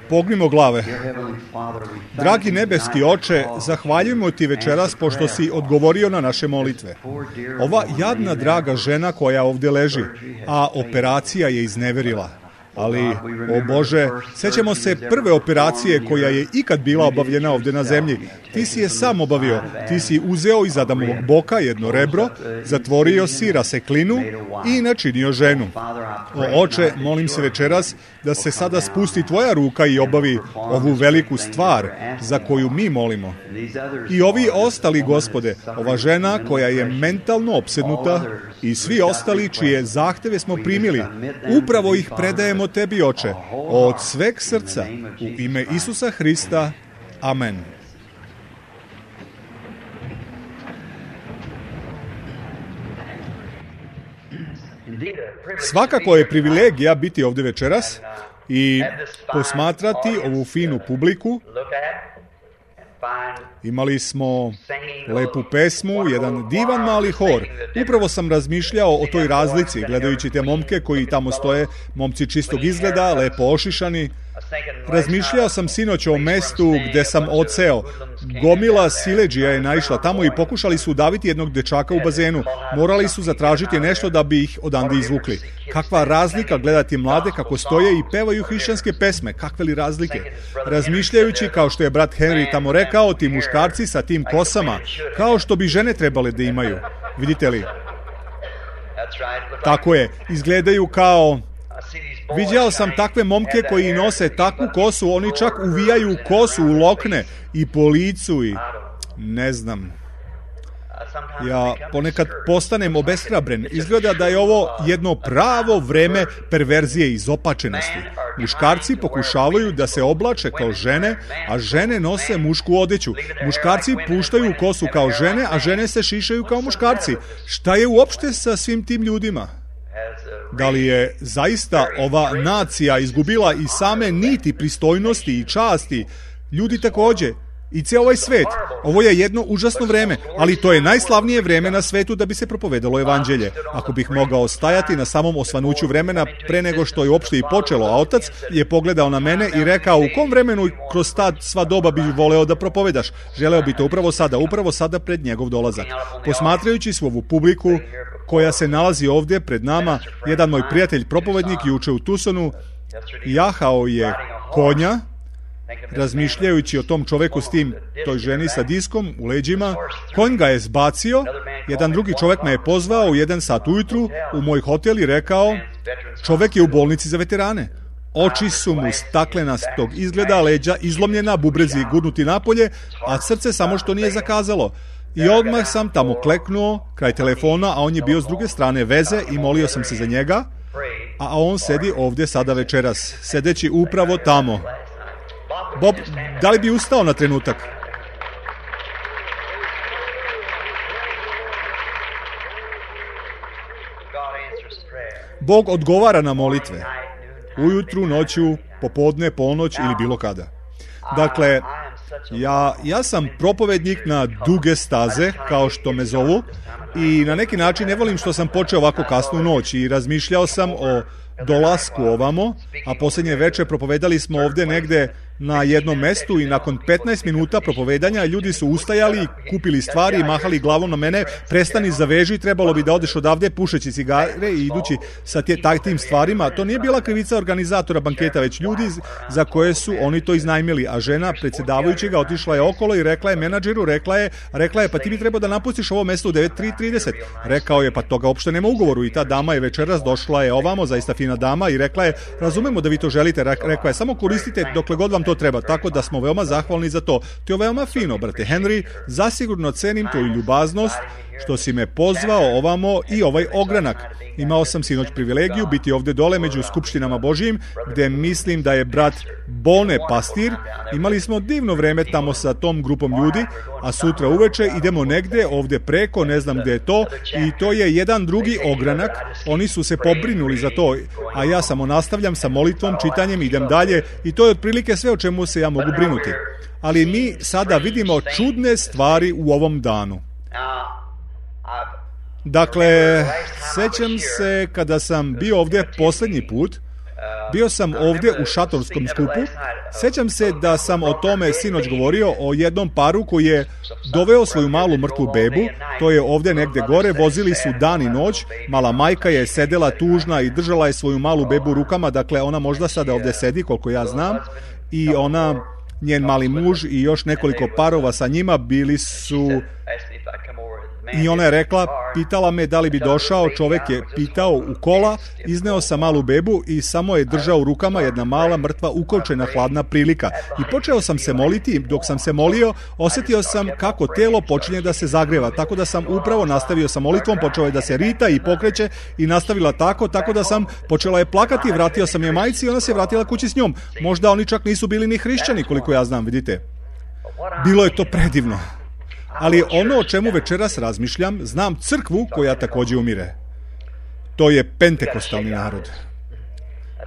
Pognimo glave. Dragi nebeski Oče, zahvaljujemo Ti večeras pošto si odgovorio na naše molitve. Ova jadna draga žena koja ovdje leži, a operacija je izneverila. Ali, o Bože, sjećamo se prve operacije koja je ikad bila obavljena ovdje na zemlji. Ti si je sam obavio. Ti si uzeo iz Adamovog boka jedno rebro, zatvorio si raseklinu i načinio ženu. O Oče, molim se večeras da se sada spusti Tvoja ruka i obavi ovu veliku stvar za koju mi molimo. I ovi ostali, Gospode, ova žena koja je mentalno opsednuta i svi ostali čije zahteve smo primili, upravo ih predajemo Tebi, Oče, od sveg srca, u ime Isusa Hrista. Amen. Svakako je privilegija biti ovdje večeras i posmatrati ovu finu publiku. Imali smo lepu pesmu, jedan divan mali hor. Upravo sam razmišljao o toj razlici, gledajući te momke koji tamo stoje, momci čistog izgleda, lepo ošišani. Razmišljao sam sinoć o mestu gde sam odseo. Gomila siledžija je naišla tamo i pokušali su udaviti jednog dečaka u bazenu. Morali su zatražiti nešto da bi ih odande izvukli. Kakva razlika gledati mlade kako stoje i pevaju hrišćanske pesme. Kakve li razlike? Razmišljajući, kao što je brat Henry tamo rekao, ti muškarci sa tim kosama, kao što bi žene trebale da imaju. Vidite li? Tako je. Izgledaju kao... Viđao sam takve momke koji nose takvu kosu, oni čak uvijaju kosu u lokne i po licu i ne znam. Ja ponekad postanem obeshrabren. Izgleda da je ovo jedno pravo vreme perverzije i izopačenosti. Muškarci pokušavaju da se oblače kao žene, a žene nose mušku odeću. Muškarci puštaju kosu kao žene, a žene se šišaju kao muškarci. Šta je uopšte sa svim tim ljudima? Da li je zaista ova nacija izgubila i same niti pristojnosti i časti? Ljudi također. I cijel ovaj svet. Ovo je jedno užasno vreme, ali to je najslavnije vreme na svetu da bi se propovedalo evanđelje. Ako bih mogao stajati na samom osvanuću vremena pre nego što je uopšte i počelo, a otac je pogledao na mene i rekao u kom vremenu kroz ta sva doba bih voleo da propovedaš. Želeo bi to upravo sada pred njegov dolazak. Posmatrajući svu ovu publiku koja se nalazi ovdje pred nama, jedan moj prijatelj propovednik juče u Tucsonu jahao je konja, razmišljajući o tom čoveku s tim, toj ženi sa diskom u leđima. Konj ga je zbacio, jedan drugi čovek me je pozvao u 1 sat ujutru u moj hotel i rekao, čovek je u bolnici za veterane. Oči su mu staklenastog izgleda, leđa izlomljena, bubrezi gurnuti napolje, a srce samo što nije zakazalo. I odmah sam tamo kleknuo kraj telefona, a on je bio s druge strane veze i molio sam se za njega, a on sedi ovdje sada večeras, sedeći upravo tamo. Bob, da li bi ustao na trenutak? Bog odgovara na molitve. Ujutru, noću, popodne, ponoć ili bilo kada. Dakle, ja sam propovednik na duge staze, kao što me zovu, i na neki način ne volim što sam počeo ovako kasnu noć i razmišljao sam o dolasku ovamo, a posljednje večer propovedali smo ovdje negde na jednom mestu i nakon 15 minuta propovedanja ljudi su ustajali, kupili stvari i mahali glavom na mene, prestani, zaveži, trebalo bi da odeš odavde pušeći cigare i idući sa tim stvarima. To nije bila krivica organizatora banketa, već ljudi za koje su oni to iznajmili, a žena predsjedavajućega otišla je okolo i rekla je menadžeru, rekla je pa ti bi trebao da napustiš ovo mesto u 9:30. Rekao je pa toga uopšte nema ugovoru i ta dama je večeras došla je ovamo, zaista fina dama, i rekla je razumemo da vi to želite, rekla je samo koristite dokle god vam to treba, tako da smo veoma zahvalni za to. To je veoma fino, brate Henry, zasigurno cenim tvoju ljubaznost što si me pozvao ovamo i ovaj ogranak. Imao sam sinoć privilegiju biti ovdje dole među skupštinama Božijim, gde mislim da je brat Bone pastir. Imali smo divno vreme tamo sa tom grupom ljudi, a sutra uveče idemo negde ovdje preko, ne znam gde je to, i to je jedan drugi ogranak. Oni su se pobrinuli za to, a ja samo nastavljam sa molitvom, čitanjem, idem dalje, i to je otprilike sve o čemu se ja mogu brinuti. Ali mi sada vidimo čudne stvari u ovom danu. Dakle, sećam se kada sam bio ovdje posljednji put, Bio sam ovdje u šatorskom skupu. Sjećam se da sam o tome sinoć govorio, o jednom paru koji je doveo svoju malu mrtvu bebu. To je ovdje negdje gore. Vozili su dan i noć. Mala majka je sedela tužna i držala je svoju malu bebu u rukama. Dakle, ona možda sada ovdje sedi, koliko ja znam. I ona, njen mali muž i još nekoliko parova sa njima bili su... I ona je rekla, pitala me da li bi došao, čovjek je pitao u kola, izneo sam malu bebu i samo je držao u rukama jedna mala mrtva ukočena hladna prilika. I počeo sam se moliti, dok sam se molio, osjetio sam kako telo počinje da se zagreva, tako da sam upravo nastavio sa molitvom, počeo je da se rita i pokreće i nastavila tako da sam počela je plakati, vratio sam je majci i ona se vratila kući s njom. Možda oni čak nisu bili ni hrišćani, koliko ja znam, vidite. Bilo je to predivno. Ali ono o čemu večeras razmišljam, znam crkvu koja također umire. To je pentekostalni narod.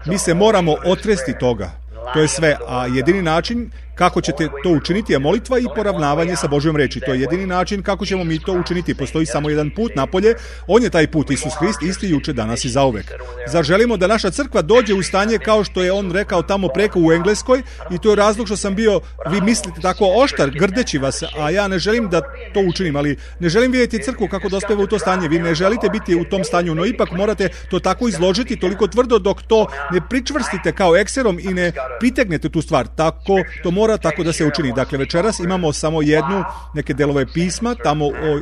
Mi se moramo otresti toga. To je sve, a jedini način kako ćete to učiniti je molitva i poravnavanje sa Božjom reči. To je jedini način kako ćemo mi to učiniti. Postoji samo jedan put napolje, on je taj put, Isus Hrist, isti juče, danas i zauvek. Zar želimo da naša crkva dođe u stanje kao što je on rekao tamo preko u Engleskoj, i to je razlog što sam bio, vi mislite tako oštar, grdeći vas, a ja ne želim da to učinim, ali ne želim vidjeti crkvu kako dospeva u to stanje. Vi ne želite biti u tom stanju, no ipak morate to tako izložiti toliko tvrdo dok to ne pričvrstite kao ekserom i ne pritegnete tu stvar. Tako to mora tako da se učini. Dakle, večeras imamo samo neke delove pisma, tamo o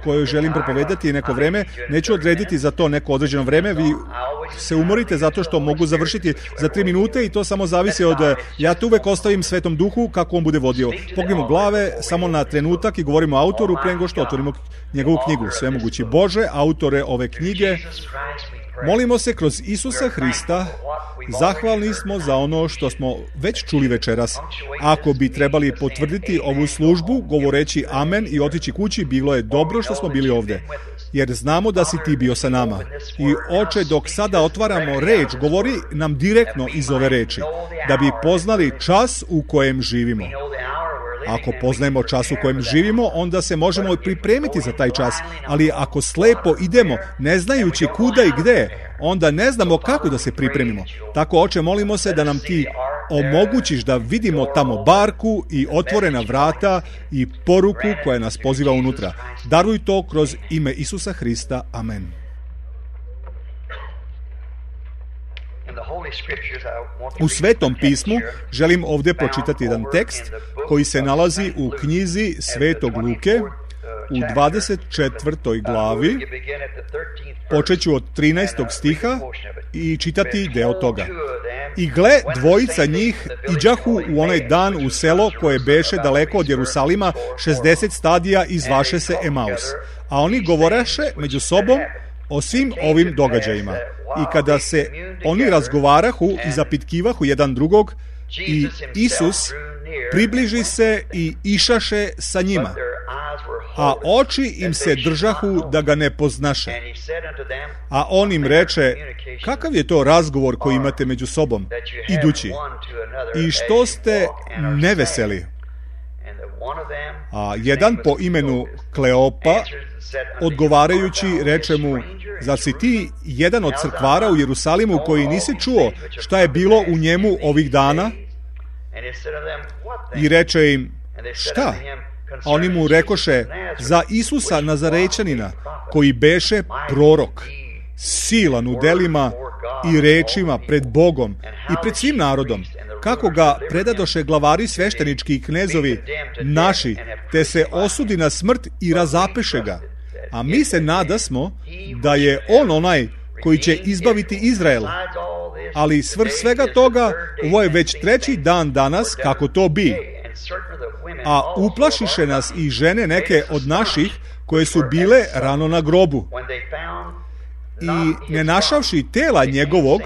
kojoj želim propovedati neko vreme. Neću odrediti za to neko određeno vreme. Vi se umorite zato što mogu završiti za 3 minute i to samo zavisi od... Ja to uvek ostavim Svetom Duhu kako on bude vodio. Pognimo glave samo na trenutak i govorimo autoru pre nego što otvorimo njegovu knjigu. Svemogući Bože, autore ove knjige, molimo se kroz Isusa Hrista, zahvalni smo za ono što smo već čuli večeras. Ako bi trebali potvrditi ovu službu, govoreći amen i otići kući, bilo je dobro što smo bili ovdje. Jer znamo da si ti bio sa nama. I Oče, dok sada otvaramo reč, govori nam direktno iz ove reči, da bi poznali čas u kojem živimo. Ako poznajemo čas u kojem živimo, onda se možemo pripremiti za taj čas, ali ako slepo idemo, ne znajući kuda i gde, onda ne znamo kako da se pripremimo. Tako, Oče, molimo se da nam ti omogućiš da vidimo tamo barku i otvorena vrata i poruku koja nas poziva unutra. Daruj to kroz ime Isusa Hrista. Amen. U Svetom pismu želim ovdje pročitati jedan tekst koji se nalazi u knjizi Svetog Luke u 24. glavi. Počet ću od 13. stiha i čitati deo toga. I gle, dvojica njih iđahu u onaj dan u selo koje beše daleko od Jerusalima 60 stadija i zvaše se Emaus. A oni govoraše među sobom o svim ovim događajima. I kada se oni razgovarahu i zapitkivahu jedan drugog, i Isus približi se i išaše sa njima, a oči im se držahu da ga ne poznaše. A on im reče, kakav je to razgovor koji imate među sobom, idući? I što ste neveseli? A jedan po imenu Kleopa, odgovarajući, reče mu, zar si ti jedan od crkvara u Jerusalimu koji nisi čuo šta je bilo u njemu ovih dana? I reče im, šta? A oni mu rekoše, za Isusa Nazarećanina, koji beše prorok, silan u delima i rečima pred Bogom i pred svim narodom, kako ga predadoše glavari sveštenički i knezovi naši, te se osudi na smrt i razapeše ga. A mi se nadasmo da je on onaj koji će izbaviti Izrael. Ali svrh svega toga, ovo je već 3. dan danas kako to bi. A uplašiše nas i žene neke od naših koje su bile rano na grobu. I ne našavši tela njegovog,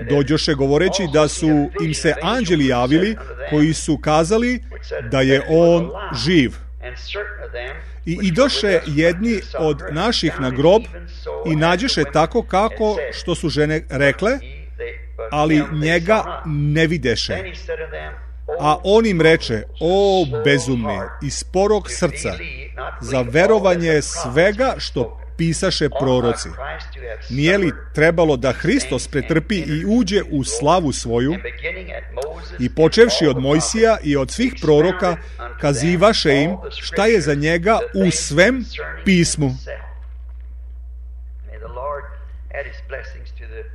dođoše govoreći da su im se anđeli javili koji su kazali da je on živ. I idoše jedni od naših na grob i nađeše tako kako što su žene rekle, ali njega ne videše. A on im reče, o bezumni i sporog srca, za verovanje svega što pisaše proroci. Nije li trebalo da Hristos pretrpi i uđe u slavu svoju i počevši od Mojsija i od svih proroka kazivaše im šta je za njega u svem pismu.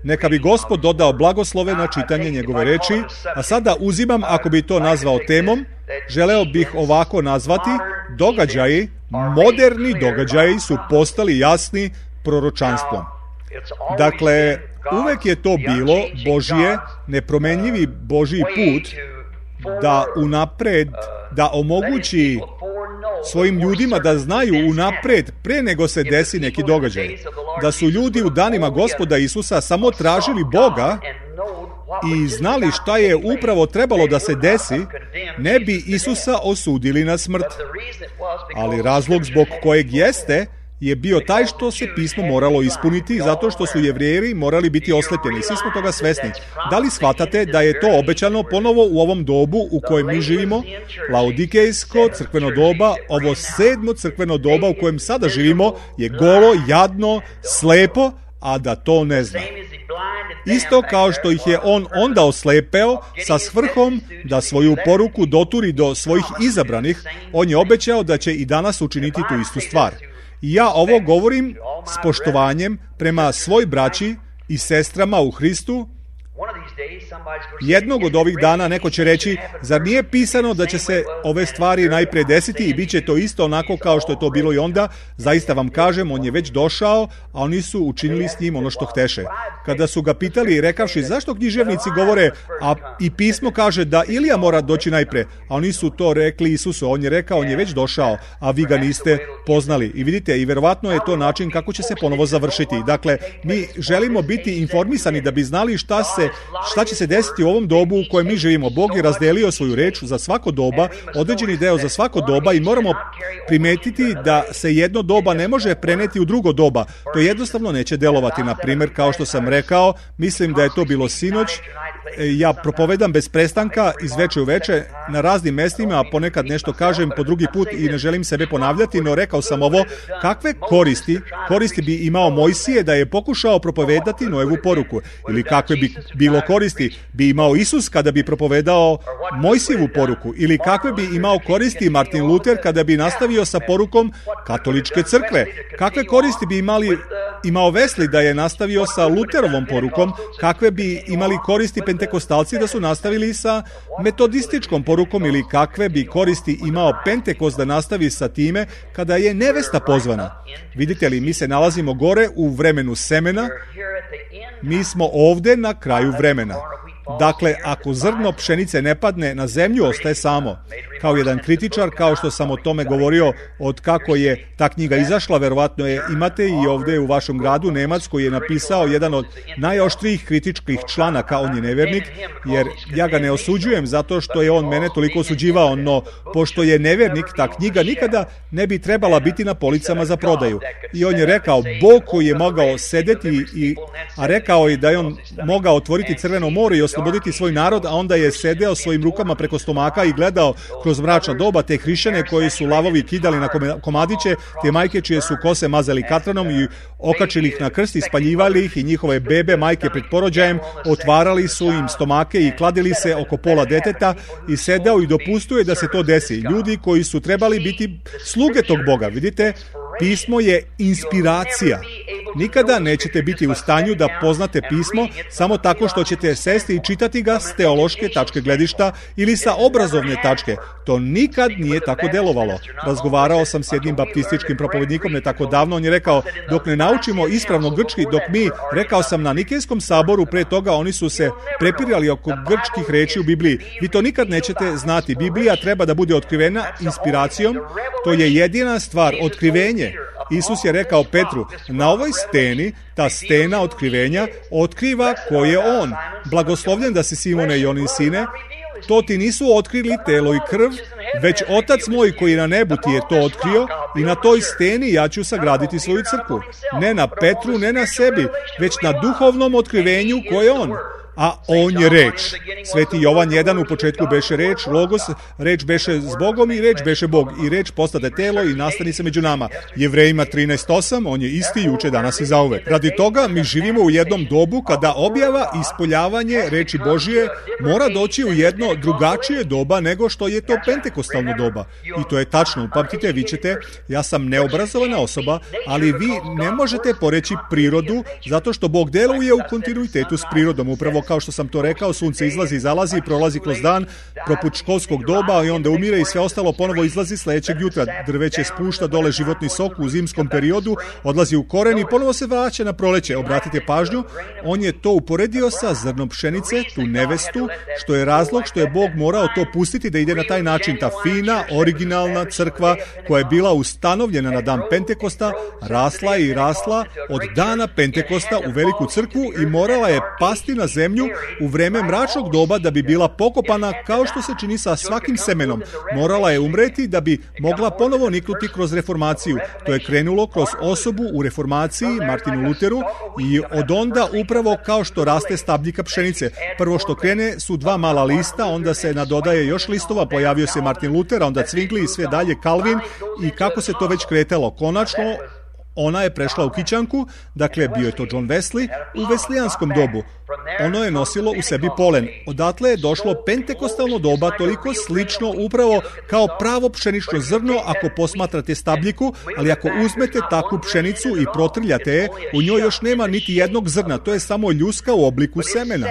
Neka bi Gospod dodao blagoslove na čitanje njegove reči, a sada uzimam, ako bi to nazvao temom, želeo bih ovako nazvati: događaji, moderni događaji su postali jasni proročanstvom. Dakle, uvek je to bilo Božije, nepromenljivi Božji put da unapred, da omogući svojim ljudima da znaju unapred, pre nego se desi neki događaj. Da su ljudi u danima Gospoda Isusa samo tražili Boga i znali šta je upravo trebalo da se desi, ne bi Isusa osudili na smrt. Ali razlog zbog kojeg jeste je bio taj što se pismo moralo ispuniti, zato što su Jevreji morali biti oslepljeni. Svi smo toga svesni. Da li shvatate da je to obećano ponovo u ovom dobu u kojem mi živimo? Laodikejsko crkveno doba, ovo 7. crkveno doba u kojem sada živimo, je golo, jadno, slepo, a da to ne zna. Isto kao što ih je on onda oslepeo sa svrhom da svoju poruku doturi do svojih izabranih, on je obećao da će i danas učiniti tu istu stvar. I ja ovo govorim s poštovanjem prema svoj braći i sestrama u Hristu. Jednog od ovih dana neko će reći: zar nije pisano da će se ove stvari najpre desiti i bit će to isto onako kao što je to bilo i onda? Zaista vam kažem, on je već došao, a oni su učinili s njim ono što hteše. Kada su ga pitali, rekavši: zašto književnici govore, a i pismo kaže da Ilija mora doći najpre, a oni su to rekli Isusu. On je rekao: on je već došao, a vi ga niste poznali. I vidite, i verovatno je to način kako će se ponovo završiti. Dakle, mi želimo biti informisani da bi znali šta će se desiti u ovom dobu u kojem mi živimo. Bog je razdelio svoju reč za svako doba, određeni deo za svako doba, i moramo primetiti da se jedno doba ne može preneti u drugo doba. To jednostavno neće delovati. Na primjer, kao što sam rekao, mislim da je to bilo sinoć, ja propovedam bez prestanka iz veče u veče na raznim mestima, a ponekad nešto kažem po drugi put i ne želim sebe ponavljati, no rekao sam ovo: kakve koristi bi imao Mojsije da je pokušao propovedati Noevu poruku, ili kakve bi bilo koristi bi imao Isus kada bi propovedao Mojsijevu poruku, ili kakve bi imao koristi Martin Luther kada bi nastavio sa porukom katoličke crkve, kakve koristi bi imao Wesley da je nastavio sa Luterovom porukom, kakve bi imali koristi pentekostalci da su nastavili sa metodističkom porukom, ili kakve bi koristi imao Pentekost da nastavi sa time kada je nevesta pozvana. Vidite li, mi se nalazimo gore u vremenu semena, mi smo ovde na kraju vremena. Dakle, ako zrno pšenice ne padne na zemlju, ostaje samo. Kao jedan kritičar, kao što sam o tome govorio od kako je ta knjiga izašla, verovatno je imate i ovde u vašem gradu, Nemac, koji je napisao jedan od najoštrijih kritičkih članaka. On je nevernik, jer ja ga ne osuđujem zato što je on mene toliko osuđivao, no pošto je nevernik, ta knjiga nikada ne bi trebala biti na policama za prodaju. I on je rekao: Bog koji je mogao sedeti, a rekao je da je on mogao otvoriti Crveno more i osloboditi svoj narod, a onda je sedeo svojim rukama preko stomaka i gledao kroz mračna doba te hrišćane koji su lavovi kidali na komadiće, te majke čije su kose mazali katranom i okačili ih na krst i spaljivali ih, i njihove bebe, majke pred porođajem, otvarali su im stomake i kladili se oko pola deteta, i sedeo i dopustuje da se to desi. Ljudi koji su trebali biti sluge tog Boga. Vidite, pismo je inspiracija. Nikada nećete biti u stanju da poznate pismo samo tako što ćete sesti i čitati ga s teološke tačke gledišta ili sa obrazovne tačke. To nikad nije tako delovalo. Razgovarao sam s jednim baptističkim propovednikom ne tako davno. On je rekao: dok ne naučimo ispravno grčki, rekao sam na Nikejskom saboru pre toga, oni su se prepirali oko grčkih reči u Bibliji. Vi to nikad nećete znati. Biblija treba da bude otkrivena inspiracijom. To je jedina stvar, otkrivenje. Isus je rekao Petru: na ovoj steni, ta stena otkrivenja, otkriva ko je on. Blagoslovljen da si, Simone i onin sine, to ti nisu otkrili telo i krv, već Otac moj koji je na nebu ti je to otkrio, i na toj steni ja ću sagraditi svoju crkvu. Ne na Petru, ne na sebi, već na duhovnom otkrivenju ko je on. a on je reč. Sveti Jovan 1 u početku beše reč, logos, reč beše s Bogom i reč beše Bog. I reč postade telo i nastani se među nama. Jevrejima 13:8, on je isti juče, danas i zauvek. Radi toga mi živimo u jednom dobu kada objava i ispoljavanje reči Božije mora doći u jedno drugačije doba nego što je to pentekostalno doba. I to je tačno. Upamtite, vi ćete, ja sam neobrazovana osoba, ali vi ne možete poreći prirodu zato što Bog deluje u kontinuitetu s prirodom. Upravo kao što sam to rekao, sunce izlazi i zalazi, prolazi kroz dan, poput školskog doba i onda umire i sve ostalo ponovo izlazi sledećeg jutra. Drveće spušta dole životni sok u zimskom periodu, odlazi u koren i ponovo se vraća na proleće. Obratite pažnju, on je to uporedio sa zrnom pšenice, tu nevestu, što je razlog što je Bog morao to pustiti da ide na taj način. Ta fina, originalna crkva koja je bila ustanovljena na dan Pentekosta, rasla i rasla od dana Pentekosta u veliku crkvu i morala je pasti na zemlju u vreme mračnog doba da bi bila pokopana kao što se čini sa svakim semenom. Morala je umreti da bi mogla ponovo niknuti kroz reformaciju. To je krenulo kroz osobu u reformaciji, Martinu Luteru, i od onda upravo kao što raste stabljika pšenice. Prvo što krene su 2 mala lista, onda se nadodaje još listova, pojavio se Martin Luter, onda Zwingli i sve dalje Calvin i kako se to već kretalo. Konačno, ona je prešla u kićanku, dakle bio je to John Wesley, u veslijanskom dobu. Ono je nosilo u sebi polen. Odatle je došlo pentekostalno doba, toliko slično upravo kao pravo pšenično zrno ako posmatrate stabljiku, ali ako uzmete takvu pšenicu i protrljate je, u njoj još nema niti jednog zrna, to je samo ljuska u obliku semena.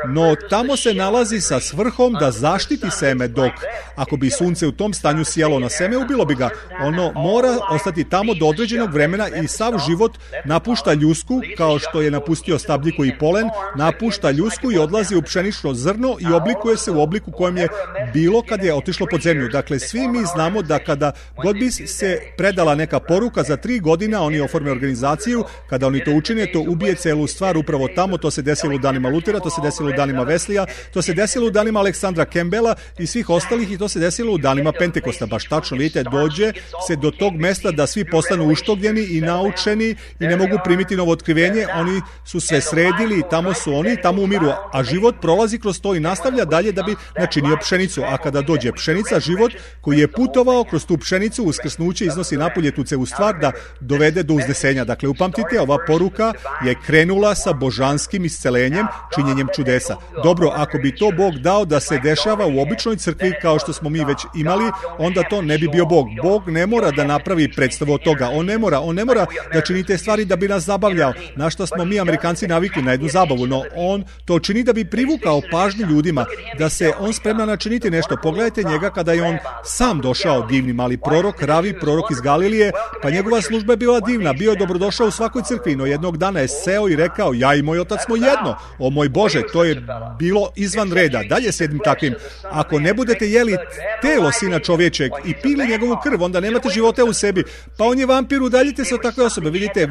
No tamo se nalazi sa svrhom da zaštiti seme, dok ako bi sunce u tom stanju sijalo na seme, ubilo bi ga. Ono mora ostati tamo do određenog vremena i sav život napušta ljusku, kao što je napustio stabljiku i polen, napušta ljusku i odlazi u pšenično zrno i oblikuje se u obliku kojem je bilo kad je otišlo pod zemlju. Dakle, svi mi znamo da kada god bi se predala neka poruka, za 3 godina oni oforme organizaciju, kada oni to učine, to ubije celu stvar upravo tamo. To se desilo u danima Lutera, to se desilo u danima Weslija, to se desilo u danima Aleksandra Campbella i svih ostalih i to se desilo u danima Pentekosta. Baš tačno, vidite, dođe se do tog mesta da svi postanu uštogljeni i naučeni i ne mogu primiti novo otkrivenje. Oni su sve sredili i tamo su oni, tamo umiru, a život prolazi kroz to i nastavlja dalje da bi načinio pšenicu. A kada dođe pšenica, život koji je putovao kroz tu pšenicu, uskrsnuće iznosi napolje tu celu stvar da dovede do uznesenja. Dakle, upamtite, ova poruka je krenula sa božanskim iscelenjem, činjenjem čudesa. Dobro, ako bi to Bog dao da se dešava u običnoj crkvi kao što smo mi već imali, onda to ne bi bio Bog. Bog ne mora da napravi predstavu od toga. On ne mora da čini te stvari da bi nas zabavljao. Na što smo mi Amerikanci navikli, na jednu zabavu, no on to čini da bi privukao pažnju ljudima, da se on spremna načiniti nešto. Pogledajte njega kada je on sam došao, divni mali prorok, ravi prorok iz Galilije, pa njegova služba je bila divna, bio je dobrodošao u svakoj crkvi, no jednog dana je seo i rekao, ja i moj otac smo jedno. O moj Bože, to je bilo izvan reda. Dalje s jednim takvim. Ako ne budete jeli telo sina čovječeg i pili njegovu krv, onda nemate života u sebi. Pa on je vampir, udaljite se od takve osobe. Vidite,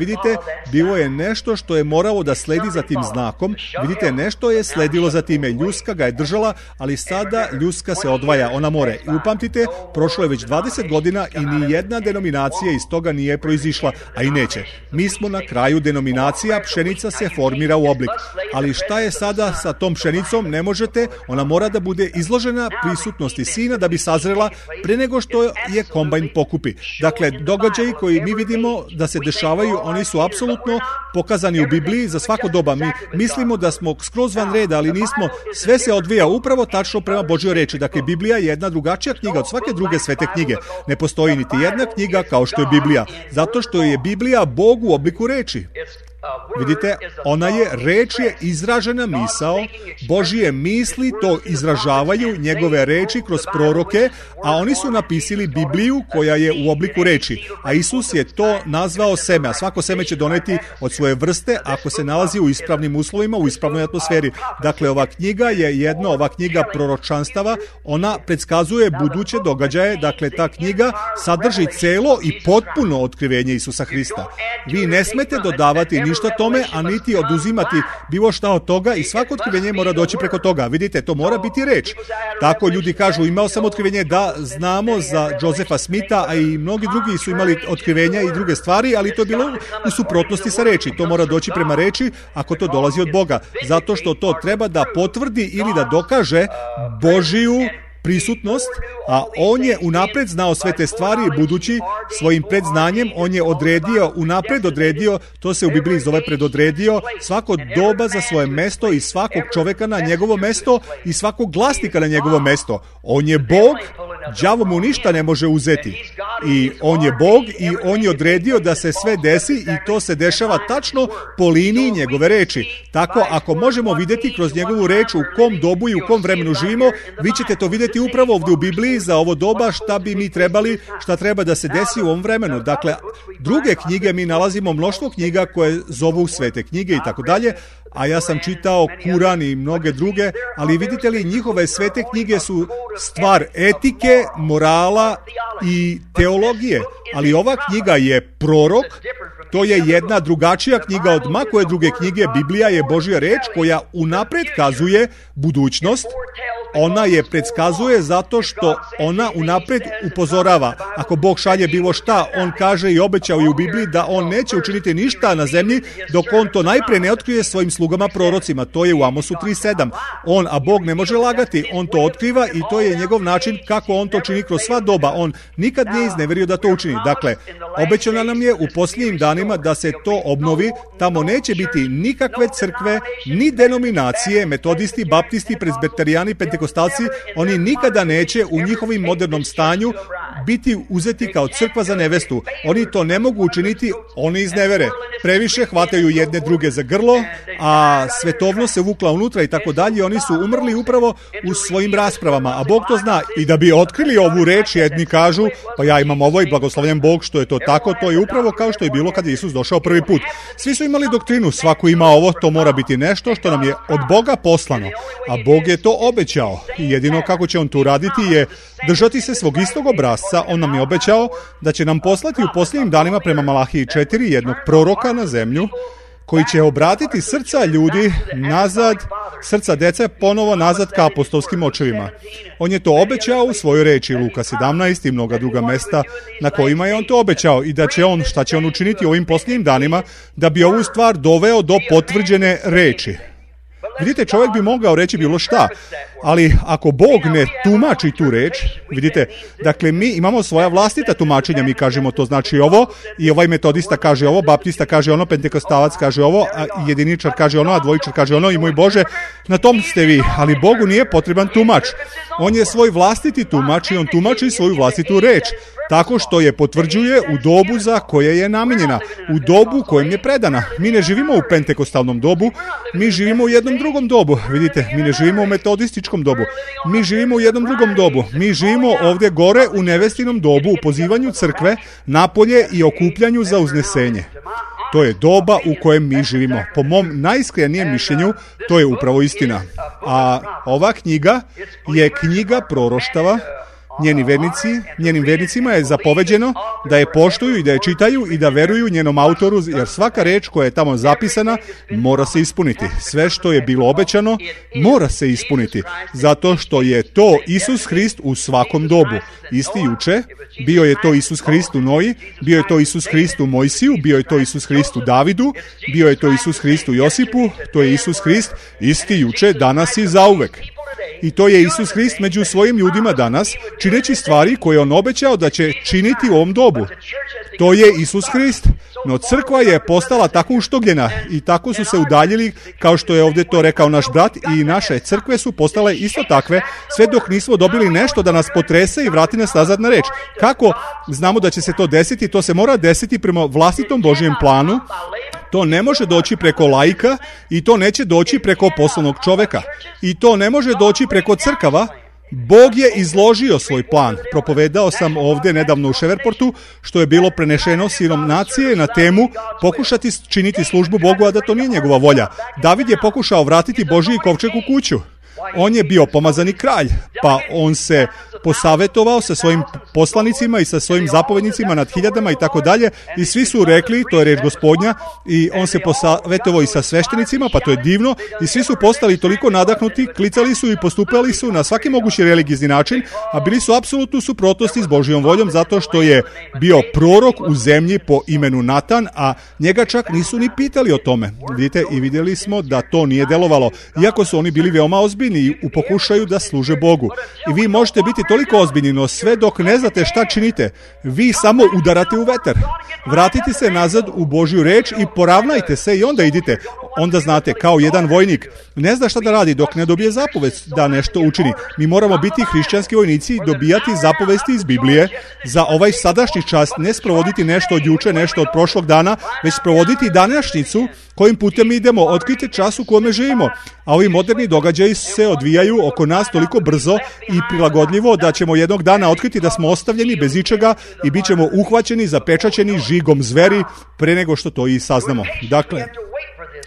bilo je nešto što je moralo da sledi za tim znakom. Vidite, nešto je sledilo za time. Ljuska ga je držala, ali sada ljuska se odvaja, ona more. I upamtite, prošlo je već 20 godina i ni jedna denominacija iz toga nije proizišla, a i neće. Mi smo na kraju denominacija, pšenica se formira u oblik. Ali šta je sada sa tom pšenicom? Ne možete, ona mora da bude izložena prisutnosti sina da bi sazrela pre nego što je kombajn pokupi. Dakle, događaji koji mi vidimo da se dešavaju, oni su apsolutno pokazani u Bibliji za svako doba. Mi mislimo da smo skroz van reda, ali nismo. Sve se odvija upravo tačno prema Božjoj reči. Dakle, Biblija je jedna drugačija knjiga od svake druge svete knjige. Ne postoji niti jedna knjiga kao što je Biblija, zato što je Biblija Bog u obliku reči. Vidite, reč je izražena misao, Božije misli to izražavaju, njegove reči kroz proroke, a oni su napisali Bibliju koja je u obliku reči. A Isus je to nazvao seme, a svako seme će doneti od svoje vrste ako se nalazi u ispravnim uslovima, u ispravnoj atmosferi. Dakle, ova knjiga proročanstava, ona predskazuje buduće događaje, dakle, ta knjiga sadrži celo i potpuno otkrivenje Isusa Hrista. Vi ne smete dodavati ništa tome, a niti oduzimati bilo šta od toga i svako otkrivenje mora doći preko toga. Vidite, to mora biti reč. Tako ljudi kažu, imao sam otkrivenje, da, znamo za Josefa Smitha, a i mnogi drugi su imali otkrivenja i druge stvari, ali to je bilo u suprotnosti sa reči. To mora doći prema reči ako to dolazi od Boga. Zato što to treba da potvrdi ili da dokaže Božiju prisutnost, a on je unapred znao sve te stvari, budući svojim predznanjem, on je unapred odredio, to se u Bibliji zove predodredio, svako doba za svoje mesto i svakog čoveka na njegovo mesto i svakog glasnika na njegovo mesto. On je Bog, đavo mu ništa ne može uzeti. I on je Bog i on je odredio da se sve desi i to se dešava tačno po liniji njegove reči. Tako, ako možemo vidjeti kroz njegovu reč u kom dobu i u kom vremenu živimo, vi ćete to vidjeti upravo ovdje u Bibliji za ovo doba šta bi mi trebali, šta treba da se desi u ovom vremenu. Dakle, druge knjige mi nalazimo mnoštvo knjiga koje zovu svete knjige i tako dalje, a ja sam čitao Kuran i mnoge druge, ali vidite li, njihove svete knjige su stvar etike, morala i teologije, ali ova knjiga je prorok, to je jedna drugačija knjiga od koje druge knjige. Biblija je Božja reč koja unapred kazuje budućnost. Ona je predskazuje zato što ona unapred upozorava. Ako Bog šalje bilo šta, on kaže i obećao i u Bibliji da on neće učiniti ništa na zemlji dok on to najpre ne otkrije svojim slugama prorocima. To je u Amosu 3:7. A Bog ne može lagati, on to otkriva i to je njegov način kako on to čini kroz sva doba. On nikad nije izneverio da to učini. Dakle, obećano nam je u posljednjim danima da se to obnovi. Tamo neće biti nikakve crkve, ni denominacije, metodisti, baptisti, prezbiterijani, pentekostalci. Oni nikada neće u njihovim modernom stanju biti uzeti kao crkva za nevestu. Oni to ne mogu učiniti, oni iznevere. Previše hvataju jedne druge za grlo, a svetovnost se vukla unutra i tako dalje. Oni su umrli upravo u svojim raspravama, a Bog to zna. I da bi otkrili ovu reč, jedni kažu, pa ja imam ovo i blagoslavljen Bog što je to tako, to je upravo kao što je bilo kad je Isus došao prvi put. Svi su imali doktrinu, svako ima ovo, to mora biti nešto što nam je od Boga poslano, a Bog je to obećao. I jedino kako će on to uraditi je držati se svog istog obrasca. On nam je obećao da će nam poslati u posljednjim danima prema Malahiji 4 jednog proroka na zemlju koji će obratiti srca ljudi nazad, srca dece ponovo nazad ka apostolskim očevima. On je to obećao u svojoj reči, Luka 17 i mnoga druga mesta na kojima je on to obećao i da će on, šta će on učiniti u ovim posljednjim danima da bi ovu stvar doveo do potvrđene reči. Vidite, čovjek bi mogao reći bilo šta, ali ako Bog ne tumači tu reč, vidite, dakle mi imamo svoja vlastita tumačenja, mi kažemo to znači ovo i ovaj metodista kaže ovo, baptista kaže ono, pentekostalac kaže ovo, a jediničar kaže ono, a dvojičar kaže ono i moj Bože, na tom ste vi, ali Bogu nije potreban tumač. On je svoj vlastiti tumač i on tumači svoju vlastitu reč, tako što je potvrđuje u dobu za koje je namijenjena, u dobu kojem je predana. Mi ne živimo u pentekostalnom dobu, mi živimo u jednom drugom dobu. Vidite, mi ne živimo u metodističkom dobu, mi živimo u jednom drugom dobu. Mi živimo ovdje gore u nevestinom dobu, u pozivanju crkve, napolje i okupljanju za uznesenje. To je doba u kojem mi živimo. Po mom najiskrenijem mišljenju, to je upravo istina. A ova knjiga je knjiga proroštava. Njenim vernicima je zapoveđeno da je poštuju i da je čitaju i da veruju njenom autoru, jer svaka reč koja je tamo zapisana mora se ispuniti. Sve što je bilo obećano mora se ispuniti, zato što je to Isus Hrist u svakom dobu. Isti juče, bio je to Isus Hrist u Noji, bio je to Isus Hrist u Mojsiju, bio je to Isus Hrist u Davidu, bio je to Isus Hrist u Josipu, to je Isus Hrist isti juče, danas i zauvek. I to je Isus Hrist među svojim ljudima danas, čineći stvari koje on obećao da će činiti u ovom dobu. To je Isus Hrist, no crkva je postala tako uštogljena i tako su se udaljili, kao što je ovdje to rekao naš brat, i naše crkve su postale isto takve, sve dok nismo dobili nešto da nas potrese i vrati nas nazad na reč. Kako znamo da će se to desiti? To se mora desiti prema vlastitom Božjem planu. To ne može doći preko laika i to neće doći preko poslovnog čoveka. I to ne može doći preko crkava. Bog je izložio svoj plan. Propovedao sam ovdje nedavno u Ševerportu, što je bilo prenešeno sinom nacije na temu pokušati činiti službu Bogu, a da to nije njegova volja. David je pokušao vratiti Božji kovčeg u kuću. On je bio pomazani kralj, pa on se posavetovao sa svojim poslanicima i sa svojim zapovednicima nad hiljadama i tako dalje, i svi su rekli, to je reč Gospodnja, i on se posavetovao i sa sveštenicima, pa to je divno, i svi su postali toliko nadahnuti, klicali su i postupali su na svaki mogući religijski način, a bili su apsolutno u suprotnosti s Božjom voljom, zato što je bio prorok u zemlji po imenu Natan, a njega čak nisu ni pitali o tome. Vidite, i vidjeli smo da to nije delovalo, iako su oni bili veoma ozbiljni u pokušaju da služe Bogu. I vi možete biti toliko ozbiljni, no sve dok ne znate šta činite, vi samo udarate u vetar. Vratite se nazad u Božju reč i poravnajte se i onda idite. Onda znate, kao jedan vojnik ne zna šta da radi dok ne dobije zapovest da nešto učini. Mi moramo biti hrišćanski vojnici i dobijati zapovesti iz Biblije za ovaj sadašnji čas, ne sprovoditi nešto od juče, nešto od prošlog dana, već sprovoditi današnjicu kojim putem idemo, otkrite čas u kome živimo. A ovi moderni događaji se odvijaju oko nas toliko brzo i prilagodljivo da ćemo jednog dana otkriti da smo ostavljeni bez ičega i bit ćemo uhvaćeni, zapečaćeni žigom zveri pre nego što to i saznamo. Dakle,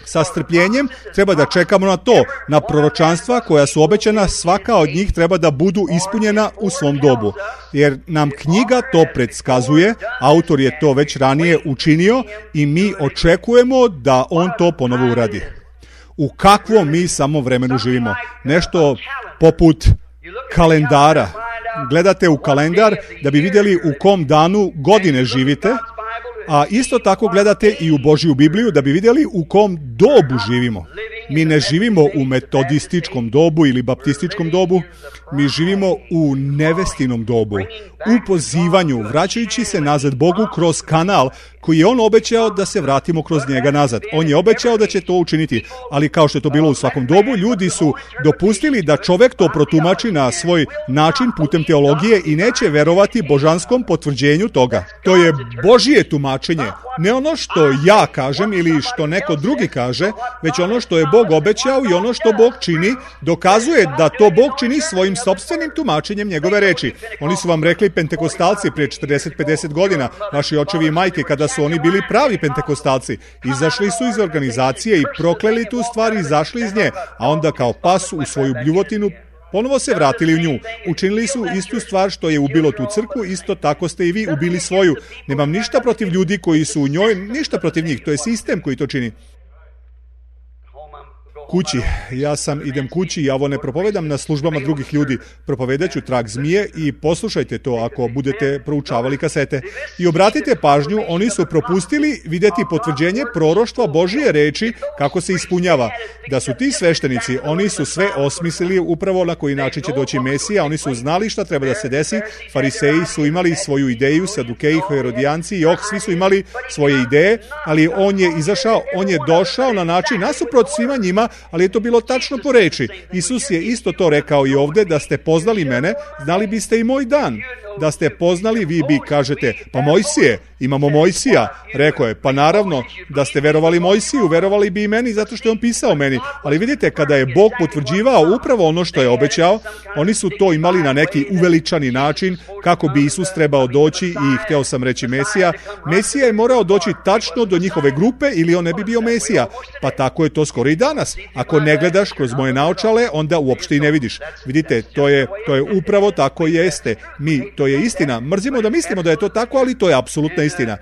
sa strpljenjem treba da čekamo na to, na proročanstva koja su obećana, svaka od njih treba da budu ispunjena u svom dobu. Jer nam knjiga to predskazuje, autor je to već ranije učinio i mi očekujemo da on to ponovo uradi. U kakvom mi samo vremenu živimo? Nešto poput kalendara. Gledate u kalendar da bi vidjeli u kom danu godine živite, a isto tako gledate i u Božju Bibliju da bi vidjeli u kom dobu živimo. Mi ne živimo u metodističkom dobu ili baptističkom dobu, mi živimo u nevestinom dobu, u pozivanju, vraćajući se nazad Bogu kroz kanal koji je on obećao da se vratimo kroz njega nazad. On je obećao da će to učiniti, ali kao što je to bilo u svakom dobu, ljudi su dopustili da čovjek to protumači na svoj način putem teologije i neće verovati božanskom potvrđenju toga. To je Božje tumačenje, ne ono što ja kažem ili što neko drugi kaže, već ono što je Bog obećao i ono što Bog čini, dokazuje da to Bog čini svojim sopstvenim tumačenjem njegove reči. Oni su vam rekli pentekostalci prije 40-50 godina, vaši očevi i majke, kada su oni bili pravi pentekostalci. Izašli su iz organizacije i prokleli tu stvar i izašli iz nje, a onda kao pas u svoju bljuvotinu ponovo se vratili u nju. Učinili su istu stvar što je ubilo tu crkvu, isto tako ste i vi ubili svoju. Nemam ništa protiv ljudi koji su u njoj, ništa protiv njih, to je sistem koji to čini. Kući. Idem kući i ja ovo ne propovedam na službama drugih ljudi. Propovedat ću trag zmije i poslušajte to ako budete proučavali kasete. I obratite pažnju, oni su propustili vidjeti potvrđenje proroštva Božije reči kako se ispunjava. Da su ti sveštenici, oni su sve osmislili upravo na koji način će doći Mesija, oni su znali šta treba da se desi, fariseji su imali svoju ideju, sadukeji, herodijanci i svi su imali svoje ideje, ali on je izašao, on je došao na način nasuprot svima njima, ali je to bilo tačno po reči. Isus je isto to rekao i ovdje, da ste poznali mene, znali biste i moj dan. Da ste poznali, vi bi kažete, pa Mojsije, imamo Mojsija. Rekao je, pa naravno, da ste verovali Mojsiju, verovali bi i meni zato što je on pisao meni. Ali vidite, kada je Bog potvrđivao upravo ono što je obećao, oni su to imali na neki uveličani način, kako bi Isus trebao doći i hteo sam reći Mesija. Mesija je morao doći tačno do njihove grupe ili on ne bi bio Mesija. Pa tako je to skoro i danas. Ako ne gledaš kroz moje naočale, onda uopšte i ne vidiš. Vidite, to je upravo tako jeste. To je istina. Mrzimo da mislimo da je to tako, ali to je apsolutna istina.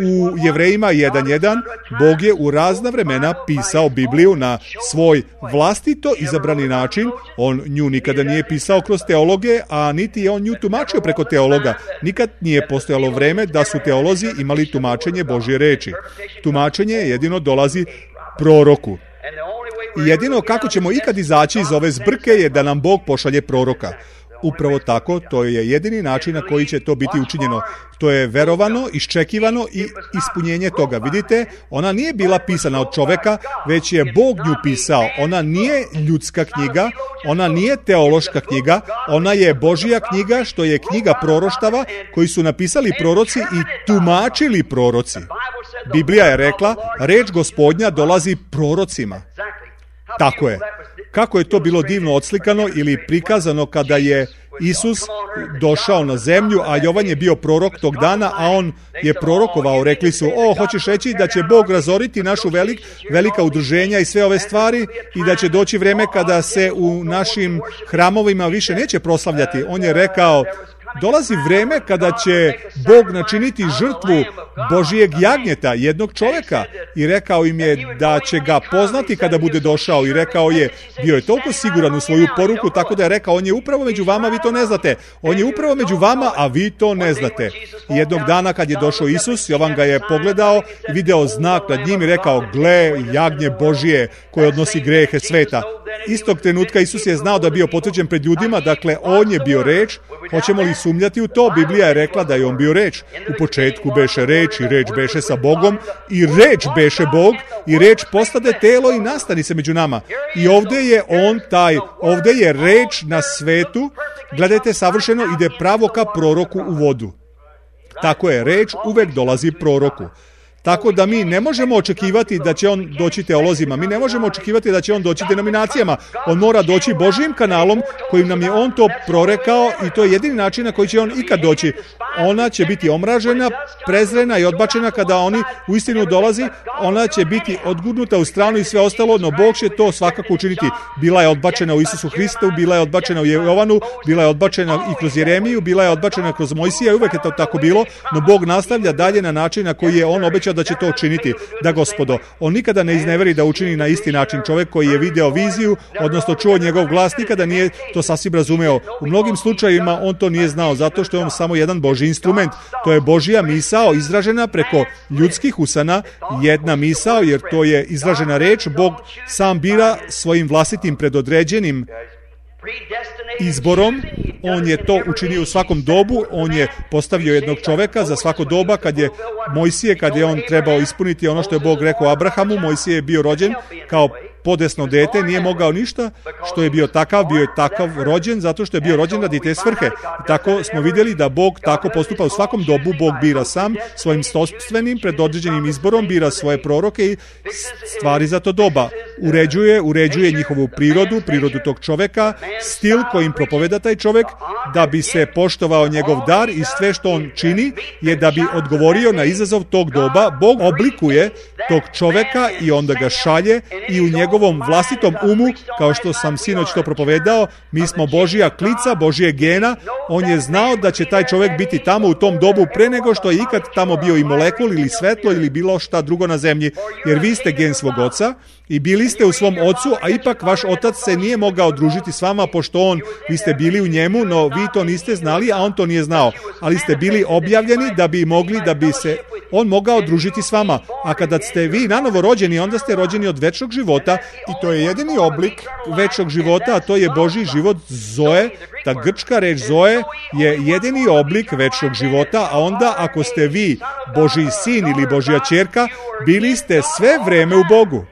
U Jevrejima 1.1 Bog je u razna vremena pisao Bibliju na svoj vlastito izabrani način. On nju nikada nije pisao kroz teologe, a niti je on nju tumačio preko teologa. Nikad nije postojalo vreme da su teolozi imali tumačenje Božje reči. Tumačenje jedino dolazi proroku. I jedino kako ćemo ikad izaći iz ove zbrke je da nam Bog pošalje proroka. Upravo tako, to je jedini način na koji će to biti učinjeno. To je verovano, iščekivano i ispunjenje toga. Vidite, ona nije bila pisana od čoveka, već je Bog nju pisao. Ona nije ljudska knjiga, ona nije teološka knjiga, ona je Božja knjiga, što je knjiga proroštava koji su napisali proroci i tumačili proroci. Biblija je rekla, reč Gospodnja dolazi prorocima. Tako je. Kako je to bilo divno odslikano ili prikazano kada je Isus došao na zemlju, a Jovan je bio prorok tog dana, a on je prorokovao. Rekli su, hoćeš reći da će Bog razoriti našu velika udruženja i sve ove stvari i da će doći vreme kada se u našim hramovima više neće proslavljati. On je rekao, dolazi vreme kada će Bog načiniti žrtvu Božijeg jagnjeta, jednog čovjeka, i rekao im je da će ga poznati kada bude došao, i rekao je, bio je toliko siguran u svoju poruku, tako da je rekao, on je upravo među vama, vi to ne znate. On je upravo među vama, a vi to ne znate. I jednog dana kad je došao Isus, Jovan ga je pogledao, video znak nad njim i rekao, gle, jagnje Božije koje odnosi grehe sveta. Istog trenutka Isus je znao da je bio potvrđen pred ljudima, dakle on je bio reč. Hoćemo li sumnjati u to? Biblija je rekla da je on bio reč. U početku beše reč i reč beše sa Bogom i reč beše Bog i reč postade telo i nastani se među nama. I ovdje je on taj, ovdje je reč na svetu, gledajte, savršeno ide pravo ka proroku u vodu. Tako je, reč uvek dolazi proroku. Tako da mi ne možemo očekivati da će on doći teolozima, mi ne možemo očekivati da će on doći denominacijama. On mora doći Božijim kanalom kojim nam je on to prorekao i to je jedini način na koji će on ikad doći. Ona će biti omražena, prezrena i odbačena kada oni uistinu dolazi. Ona će biti odgurnuta u stranu i sve ostalo, no Bog će to svakako učiniti. Bila je odbačena u Isusu Hristu, bila je odbačena u Jovanu, bila je odbačena i kroz Jeremiju, bila je odbačena kroz Mojsija, uvek je to tako bilo, no Bog nastavlja dalje na način na koji je on obećao da će to učiniti. Da, Gospodo, on nikada ne izneveri da učini na isti način. Čovjek koji je video viziju, odnosno čuo njegov glas, nikada nije to sasvim razumeo. U mnogim slučajevima on to nije znao, zato što je on samo jedan Božji instrument. To je Božja misao izražena preko ljudskih usana, jedna misao, jer to je izražena reč. Bog sam bira svojim vlastitim predodređenim izborom. On je to učinio u svakom dobu. On je postavio jednog čoveka za svako doba. Kad je Mojsije, kad je on trebao ispuniti ono što je Bog rekao Abrahamu, Mojsije je bio rođen kao podesno dete, nije mogao ništa, što je bio je takav rođen, zato što je bio rođen radi te svrhe. I tako smo vidjeli da Bog tako postupa u svakom dobu. Bog bira sam svojim sopstvenim predodređenim izborom, bira svoje proroke i stvari za to doba. Uređuje njihovu prirodu tog čoveka, stil kojim propoveda taj čovek, da bi se poštovao njegov dar, i sve što on čini je da bi odgovorio na izazov tog doba. Bog oblikuje tog čoveka i onda ga šalje, i u njegovom vlastitom umu, kao što sam sinoć to propovedao, mi smo Božija klica, Božije gena. On je znao da će taj čovjek biti tamo u tom dobu pre nego što je ikad tamo bio i molekul ili svetlo ili bilo šta drugo na zemlji, jer vi ste gen svog oca i bili ste u svom ocu, a ipak vaš otac se nije mogao družiti s vama, pošto vi ste bili u njemu, no vi to niste znali, a on to nije znao, ali ste bili objavljeni da bi mogli, da bi se on mogao družiti s vama. A kada ste vi nanovo rođeni, onda ste rođeni od večnog života, i to je jedini oblik večnog života, a to je Božji život, Zoe. Ta grčka reč Zoe je jedini oblik večnog života, a onda ako ste vi Božji sin ili Božja ćerka, bili ste sve vreme u Bogu.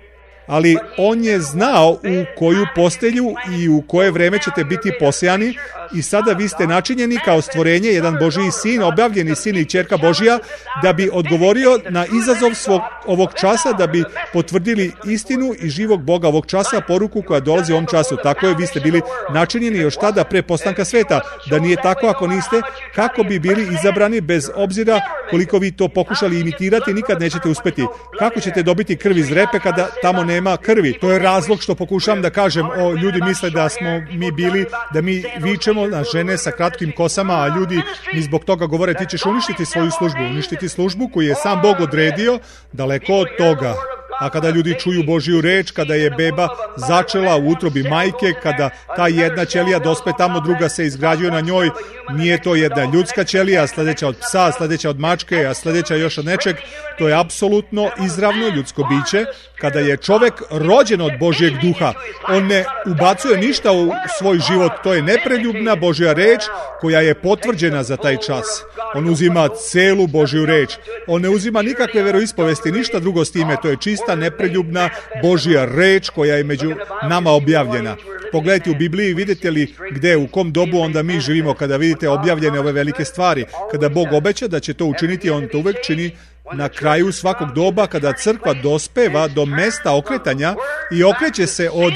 Ali on je znao u koju postelju i u koje vreme ćete biti posejani, i sada vi ste načinjeni kao stvorenje, jedan Božji sin, objavljeni sin i ćerka Božja, da bi odgovorio na izazov ovog časa, da bi potvrdili istinu i živog Boga ovog časa, poruku koja dolazi u ovom času. Tako je, vi ste bili načinjeni još tada pre postanka sveta. Da nije tako, ako niste, kako bi bili izabrani, bez obzira koliko vi to pokušali imitirati, nikad nećete uspeti. Kako ćete dobiti krv iz repe kada tamo nema krvi? To je razlog što pokušavam da kažem. Ljudi misle da smo mi bili, da mi vičemo na žene sa kratkim kosama, a ljudi mi zbog toga govore, ti ćeš uništiti svoju službu, uništiti službu koju je sam Bog odredio. Daleko od toga. A kada ljudi čuju Božju reč, kada je beba začela u utrobi majke, kada ta jedna ćelija dospe tamo, druga se izgrađuje na njoj, nije to jedna ljudska ćelija, sljedeća od psa, sljedeća od mačke, a sljedeća još od nečeg, to je apsolutno izravno ljudsko biće. Kada je čovek rođen od Božjeg duha, on ne ubacuje ništa u svoj život, to je nepreljubna Božja reč koja je potvrđena za taj čas. On uzima celu Božju reč, on ne uzima nikakve veroispovesti, ništa drugo s time, to je čista nepreljubna Božja reč koja je među nama objavljena. Pogledajte u Bibliji, vidite li gde, u kom dobu onda mi živimo kada vidite objavljene ove velike stvari. Kada Bog obeća da će to učiniti, on to uvek čini na kraju svakog doba, kada crkva dospeva do mesta okretanja i okreće se od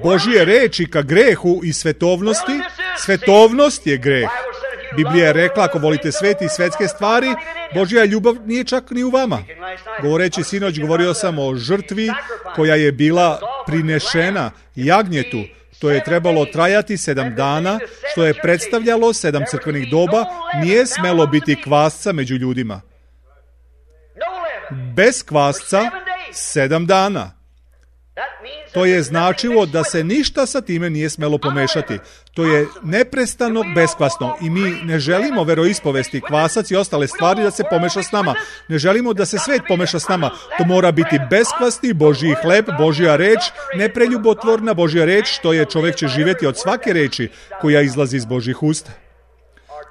Božje reči ka grehu i svetovnosti, Svetovnost je greh. Biblija je rekla, ako volite svet i svetske stvari, Božja ljubav nije čak ni u vama. Govoreći sinoć, govorio sam o žrtvi koja je bila prinešena jagnjetu. To je trebalo trajati 7 dana, što je predstavljalo 7 crkvenih doba, nije smelo biti kvasca među ljudima. Bez kvasca 7 dana. To je značilo da se ništa sa time nije smelo pomešati. To je neprestano beskvasno i mi ne želimo veroispovesti, kvasac i ostale stvari da se pomeša s nama. Ne želimo da se svet pomeša s nama. To mora biti beskvasni Božji hleb, Božja reč, nepreljubotvorna Božja reč, što je čovjek će živjeti od svake reči koja izlazi iz Božjih usta.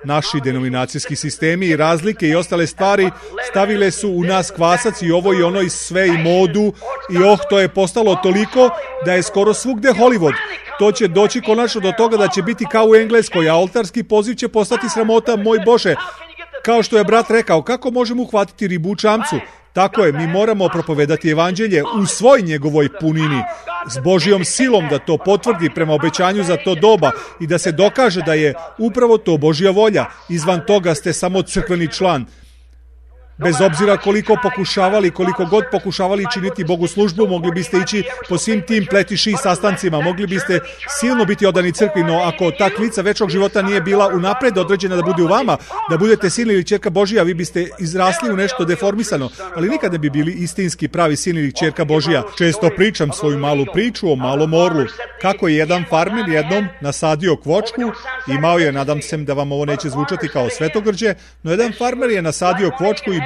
Naši denominacijski sistemi i razlike i ostale stvari stavile su u nas kvasac i ovo i ono i sve i modu i to je postalo toliko da je skoro svugde Hollywood. To će doći konačno do toga da će biti kao u Engleskoj, a oltarski poziv će postati sramota, moj Bože. Kao što je brat rekao, kako možemo uhvatiti ribu u čamcu? Tako je, mi moramo propovedati evanđelje u svoj njegovoj punini, s Božjom silom da to potvrdi prema obećanju za to doba i da se dokaže da je upravo to Božja volja. Izvan toga ste samo crkveni član. Bez obzira koliko god pokušavali činiti Bogu službu, mogli biste ići po svim tim pletiši i sastancima, mogli biste silno biti odani crkvi, no ako ta klica večnog života nije bila unapred određena da bude u vama, da budete sin ili ćerka Božija, vi biste izrasli u nešto deformisano, ali nikad ne bi bili istinski pravi sin ili ćerka Božija. Često pričam svoju malu priču o malom orlu, kako je jedan farmer jednom nasadio kvočku, imao je, nadam se da vam ovo neće zvučati kao svetogrđe, no jedan farmer je nasadio kvočku i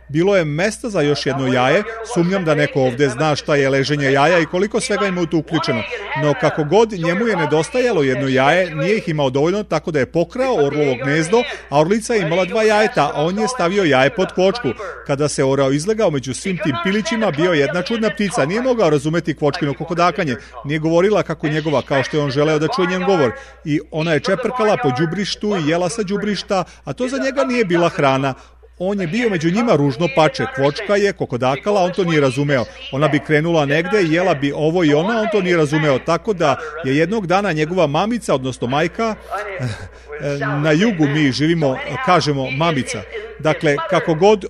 bilo je mesta za još jedno jaje. Sumnjam da neko ovdje zna šta je leženje jaja i koliko svega ima u to uključeno. No kako god, njemu je nedostajalo jedno jaje, nije ih imao dovoljno, tako da je pokrao orlovo gnezdo, a orlica je imala 2 jajeta, a on je stavio jaje pod kvočku. Kada se orao izlegao među svim tim pilićima, bio jedna čudna ptica. Nije mogao razumeti kvočkino kokodakanje. Nije govorila kako njegova, kao što je on želeo da čuje njen govor. I ona je čeprkala po đubrištu i jela sa đubrišta, a to za njega nije bila hrana. On je bio među njima ružno pače. Kvočka je kokodakala, on to nije razumeo. Ona bi krenula negde i jela bi ovo i ona, on to nije razumeo. Tako da je jednog dana njegova mamica, odnosno majka, na jugu mi živimo, kažemo mamica. Dakle, kako god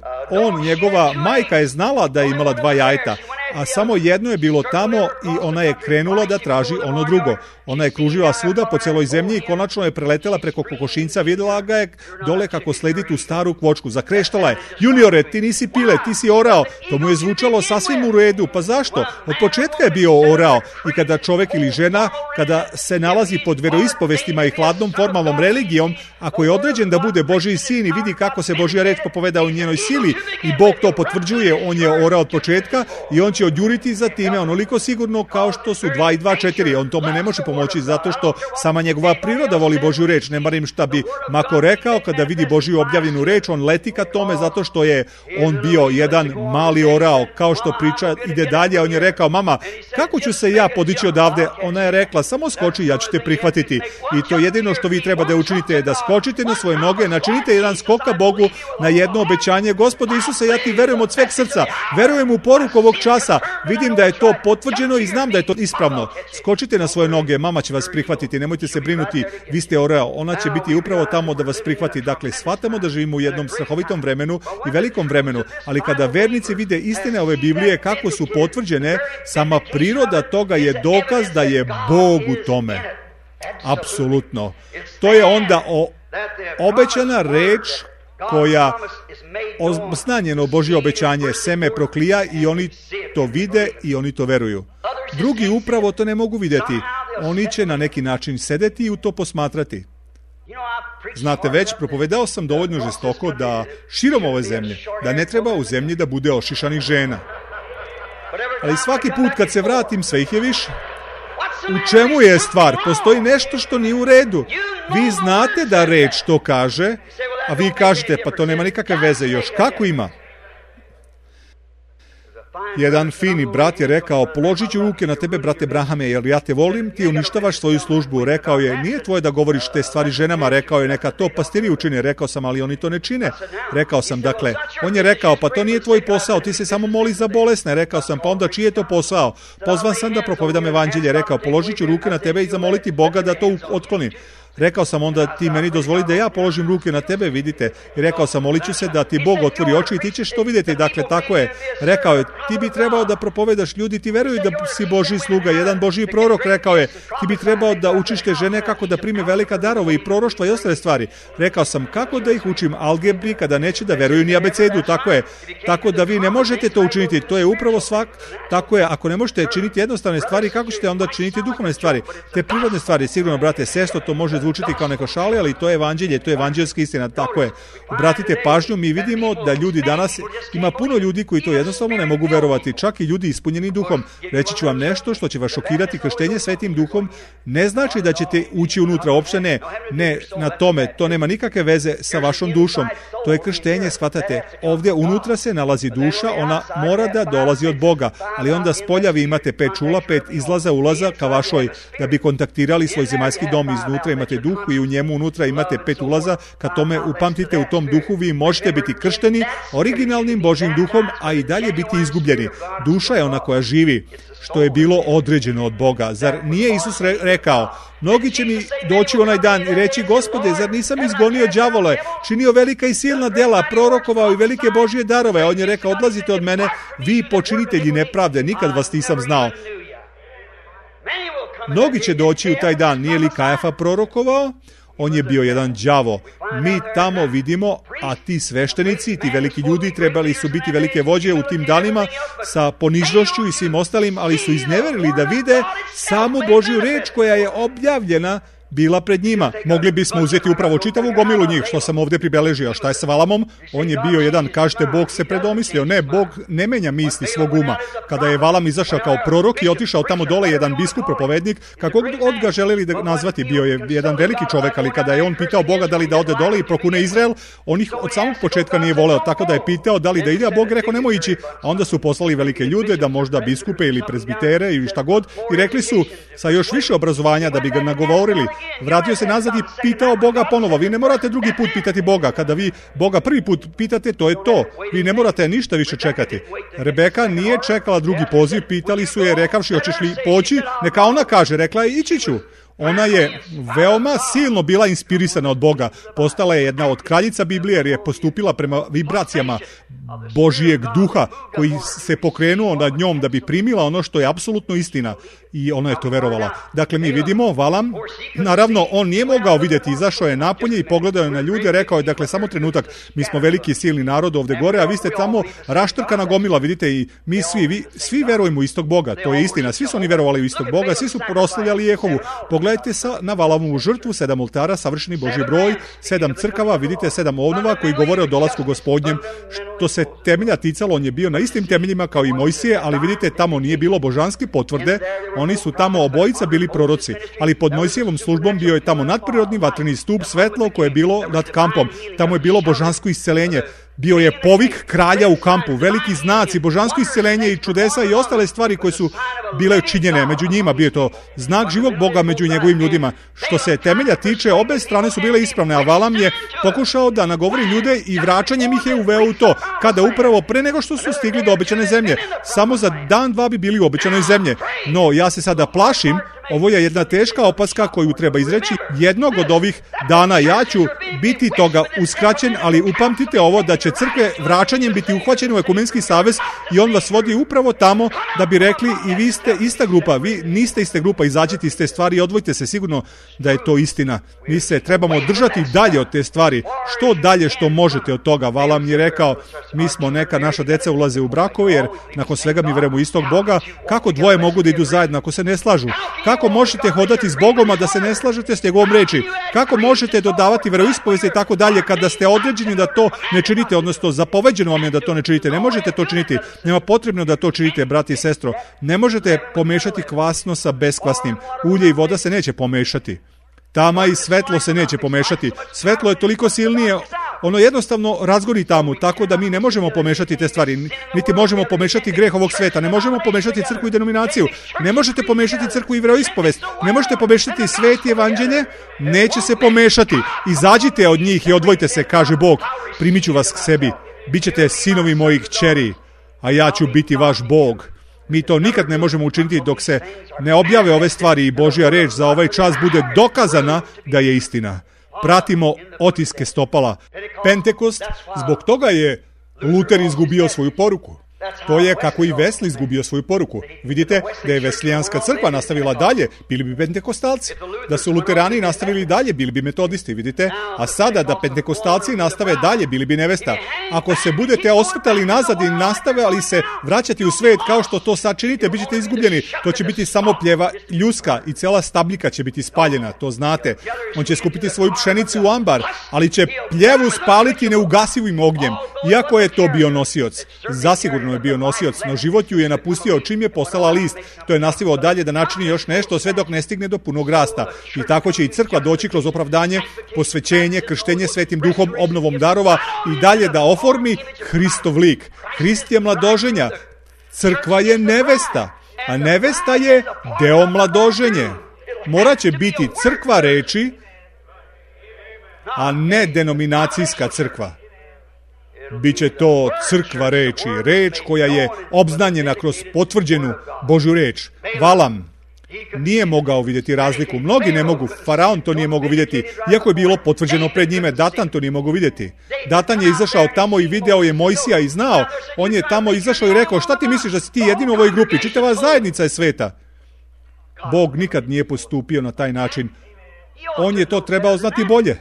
njegova majka je znala da je imala 2 jajeta, a samo jedno je bilo tamo i ona je krenula da traži ono drugo. Ona je kružila svuda po celoj zemlji i konačno je preletela preko kokošinca, vidjela ga je dole kako sledi tu staru kvočku. Zakreštala je: juniore, ti nisi pile, ti si orao. To mu je zvučalo sasvim u redu. Pa zašto? Od početka je bio orao. I kada čovek ili žena, kada se nalazi pod veroispovestima i hladnom formalnom religijom, ako je određen da bude Božji sin i vidi kako se Božja reč popoveda u njenoj sili i Bog to potvrđuje, on je orao od početka i on će odjuriti za time onoliko sigurno kao što su 2 i 2 4. On tome ne može pomoći zato što sama njegova priroda voli Božju reč. Ne marim šta bi Mako rekao, kada vidi Božju objavljenu reč, on leti ka tome zato što je on bio jedan mali orao. Kao što priča ide dalje, on je rekao: mama, kako ću se ja podići odavde? Ona je rekla: samo skoči, ja ću te prihvatiti. I to jedino što vi treba da učinite je da skočite na svoje noge, načinite jedan skok ka Bogu na jedno obećanje: Gospode Isuse, ja ti verujem od sveg srca, verujem u poruku ovog časa, vidim da je to potvrđeno i znam da je to ispravno. Skočite na svoje noge, mama će vas prihvatiti, nemojte se brinuti, vi ste orao, ona će biti upravo tamo da vas prihvati. Dakle, shvatamo da živimo u jednom strahovitom vremenu i velikom vremenu, ali kada vernici vide istine ove Biblije kako su potvrđene, sama priroda toga je dokaz da je Bog u tome. Apsolutno. To je onda obećana reč koja osnanjeno Božje obećanje, seme proklija, i oni to vide i oni to veruju. Drugi upravo to ne mogu vidjeti. Oni će na neki način sedeti i u to posmatrati. Znate, već propovedao sam dovoljno žestoko da širom ove zemlje, da ne treba u zemlji da bude ošišanih žena. Ali svaki put kad se vratim, sve ih je više. U čemu je stvar? Postoji nešto što nije u redu. Vi znate da reč to kaže, a vi kažete: pa to nema nikakve veze. Još kako ima? Jedan fini brat je rekao: položit ću ruke na tebe, brate Brahame, jer ja te volim, ti uništavaš svoju službu. Rekao je: nije tvoje da govoriš te stvari ženama. Rekao je: neka to pastiri učine. Rekao sam: ali oni to ne čine. Rekao sam: dakle, on je rekao: pa to nije tvoj posao, ti se samo moli za bolesne. Rekao sam: pa onda čiji je to posao? Pozvan sam da propovedam evanđelje. Rekao: položit ću ruke na tebe i zamoliti Boga da to otkloni. Rekao sam onda ti meni dozvoli da ja položim ruke na tebe, vidite. I rekao sam molit ću se da ti Bog otvori oči i ti ćeš to vidjeti. Dakle, tako je. Rekao je, ti bi trebao da propovedaš, ljudi ti veruju da si Božji sluga. Jedan Božji prorok rekao je, ti bi trebao da učiš te žene kako da prime velika darova i proroštva i ostale stvari. Rekao sam, kako da ih učim algebri kada neće da veruju ni abecedu, tako je. Tako da vi ne možete to učiniti, to je upravo tako je, ako ne možete činiti jednostavne stvari, kako ćete onda činiti duhovne stvari? Te prirodne stvari, sigurno, brate, sestro, to može zvučiti kao neko šali, ali to je evanđelje, to je evanđelska istina, tako je. Obratite pažnju, mi vidimo da ljudi danas, ima puno ljudi koji to jednostavno ne mogu verovati, čak i ljudi ispunjeni duhom. Reći ću vam nešto što će vas šokirati, krštenje Svetim duhom ne znači da ćete ući unutra, uopšte ne na tome, to nema nikakve veze sa vašom dušom. To je krštenje, shvatate, ovdje unutra se nalazi duša, ona mora da dolazi od Boga, ali onda spolja vi imate 5 čula, 5 izlaza, ulaza ka vašoj, da bi kontaktirali svoj zemaljski dom, iznutra imate duh i u njemu unutra imate 5 ulaza, kad tome upamtite u tom duhu vi možete biti kršteni originalnim Božjim duhom, a i dalje biti izgubljeni. Duša je ona koja živi, što je bilo određeno od Boga. Zar nije Isus rekao, mnogi će mi doći onaj dan i reći, Gospode, zar nisam izgonio đavole, činio velika i silna dela, prorokovao i velike Božje darove? On je rekao, odlazite od mene, vi počinitelji nepravde, nikad vas nisam znao. Mnogi će doći u taj dan, nije li Kajafa prorokovao? On je bio jedan đavo. Mi tamo vidimo, a ti sveštenici, ti veliki ljudi trebali su biti velike vođe u tim danima sa ponižnošću i svim ostalim, ali su izneverili da vide samu Božju reč koja je objavljena bila pred njima. Mogli bismo uzeti upravo čitavu gomilu njih, što sam ovdje pribeležio. Šta je sa Valamom? On je bio jedan, kažete, Bog se predomislio. Ne, Bog ne menja misli svog uma. Kada je Valam izašao kao prorok i otišao tamo dole, jedan biskup, propovednik, kako god ga želeli da nazvati, bio je jedan veliki čovek, ali kada je on pitao Boga da li da ode dole i prokune Izrael, on ih od samog početka nije voleo, tako da je pitao da li da ide, a Bog rekao nemoj ići, a onda su poslali velike ljude, da možda biskupe ili prezbitere ili šta god, i rekli su sa još više obrazovanja da bi ga nagovorili. Vratio se nazad i pitao Boga ponovo. Vi ne morate drugi put pitati Boga. Kada vi Boga prvi put pitate, to je to. Vi ne morate ništa više čekati. Rebeka nije čekala drugi poziv, pitali su je, rekavši, hoćeš li poći? Neka ona kaže, rekla je, ići ću. Ona je veoma silno bila inspirisana od Boga. Postala je jedna od kraljica Biblije jer je postupila prema vibracijama Božijeg duha koji se pokrenuo nad njom da bi primila ono što je apsolutno istina. I ona je to verovala. Dakle, mi vidimo, Valam, naravno, on nije mogao vidjeti, izašao je napolje i pogledao je na ljude, rekao je, dakle, samo trenutak, mi smo veliki silni narod ovdje gore, a vi ste tamo raštrkana gomila, vidite, i mi svi verujemo u istog Boga, to je istina, svi su oni verovali u istog Boga, svi su proslavljali Jehovu. Pogledajte na Valamovu žrtvu, 7 oltara, savršeni Božji broj, 7 crkava, vidite, 7 ovnova koji govore o dolasku Gospodnjem. Što se temelja ticalo, on je bio na istim temeljima kao i Mojsije, ali vidite, tamo nije bilo božanske potvrde, oni su tamo obojica bili proroci, ali pod Mojsijevom službom bio je tamo nadprirodni vatreni stup, svetlo koje je bilo nad kampom, tamo je bilo božansko isceljenje, bio je povik kralja u kampu, veliki znaci, božansko isceljenje i čudesa i ostale stvari koje su bile činjene među njima, bio je to znak živog Boga među njegovim ljudima. Što se temelja tiče, obe strane su bile ispravne, a Valam je pokušao da nagovori ljude i vraćanjem ih je uveo u to, kada upravo pre nego što su stigli do obećane zemlje. Samo za dan, dva bi bili u obećanoj zemlji. No, ja se sada plašim, ovo je jedna teška opaska koju treba izreći. Jednog od ovih dana ja ću biti toga uskraćen, ali upamtite ovo da će crkve vraćanjem biti uhvaćene u ekumenski savez i on vas vodi upravo tamo da bi rekli i vi ste ista grupa, vi niste ista grupa, izađite iz te stvari i odvojite se, sigurno da je to istina. Mi se trebamo držati dalje od te stvari, što dalje što možete od toga. Valam je rekao, mi smo neka naša deca ulaze u brakove jer nakon svega mi verujemo istog Boga, kako dvoje mogu da idu zajedno ako se ne slažu? Kako možete hodati s Bogom, a da se ne slažete s njegovom reči? Kako možete dodavati veroispovesti i tako dalje kada ste određeni da to ne činite, odnosno zapoveđeno vam je da to ne činite? Ne možete to činiti. Nema potrebno da to činite, brati i sestro. Ne možete pomešati kvasno sa beskvasnim. Ulje i voda se neće pomešati. Tama i svetlo se neće pomešati. Svetlo je toliko silnije, ono jednostavno razgori tamu, tako da mi ne možemo pomešati te stvari, niti možemo pomešati greh ovog sveta, ne možemo pomešati crkvu i denominaciju, ne možete pomešati crkvu i veroispovest, ne možete pomešati svet i evanđelje, neće se pomešati. Izađite od njih i odvojite se, kaže Bog, primit ću vas k sebi, bit ćete sinovi mojih kćeri, a ja ću biti vaš Bog. Mi to nikad ne možemo učiniti dok se ne objave ove stvari i Božja reč za ovaj čas bude dokazana da je istina. Pratimo otiske stopala. Pentekost, zbog toga je Luter izgubio svoju poruku. To je kako i Wesley izgubio svoju poruku. Vidite da je Veslijanska crkva nastavila dalje, bili bi pentekostalci. Da su luterani nastavili dalje, bili bi metodisti, vidite. A sada da pentekostalci nastave dalje, bili bi nevesta. Ako se budete osvrtali nazad i nastavili se vraćati u svet kao što to sad činite, bit ćete izgubljeni. To će biti samo pljeva ljuska i cela stabljika će biti spaljena, to znate. On će skupiti svoju pšenicu u ambar, ali će pljevu spaliti neugasivim ognjem. Iako je to bio nosioc, zasigurno je bio nosioc, no život ju je napustio čim je postala list. To je nastavio dalje da načini još nešto sve dok ne stigne do punog rasta. I tako će i crkva doći kroz opravdanje, posvećenje, krštenje Svetim Duhom, obnovom darova i dalje da oformi Hristov lik. Hrist je mladoženja, crkva je nevesta, a nevesta je deo mladoženje. Morat će biti crkva reči, a ne denominacijska crkva. Biće to crkva reči, reč koja je obznanjena kroz potvrđenu Božju reč. Valam nije mogao vidjeti razliku. Mnogi ne mogu. Faraon to nije mogao vidjeti, iako je bilo potvrđeno pred njime. Datan to nije mogao vidjeti. Datan je izašao tamo i video je Mojsija i znao. On je tamo izašao i rekao, šta ti misliš da si ti jedin u ovoj grupi? Čitava zajednica je sveta. Bog nikad nije postupio na taj način. On je to trebao znati bolje.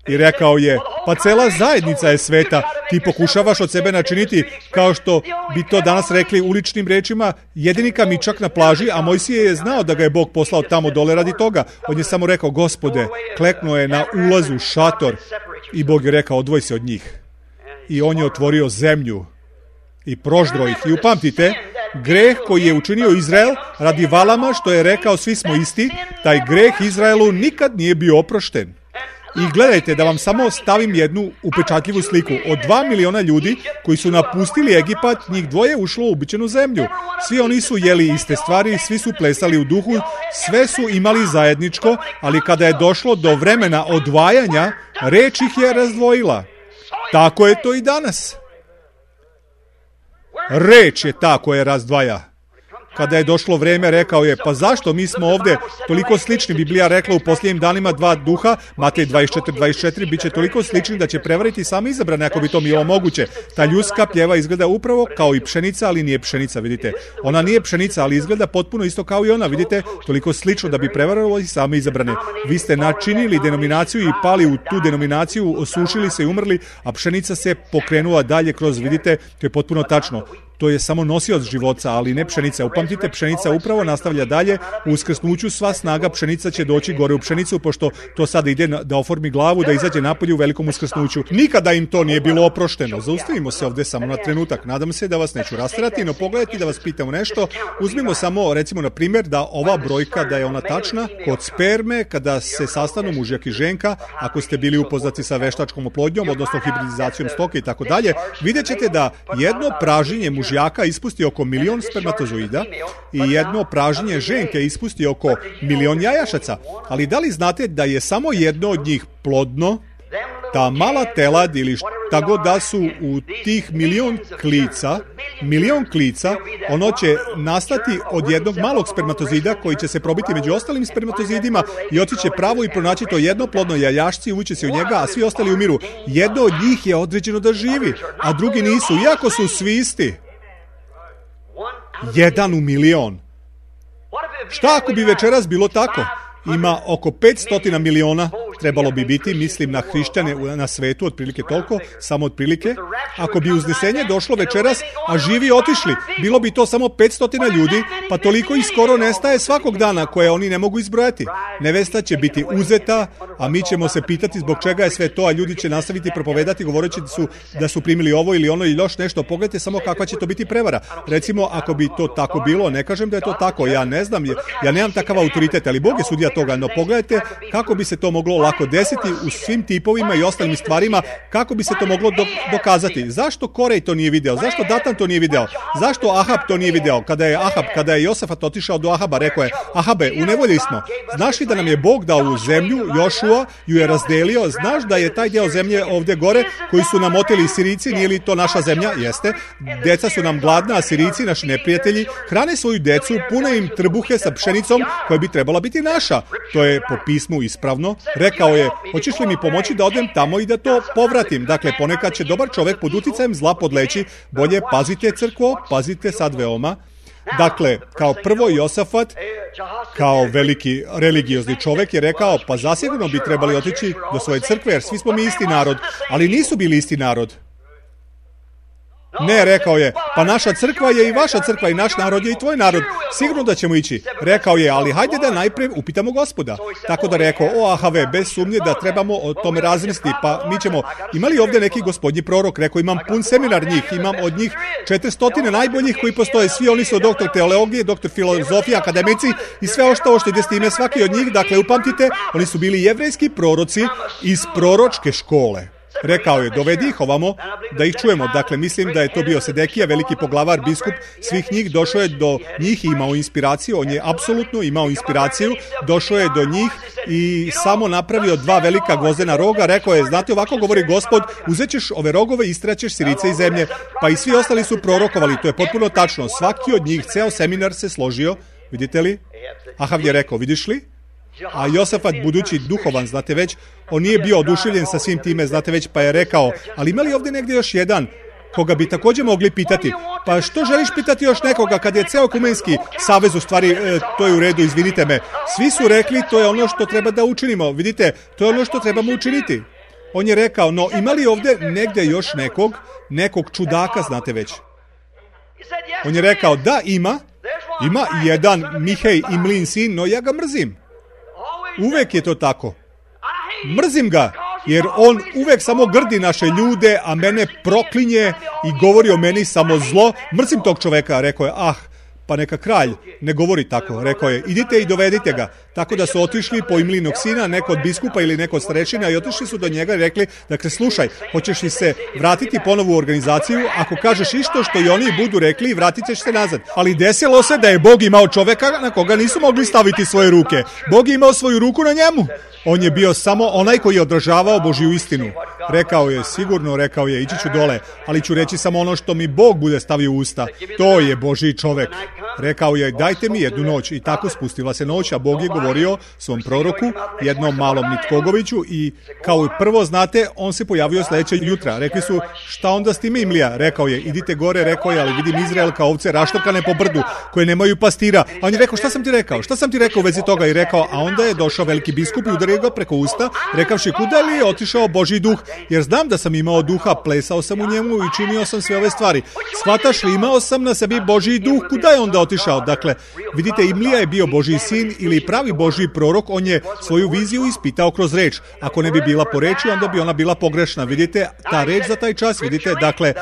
I rekao je, pa cela zajednica je sveta, ti pokušavaš od sebe načiniti, kao što bi to danas rekli uličnim rečima, jedini kamičak na plaži, a Mojsije je znao da ga je Bog poslao tamo dole radi toga. On je samo rekao, Gospode, kleknuo je na ulazu šator i Bog je rekao, odvoj se od njih. I on je otvorio zemlju i proždro ih. I upamtite, greh koji je učinio Izrael radi Valama, što je rekao svi smo isti, taj greh Izraelu nikad nije bio oprošten. I gledajte, da vam samo stavim jednu upečatljivu sliku. Od 2 miliona ljudi koji su napustili Egipat, njih 2 ušlo u ubičenu zemlju. Svi oni su jeli iste stvari, svi su plesali u duhu, sve su imali zajedničko, ali kada je došlo do vremena odvajanja, reč ih je razdvojila. Tako je to i danas. Reč je ta koja razdvaja. Kada je došlo vreme, rekao je, pa zašto mi smo ovdje toliko slični? Biblija rekla u posljednjim danima 2 duha, Matej 24, bit će toliko slični da će prevariti sami izabrane ako bi to bilo moguće. Ta ljuska pljeva izgleda upravo kao i pšenica, ali nije pšenica, vidite. Ona nije pšenica, ali izgleda potpuno isto kao i ona, vidite, toliko slično da bi prevarilo i sami izabrane. Vi ste načinili denominaciju i pali u tu denominaciju, osušili se i umrli, a pšenica se pokrenula dalje kroz, vidite, to je potpuno tačno. To je samo nosioc života, ali ne pšenica. Upamtite, pšenica upravo nastavlja dalje. U uskrsnuću sva snaga pšenica će doći gore u pšenicu, pošto to sada ide da oformi glavu, da izađe napolje u velikom uskrsnuću. Nikada im to nije bilo oprošteno. Zaustavimo se ovdje samo na trenutak. Nadam se da vas neću rasterati, no pogledajte da vas pitam nešto. Uzmimo samo, recimo, na primjer, da ova brojka, da je ona tačna. Kod sperme, kada se sastanu mužjak i ženka, ako ste bili upoznati sa veštačkom oplodnjom, odnosno hibridizacijom stoke i tako dalje, vidjet ćete da jedno pražnjenje mužjaka ispusti oko 1 milion spermatozoida i jedno pražnjenje ženke ispusti oko 1 milion jajašaca. Ali da li znate da je samo jedno od njih plodno? Ta mala telad ili šta god da su u tih 1 milion klica, ono će nastati od jednog malog spermatozida koji će se probiti među ostalim spermatozidima i otići pravo i pronaći to jedno plodno jajašci i ući se u njega, a svi ostali umiru. Jedno od njih je određeno da živi, a drugi nisu, iako su svi isti. 1 u 1 milion. Šta ako bi večeras bilo tako? Ima oko 500 miliona, trebalo bi biti, mislim na hrišćane na svetu, otprilike toliko, samo otprilike. Ako bi uznesenje došlo večeras, a živi otišli, bilo bi to samo 500 ljudi, pa toliko i skoro nestaje svakog dana koje oni ne mogu izbrojati. Nevesta će biti uzeta, a mi ćemo se pitati zbog čega je sve to, a ljudi će nastaviti propovedati govoreći da su primili ovo ili ono ili još nešto. Pogledajte samo kakva će to biti prevara. Recimo, ako bi to tako bilo, ne kažem da je to tako, ja ne znam, ja nemam takav autoritet, ali Bog je sudija toga, no pogledajte kako bi se to moglo lako tako desiti u svim tipovima i ostalim stvarima, kako bi se to moglo dokazati. Zašto Korej to nije video? Zašto Datan to nije video? Zašto Ahab to nije video? Kada je Josafat otišao do Ahaba, rekao je: Ahabe, u nevolji smo. Znaš li da nam je Bog dao u zemlju, Jošua ju je razdelio, znaš da je taj deo zemlje ovdje gore koji su nam oteli Sirijci, nije li to naša zemlja? Jeste. Deca su nam gladna, a Sirijci, naši neprijatelji, hrane svoju decu, pune im trbuhe sa pšenicom koja bi trebala biti naša. To je po pismu ispravno. Rekao je: hoćeš li mi pomoći da odem tamo i da to povratim? Dakle, ponekad će dobar čovjek pod uticajem zla podleći. Bolje pazite, crkvo, pazite sad veoma. Dakle, kao prvo Josafat, kao veliki religiozni čovjek, je rekao: pa zasigurno bi trebali otići do svoje crkve, jer svi smo mi isti narod. Ali nisu bili isti narod. Ne, rekao je: pa naša crkva je i vaša crkva i naš narod je i tvoj narod. Sigurno da ćemo ići. Rekao je: ali hajde da najprije upitamo Gospoda. Tako da rekao: o Ahave, bez sumnje da trebamo o tome razmisliti, pa mi ćemo. Ima li ovdje neki gospodnji prorok? Rekao: imam pun seminar njih, imam od njih 400 najboljih koji postoje. Svi oni su doktor teologije, doktor filozofije, akademici i sve ostalo što ide s time. Svaki od njih, dakle, upamtite, oni su bili jevrejski proroci iz proročke škole. Rekao je: dovedi ih ovamo da ih čujemo. Dakle, mislim da je to bio Sedekija, veliki poglavar, biskup svih njih. Došao je do njih i imao inspiraciju. On je apsolutno imao inspiraciju. Došao je do njih i samo napravio 2 velika gvozdena roga. Rekao je: znate, ovako govori Gospod, uzet ćeš ove rogove i istraćeš Sirice iz zemlje. Pa i svi ostali su prorokovali. To je potpuno tačno. Svaki od njih, ceo seminar se složio. Vidite li? Ahav je rekao: vidiš li? A Josafat, budući duhovan, znate već, on nije bio oduševljen sa svim time, znate već, pa je rekao: ali ima li ovdje negdje još jedan koga bi također mogli pitati? Pa što želiš pitati još nekoga kad je ceo ekumenski savez, u stvari, to je u redu, izvinite me. Svi su rekli: to je ono što treba da učinimo. Vidite, to je ono što trebamo učiniti. On je rekao: no ima li ovdje negdje još nekog čudaka, znate već? On je rekao: da, ima jedan Mihej Imlin sin, no ja ga mrzim. Uvek je to tako. Mrzim ga, jer on uvek samo grdi naše ljude, a mene proklinje i govori o meni samo zlo. Mrzim tog čoveka, rekao je. Pa neka kralj ne govori tako, rekao je: idite i dovedite ga. Tako da su otišli po Imlinog sina, neko od biskupa ili neko od starešina, i otišli su do njega i rekli: dakle, slušaj, hoćeš li se vratiti ponovo u organizaciju? Ako kažeš isto što i oni budu rekli, vratit ćeš se nazad. Ali desilo se da je Bog imao čoveka na koga nisu mogli staviti svoje ruke. Bog je imao svoju ruku na njemu. On je bio samo onaj koji je odražavao Božju istinu. Rekao je: sigurno, rekao je, ići ću dole, ali ću reći samo ono što mi Bog bude stavio u usta. To je Božji čovek. Rekao je: dajte mi jednu noć. I tako spustila se noć, a Bog je govorio svom proroku, jednom malom Nitkogoviću, i kao i prvo, znate, on se pojavio sljedećeg jutra. Rekli su: šta onda s time, Imlija? Rekao je: idite gore, rekao je, ali vidim Izrael kao ovce raštokane po brdu, koje nemaju pastira. A on je rekao: šta sam ti rekao? Šta sam ti rekao u vezi toga? I rekao, a onda je došao veliki biskup i udario ga preko usta, rekavši: kuda li je otišao Božji duh? Jer znam da sam imao duha, plesao sam u njemu i činio sam sve ove stvari. Shvataš li, imao sam na sebi Božji duh, kuda je onda otišao? Dakle, vidite, Imlija je bio Božji sin ili pravi Božji prorok. On je svoju viziju ispitao kroz reč. Ako ne bi bila po reči, onda bi ona bila pogrešna. Vidite, ta reč za taj čas, vidite, dakle,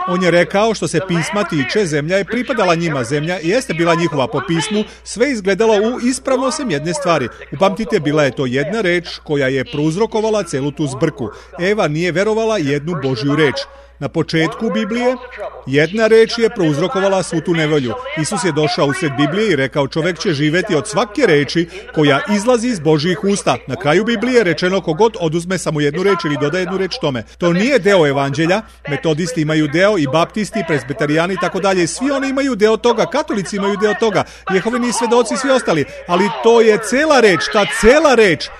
on je rekao: što se pisma tiče, zemlja je pripadala njima. Zemlja jeste bila njihova po pismu, sve izgledalo u ispravno sem jedne stvari. Upamtite, bila je to jedna reč koja je prouzrokovala celu tu zbrku. Eva nije verovala jednu Božju reč. Na početku Biblije jedna reč je prouzrokovala svu tu nevolju. Isus je došao usred Biblije i rekao: čovjek će živjeti od svake reči koja izlazi iz Božjih usta. Na kraju Biblije je rečeno: kogod oduzme samo jednu reč ili doda jednu reč tome. To nije deo evanđelja. Metodisti imaju deo, i baptisti, presbiterijani i tako dalje. Svi oni imaju deo toga, katolici imaju deo toga, Jehovini svedoci i svi ostali. Ali to je cela reč, ta cela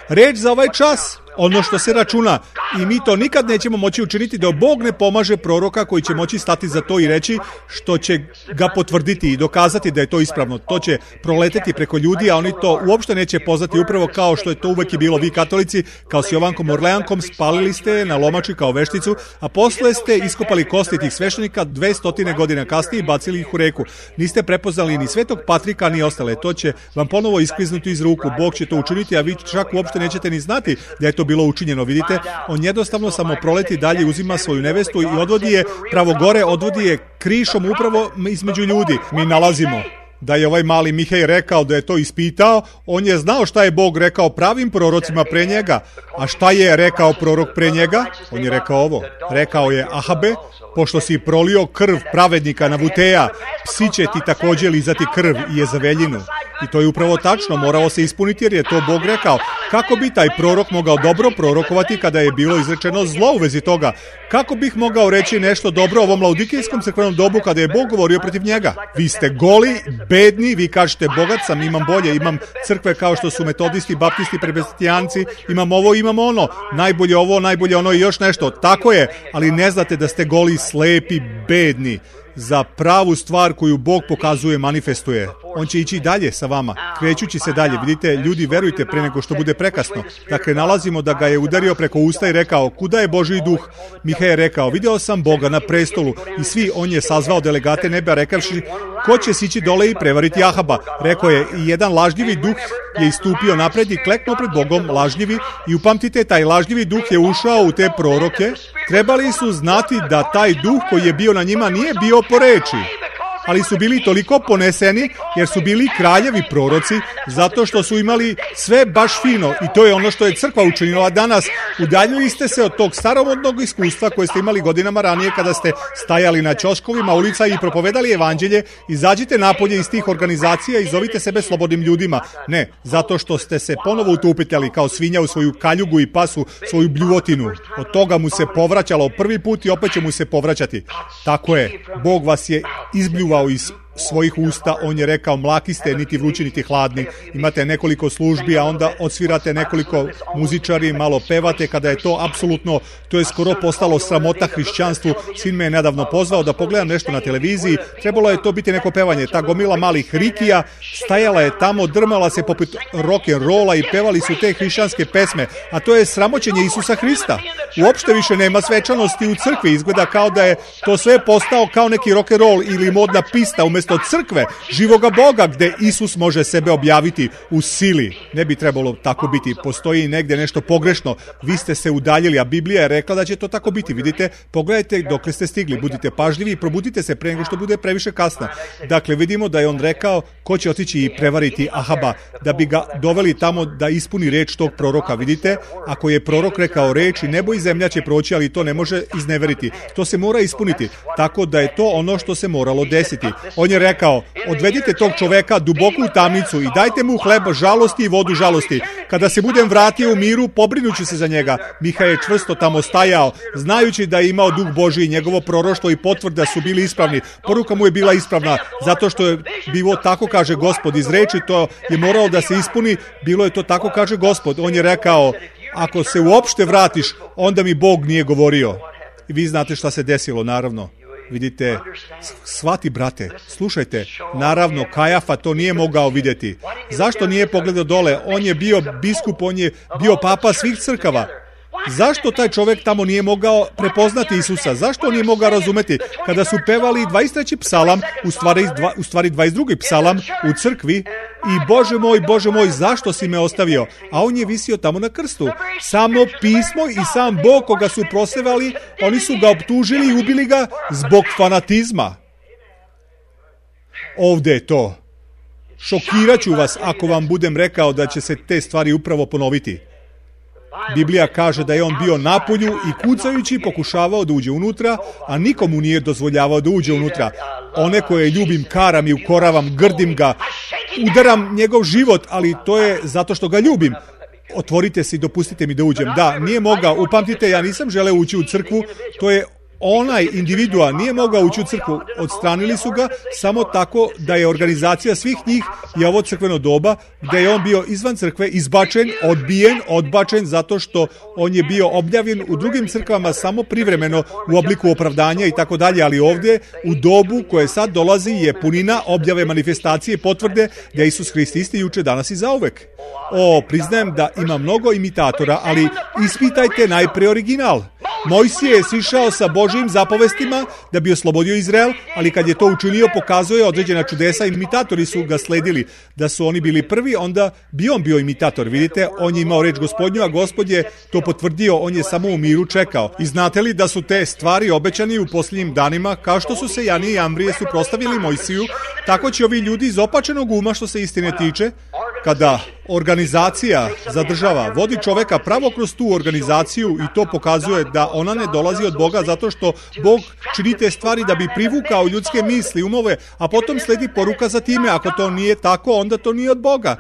reč za ovaj čas. Ono što se računa, i mi to nikad nećemo moći učiniti dok Bog ne pomaže proroka koji će moći stati za to i reći što će ga potvrditi i dokazati da je to ispravno. To će proleteti preko ljudi, a oni to uopšte neće poznati, upravo kao što je to uvek i bilo. Vi katolici, kao s Jovankom Orleankom, spalili ste na lomači kao vešticu, a posle ste iskopali kosti tih sveštenika 200 godina kasnije i bacili ih u reku. Niste prepoznali ni Svetog Patrika ni ostale. To će vam ponovo iskliznuti iz ruku. Bog će to učiniti, a vi čak uopšte nećete ni znati da je to bilo učinjeno. Vidite, on jednostavno samo proleti dalje, uzima svoju nevestu i odvodi je pravo gore, odvodi je krišom upravo između ljudi. Mi nalazimo da je ovaj mali Mihej rekao da je to ispitao, on je znao šta je Bog rekao pravim prorocima pre njega. A šta je rekao prorok pre njega? On je rekao ovo. Rekao je: Ahabe, pošto si prolio krv pravednika Navuteja, psi će ti također lizati krv i Jezaveljinu. I to je upravo tačno, morao se ispuniti jer je to Bog rekao. Kako bi taj prorok mogao dobro prorokovati kada je bilo izrečeno zlo u vezi toga? Kako bih mogao reći nešto dobro o ovom laudikijskom crkvenom dobu kada je Bog govorio protiv njega? Vi ste goli, bedni, vi kažete bogat sam, imam bolje, imam crkve kao što su metodisti, baptisti, presbiteranci, imam ovo, imam ono, najbolje ovo, najbolje ono i još nešto. Tako je, ali ne znate da ste goli, slepi, bedni za pravu stvar koju Bog pokazuje, manifestuje. On će ići dalje sa vama, krećući se dalje. Vidite, ljudi, verujte pre nego što bude prekasno. Dakle, nalazimo da ga je udario preko usta i rekao: kuda je Božji duh? Mihej je rekao: video sam Boga na prestolu. I svi, on je sazvao delegate neba, rekavši: ko će sići dole i prevariti Ahaba? Rekao je: i jedan lažljivi duh je istupio napred i kleknuo pred Bogom, lažljivi. I upamtite, taj lažljivi duh je ušao u te proroke. Trebali su znati da taj duh koji je bio na njima nije bio po reči, ali su bili toliko poneseni jer su bili kraljevi proroci, zato što su imali sve baš fino. I to je ono što je crkva učinila danas. Udaljili ste se od tog staromodnog iskustva koje ste imali godinama ranije kada ste stajali na ćoškovima ulica i propovedali evanđelje. Izađite napolje iz tih organizacija i zovite sebe slobodnim ljudima. Ne, zato što ste se ponovo utupitali kao svinja u svoju kaljugu i pasu, svoju bljuvotinu. Od toga mu se povraćalo prvi put i opet će mu se povraćati. Tako je, Bog vas je izbljuvao iz svojih usta, on je rekao: mlaki ste, niti vrući, niti hladni. Imate nekoliko službi, a onda odsvirate nekoliko muzičari, malo pevate, kada je to apsolutno, to je skoro postalo sramota hrišćanstvu. Sin me je nedavno pozvao da pogledam nešto na televiziji, trebalo je to biti neko pevanje. Ta gomila malih rikija stajala je tamo, drmala se poput rock'n'rolla i pevali su te hrišćanske pesme, a to je sramoćenje Isusa Hrista. Uopšte više nema svečanosti u crkvi, izgleda kao da je to sve postao kao neki rock'n'roll ili modna pista umjesto crkve, živoga Boga, gde Isus može sebe objaviti u sili. Ne bi trebalo tako biti, postoji negdje nešto pogrešno, vi ste se udaljili, a Biblija je rekla da će to tako biti. Vidite, pogledajte dokle ste stigli, budite pažljivi i probudite se pre nego što bude previše kasno. Dakle, vidimo da je on rekao ko će otići i prevariti Ahaba, da bi ga doveli tamo da ispuni reč tog proroka. Vidite, ako je prorok rekao reč, i nebo i zemlja će proći, ali to ne može izneveriti. To se mora ispuniti, tako da je to ono što se moralo desiti. On je rekao: odvedite tog čoveka duboko u tamnicu i dajte mu hleb žalosti i vodu žalosti. Kada se budem vratio u miru, pobrinuću se za njega. Mihaj je čvrsto tamo stajao, znajući da je imao duh Božji i njegovo proroštvo i potvrda su bili ispravni. Poruka mu je bila ispravna, zato što je bilo tako kaže Gospod. Iz reči to je moralo da se ispuni, bilo je to tako kaže Gospod. On je rekao: ako se uopšte vratiš, onda mi Bog nije govorio. I vi znate šta se desilo, naravno. Vidite, shvati, brate, slušajte, naravno Kajafa to nije mogao vidjeti. Zašto nije pogledao dole? On je bio biskup, on je bio papa svih crkava. Zašto taj čovjek tamo nije mogao prepoznati Isusa? Zašto on nije mogao razumeti? Kada su pevali 23. psalam, u stvari 22. psalam u crkvi, i Bože moj, zašto si me ostavio? A on je visio tamo na krstu. Samo pismo i sam Bog koga su prosevali, oni su ga optužili i ubili ga zbog fanatizma. Ovdje je to. Šokirat ću vas ako vam budem rekao da će se te stvari upravo ponoviti. Biblija kaže da je on bio napolju i kucajući pokušavao da uđe unutra, a nikomu nije dozvoljavao da uđe unutra. One koje ljubim karam i ukoravam, grdim ga, udaram njegov život, ali to je zato što ga ljubim. Otvorite se i dopustite mi da uđem. Da, nije mogao, upamtite, ja nisam želeo ući u crkvu, to je onaj individua, nije mogao ući u crkvu, odstranili su ga samo tako da je organizacija svih njih i ovo crkveno doba, gdje je on bio izvan crkve, izbačen, odbačen, zato što on je bio objavljen u drugim crkvama samo privremeno u obliku opravdanja i tako dalje, ali ovdje u dobu koje sad dolazi je punina objave, manifestacije, potvrde da je Isus Hrist isti juče, danas i zauvek. Priznajem da ima mnogo imitatora, ali ispitajte najprije original. Mojsije je sišao sa Božjim zapovestima da bi oslobodio Izrael, ali kad je to učinio, pokazuje određena čudesa, imitatori su ga sledili. Da su oni bili prvi, onda bi on bio imitator. Vidite, on je imao reč Gospodnju, a Gospod je to potvrdio, on je samo u miru čekao. I znate li da su te stvari obećani u posljednjim danima, kao što su se Janije i Ambrije suprotstavili Mojsiju, tako će ovi ljudi iz opačenog uma što se istine tiče, kada organizacija zadržava, vodi čoveka pravo kroz tu organizaciju i to pokazuje da ona ne dolazi od Boga zato što Bog čini te stvari da bi privukao ljudske misli, umove, a potom sledi poruka za time. Ako to nije tako, onda to nije od Boga.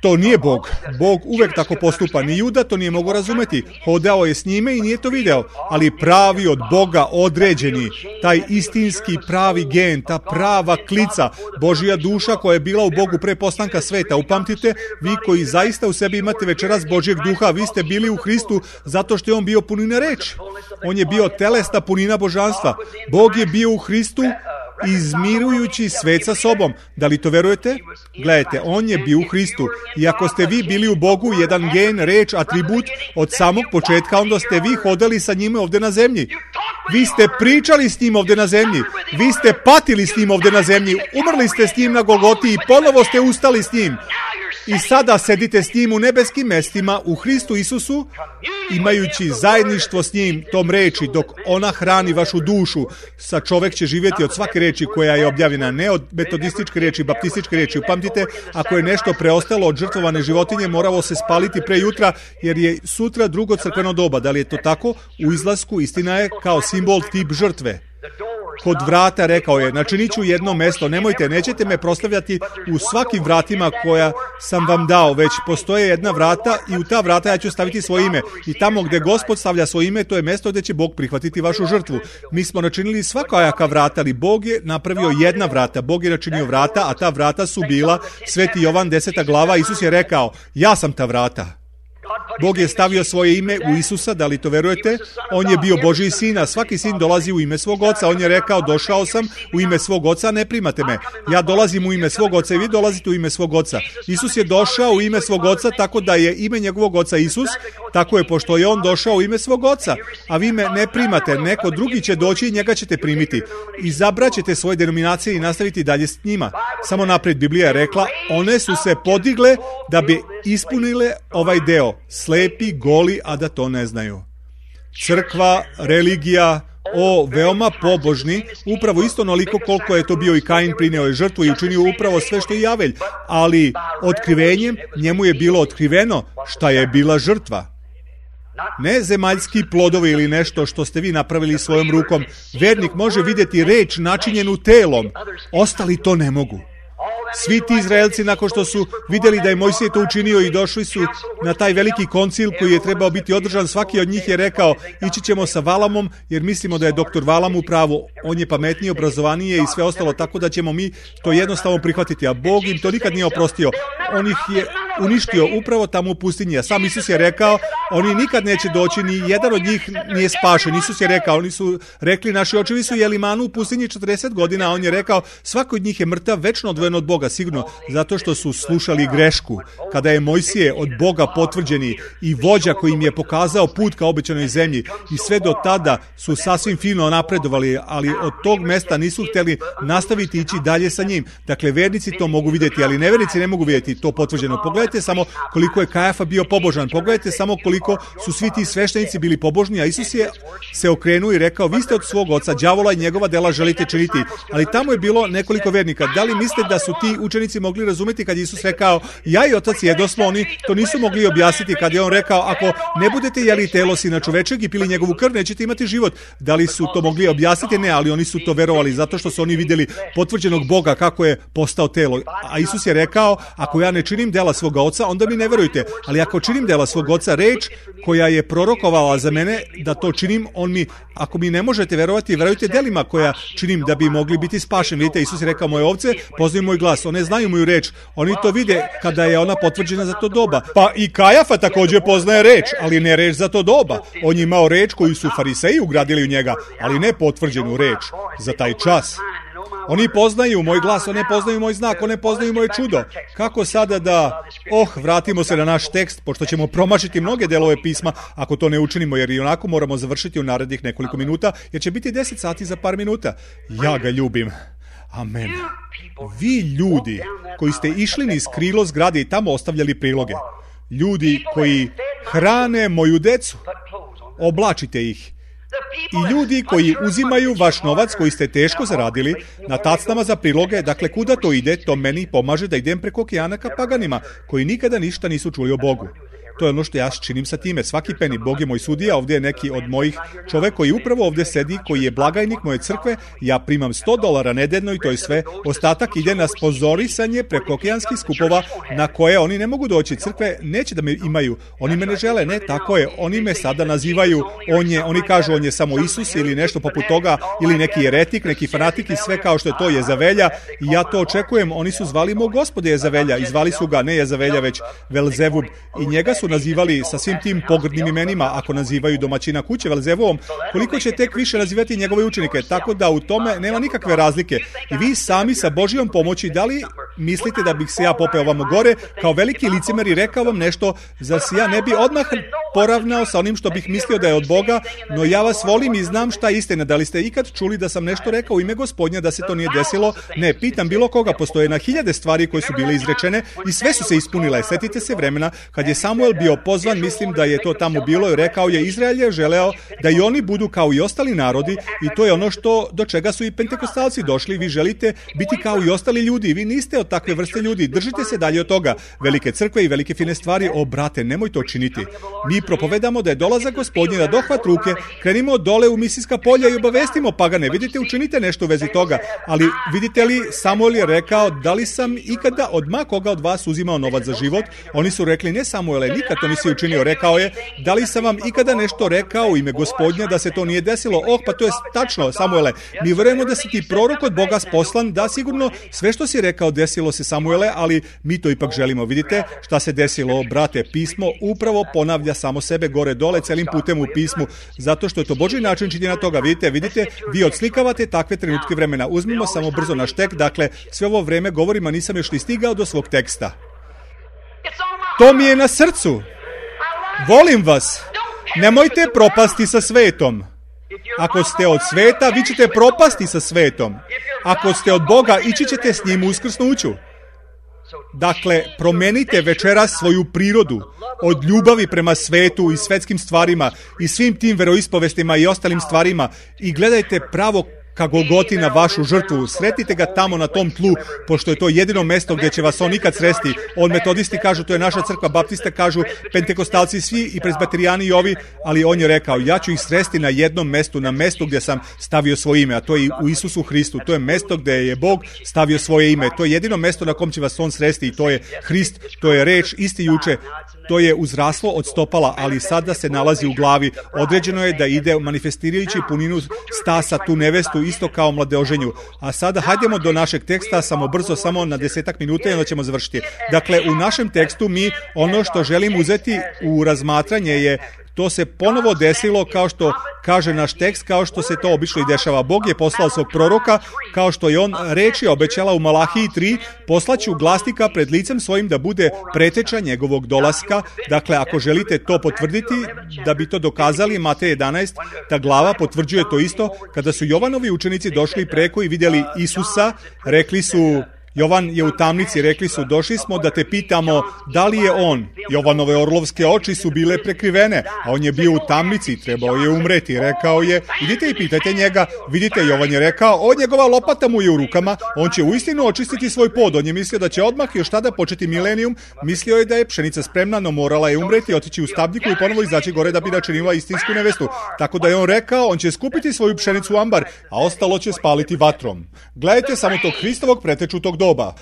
To nije Bog. Bog uvek tako postupa. Ni Juda to nije mogao razumeti. Hodao je s njime i nije to video. Ali pravi od Boga određeni, taj istinski pravi gen, ta prava klica, Božja duša koja je bila u Bogu pre postanka sveta. Upamtite, vi koji zaista u sebi imate večeras Božjeg duha, vi ste bili u Hristu zato što je on bio punina reči. On je bio telesna punina božanstva. Bog je bio u Hristu izmirujući svet sa sobom. Da li to verujete? Gledajte, on je bio u Hristu. I ako ste vi bili u Bogu, jedan gen, reč, atribut od samog početka, onda ste vi hodali sa njime ovdje na zemlji. Vi ste pričali s njim ovdje na zemlji. Vi ste patili s njim ovdje na zemlji. Umrli ste s njim na Golgoti i ponovo ste ustali s njim. I sada sedite s njim u nebeskim mestima u Hristu Isusu, imajući zajedništvo s njim tom reči, dok ona hrani vašu dušu. Sa čovek će živjeti od svake reči koja je objavljena, ne od metodističke reči, baptističke reči. Upamtite, ako je nešto preostalo od žrtvovane životinje, moralo se spaliti pre jutra, jer je sutra drugo crkveno doba. Da li je to tako? U izlasku istina je kao simbol tip žrtve. Kod vrata rekao je, načinit ću jedno mesto, nemojte, nećete me proslavljati u svakim vratima koja sam vam dao, već postoje jedna vrata i u ta vrata ja ću staviti svoje ime. I tamo gdje Gospod stavlja svoje ime, to je mesto gdje će Bog prihvatiti vašu žrtvu. Mi smo načinili svakojaka vrata, ali Bog je napravio jedna vrata. Bog je načinio vrata, a ta vrata su bila Sveti Jovan 10. glava. Isus je rekao, ja sam ta vrata. Bog je stavio svoje ime u Isusa, da li to verujete? On je bio Božji sin, a svaki sin dolazi u ime svog oca. On je rekao, došao sam u ime svog oca, ne primate me. Ja dolazim u ime svog oca i vi dolazite u ime svog oca. Isus je došao u ime svog oca, tako da je ime njegovog oca Isus, tako je pošto je on došao u ime svog oca. A vi me ne primate, neko drugi će doći i njega ćete primiti. Izabraćete svoje denominacije i nastaviti dalje s njima. Samo napred Biblija je rekla, one su se podigle da bi ispunile ovaj deo. Slepi, goli, a da to ne znaju. Crkva, religija, veoma pobožni, upravo isto onoliko koliko je to bio i Kain, prineo je žrtvu i učinio upravo sve što je Javelj, ali otkrivenjem njemu je bilo otkriveno šta je bila žrtva. Ne zemaljski plodovi ili nešto što ste vi napravili svojom rukom. Vernik može vidjeti reč načinjenu telom, ostali to ne mogu. Svi ti Izraelci, nakon što su vidjeli da je Mojsije to učinio i došli su na taj veliki koncil koji je trebao biti održan, svaki od njih je rekao, ići ćemo sa Valamom jer mislimo da je doktor Valam u pravu. On je pametniji, obrazovaniji i sve ostalo, tako da ćemo mi to jednostavno prihvatiti. A Bog im to nikad nije oprostio. On ih je uništio upravo tamo u pustinji. A sam Isus je rekao, oni nikad neće doći, ni jedan od njih nije spašen. Isus je rekao, oni su rekli, naši očevi su jeli manu u pustinji 40 godina, a on je rekao, svako od njih je mrtav, večno odvojen od Boga, sigurno, zato što su slušali grešku. Kada je Mojsije od Boga potvrđeni i vođa koji im je pokazao put ka obećanoj zemlji i sve do tada su sasvim fino napredovali, ali od tog mesta nisu htjeli nastaviti ići dalje sa njim. Dakle, vernici to mogu vidjeti, ali nevernici ne mogu vidjeti to potvrđeno. Pogledajte samo koliko je Kajafa bio pobožan, pogledajte samo koliko su svi ti sveštenici bili pobožni, a Isus je se okrenuo i rekao, vi ste od svog oca đavola i njegova dela želite činiti. Ali tamo je bilo nekoliko vernika. Da li mislite da su ti učenici mogli razumjeti kad Isus rekao, ja i otac jedosmo? Oni to nisu mogli objasniti kad je on rekao, ako ne budete jeli telo Sina čovečeg i pili njegovu krv, nećete imati život. Da li su to mogli objasniti? Ne, ali oni su to verovali zato što su oni vidjeli potvrđenog Boga kako je postao telo. A Isus je rekao, ako ja ne činim dela svoga oca, onda mi ne verujte. Ali ako činim dela svog oca, reč koja je prorokovala za mene da to činim, on mi, ako mi ne možete verovati, verujte delima koja činim da bi mogli biti spašeni. Vidite, Isus je rekao, moje ovce poznaju moj glas, one znaju moju reč, oni to vide kada je ona potvrđena za to doba. Pa i Kajafa također poznaje reč, ali ne reč za to doba. On je imao reč koju su fariseji ugradili u njega, ali ne potvrđenu reč za taj čas. Oni poznaju moj glas, oni poznaju moj znak, oni poznaju moje čudo. Kako sada da, vratimo se na naš tekst, pošto ćemo promašiti mnoge delove pisma, ako to ne učinimo, jer i onako moramo završiti u narednih nekoliko minuta, jer će biti 10 sati za par minuta. Ja ga ljubim. Amen. Vi ljudi koji ste išli niz krilo zgrade i tamo ostavljali priloge, ljudi koji hrane moju decu, oblačite ih. I ljudi koji uzimaju vaš novac koji ste teško zaradili na tacnama za priloge, dakle kuda to ide, to meni pomaže da idem preko okeana ka paganima, koji nikada ništa nisu čuli o Bogu. To je ono što ja činim sa time. Svaki peni, Bog je moj sudija, ovdje je neki od mojih čovek koji upravo ovdje sedi, koji je blagajnik moje crkve, ja primam $100 nedeljno i to je sve. Ostatak ide na sponzorisanje preko okeanskih skupova na koje oni ne mogu doći. Crkve neće da me imaju, oni me ne žele, ne, tako je, oni me sada nazivaju, oni kažu on je samo Isus ili nešto poput toga, ili neki jeretik, neki fanatik i sve kao što je to Jezavelja i ja to očekujem. Oni su zvali mog Gospoda Jezavelja i zvali su ga ne Jezavelja već Velzebub i njega su nazivali sa svim tim pogrdnim imenima, ako nazivaju domaćina kuće Velzebuvom, koliko će tek više nazivati njegove učenike, tako da u tome nema nikakve razlike. I vi sami sa Božijom pomoći, da li mislite da bih se ja popeo vamo gore, kao veliki licemer i rekao vam nešto, zar se ja ne bi odmah poravnao sa onim što bih mislio da je od Boga, no ja vas volim i znam šta je istina. Da li ste ikad čuli da sam nešto rekao u ime Gospodnja da se to nije desilo? Ne, pitam bilo koga, postoje na 1000 stvari koje su bile izrečene i sve su se ispunile. Setite se vremena kad je Samuel bio pozvan, mislim da je to tamo bilo i rekao je Izrael je želeo da i oni budu kao i ostali narodi i to je ono do čega su i pentekostalci došli. Vi želite biti kao i ostali ljudi, vi niste od takve vrste ljudi, držite se dalje od toga. Velike crkve i velike fine stvari, brate, nemoj to činiti. Mi propovedamo da je dolazak Gospodnji na dohvat ruke, krenimo dole u misijska polja i obavestimo pagane. Vidite, učinite nešto u vezi toga, ali vidite li, Samuel je rekao, da li sam ikada od koga od vas uzimao novac za život? Oni su rekli, ne Samuele, nikad to nisi učinio. Rekao je, da li sam vam ikada nešto rekao u ime Gospodnja da se to nije desilo? Pa to je tačno, Samuele. Mi verujemo da si ti prorok od Boga poslan, da sigurno sve što si rekao desilo se, Samuele, ali mi to ipak želimo. Vidite šta se desilo, brate, pismo upravo ponavlja samo sebe gore dole celim putem u pismu, zato što je to Božji način činjenja toga. Vidite, vi odslikavate takve trenutke vremena. Uzmimo samo brzo naš tek, dakle, sve ovo vreme govorim, a nisam još ni stigao do svog teksta. To mi je na srcu. Volim vas. Nemojte propasti sa svetom. Ako ste od sveta, vi ćete propasti sa svetom. Ako ste od Boga, ići ćete s njim uskrsnuću. Dakle, promenite večeras svoju prirodu od ljubavi prema svetu i svetskim stvarima i svim tim veroispovestima i ostalim stvarima i gledajte pravo ka Golgoti na vašu žrtvu. Sretite ga tamo na tom tlu, pošto je to jedino mesto gdje će vas on nikad sresti. On metodisti kažu, to je naša crkva, baptista kažu, pentekostalci svi i presbiterijani i ovi, ali on je rekao, ja ću ih sresti na jednom mestu, na mestu gdje sam stavio svoje ime, a to je u Isusu Hristu. To je mesto gdje je Bog stavio svoje ime. To je jedino mesto na kom će vas on sresti i to je Hrist, to je reč isti juče. To je uzraslo od stopala, ali sada se nalazi u glavi. Određeno je da ide manifestirajući puninu stasa tu nevestu, isto kao mladeoženju. A sada hajdemo do našeg teksta, samo brzo, samo na 10 minuta i onda ćemo završiti. Dakle, u našem tekstu mi ono što želim uzeti u razmatranje je, to se ponovo desilo kao što kaže naš tekst, kao što se to obično i dešava. Bog je poslao svog proroka, kao što je on reči obećala u Malahiji 3, poslaću glasnika pred licem svojim da bude preteča njegovog dolaska. Dakle, ako želite to potvrditi, da bi to dokazali, Matej 11, ta glava potvrđuje to isto. Kada su Jovanovi učenici došli preko i vidjeli Isusa, rekli su, Jovan je u tamnici, rekli su, došli smo da te pitamo da li je on. Jovanove orlovske oči su bile prekrivene, a on je bio u tamnici, trebao je umreti. Rekao je, idite i pitajte njega. Vidite, Jovan je rekao, njegova lopata mu je u rukama, on će uistinu očistiti svoj pod. On je mislio da će odmah još tada početi milenijum, mislio je da je pšenica spremna, no morala je umreti, otići u stabljiku i ponovo izaći gore da bi načinila istinsku nevestu. Tako da je on rekao, on će skupiti svoju pšenicu u ambar, a ostalo će spaliti vatrom. Gledajte samo tog Hristovog pretečutog doba.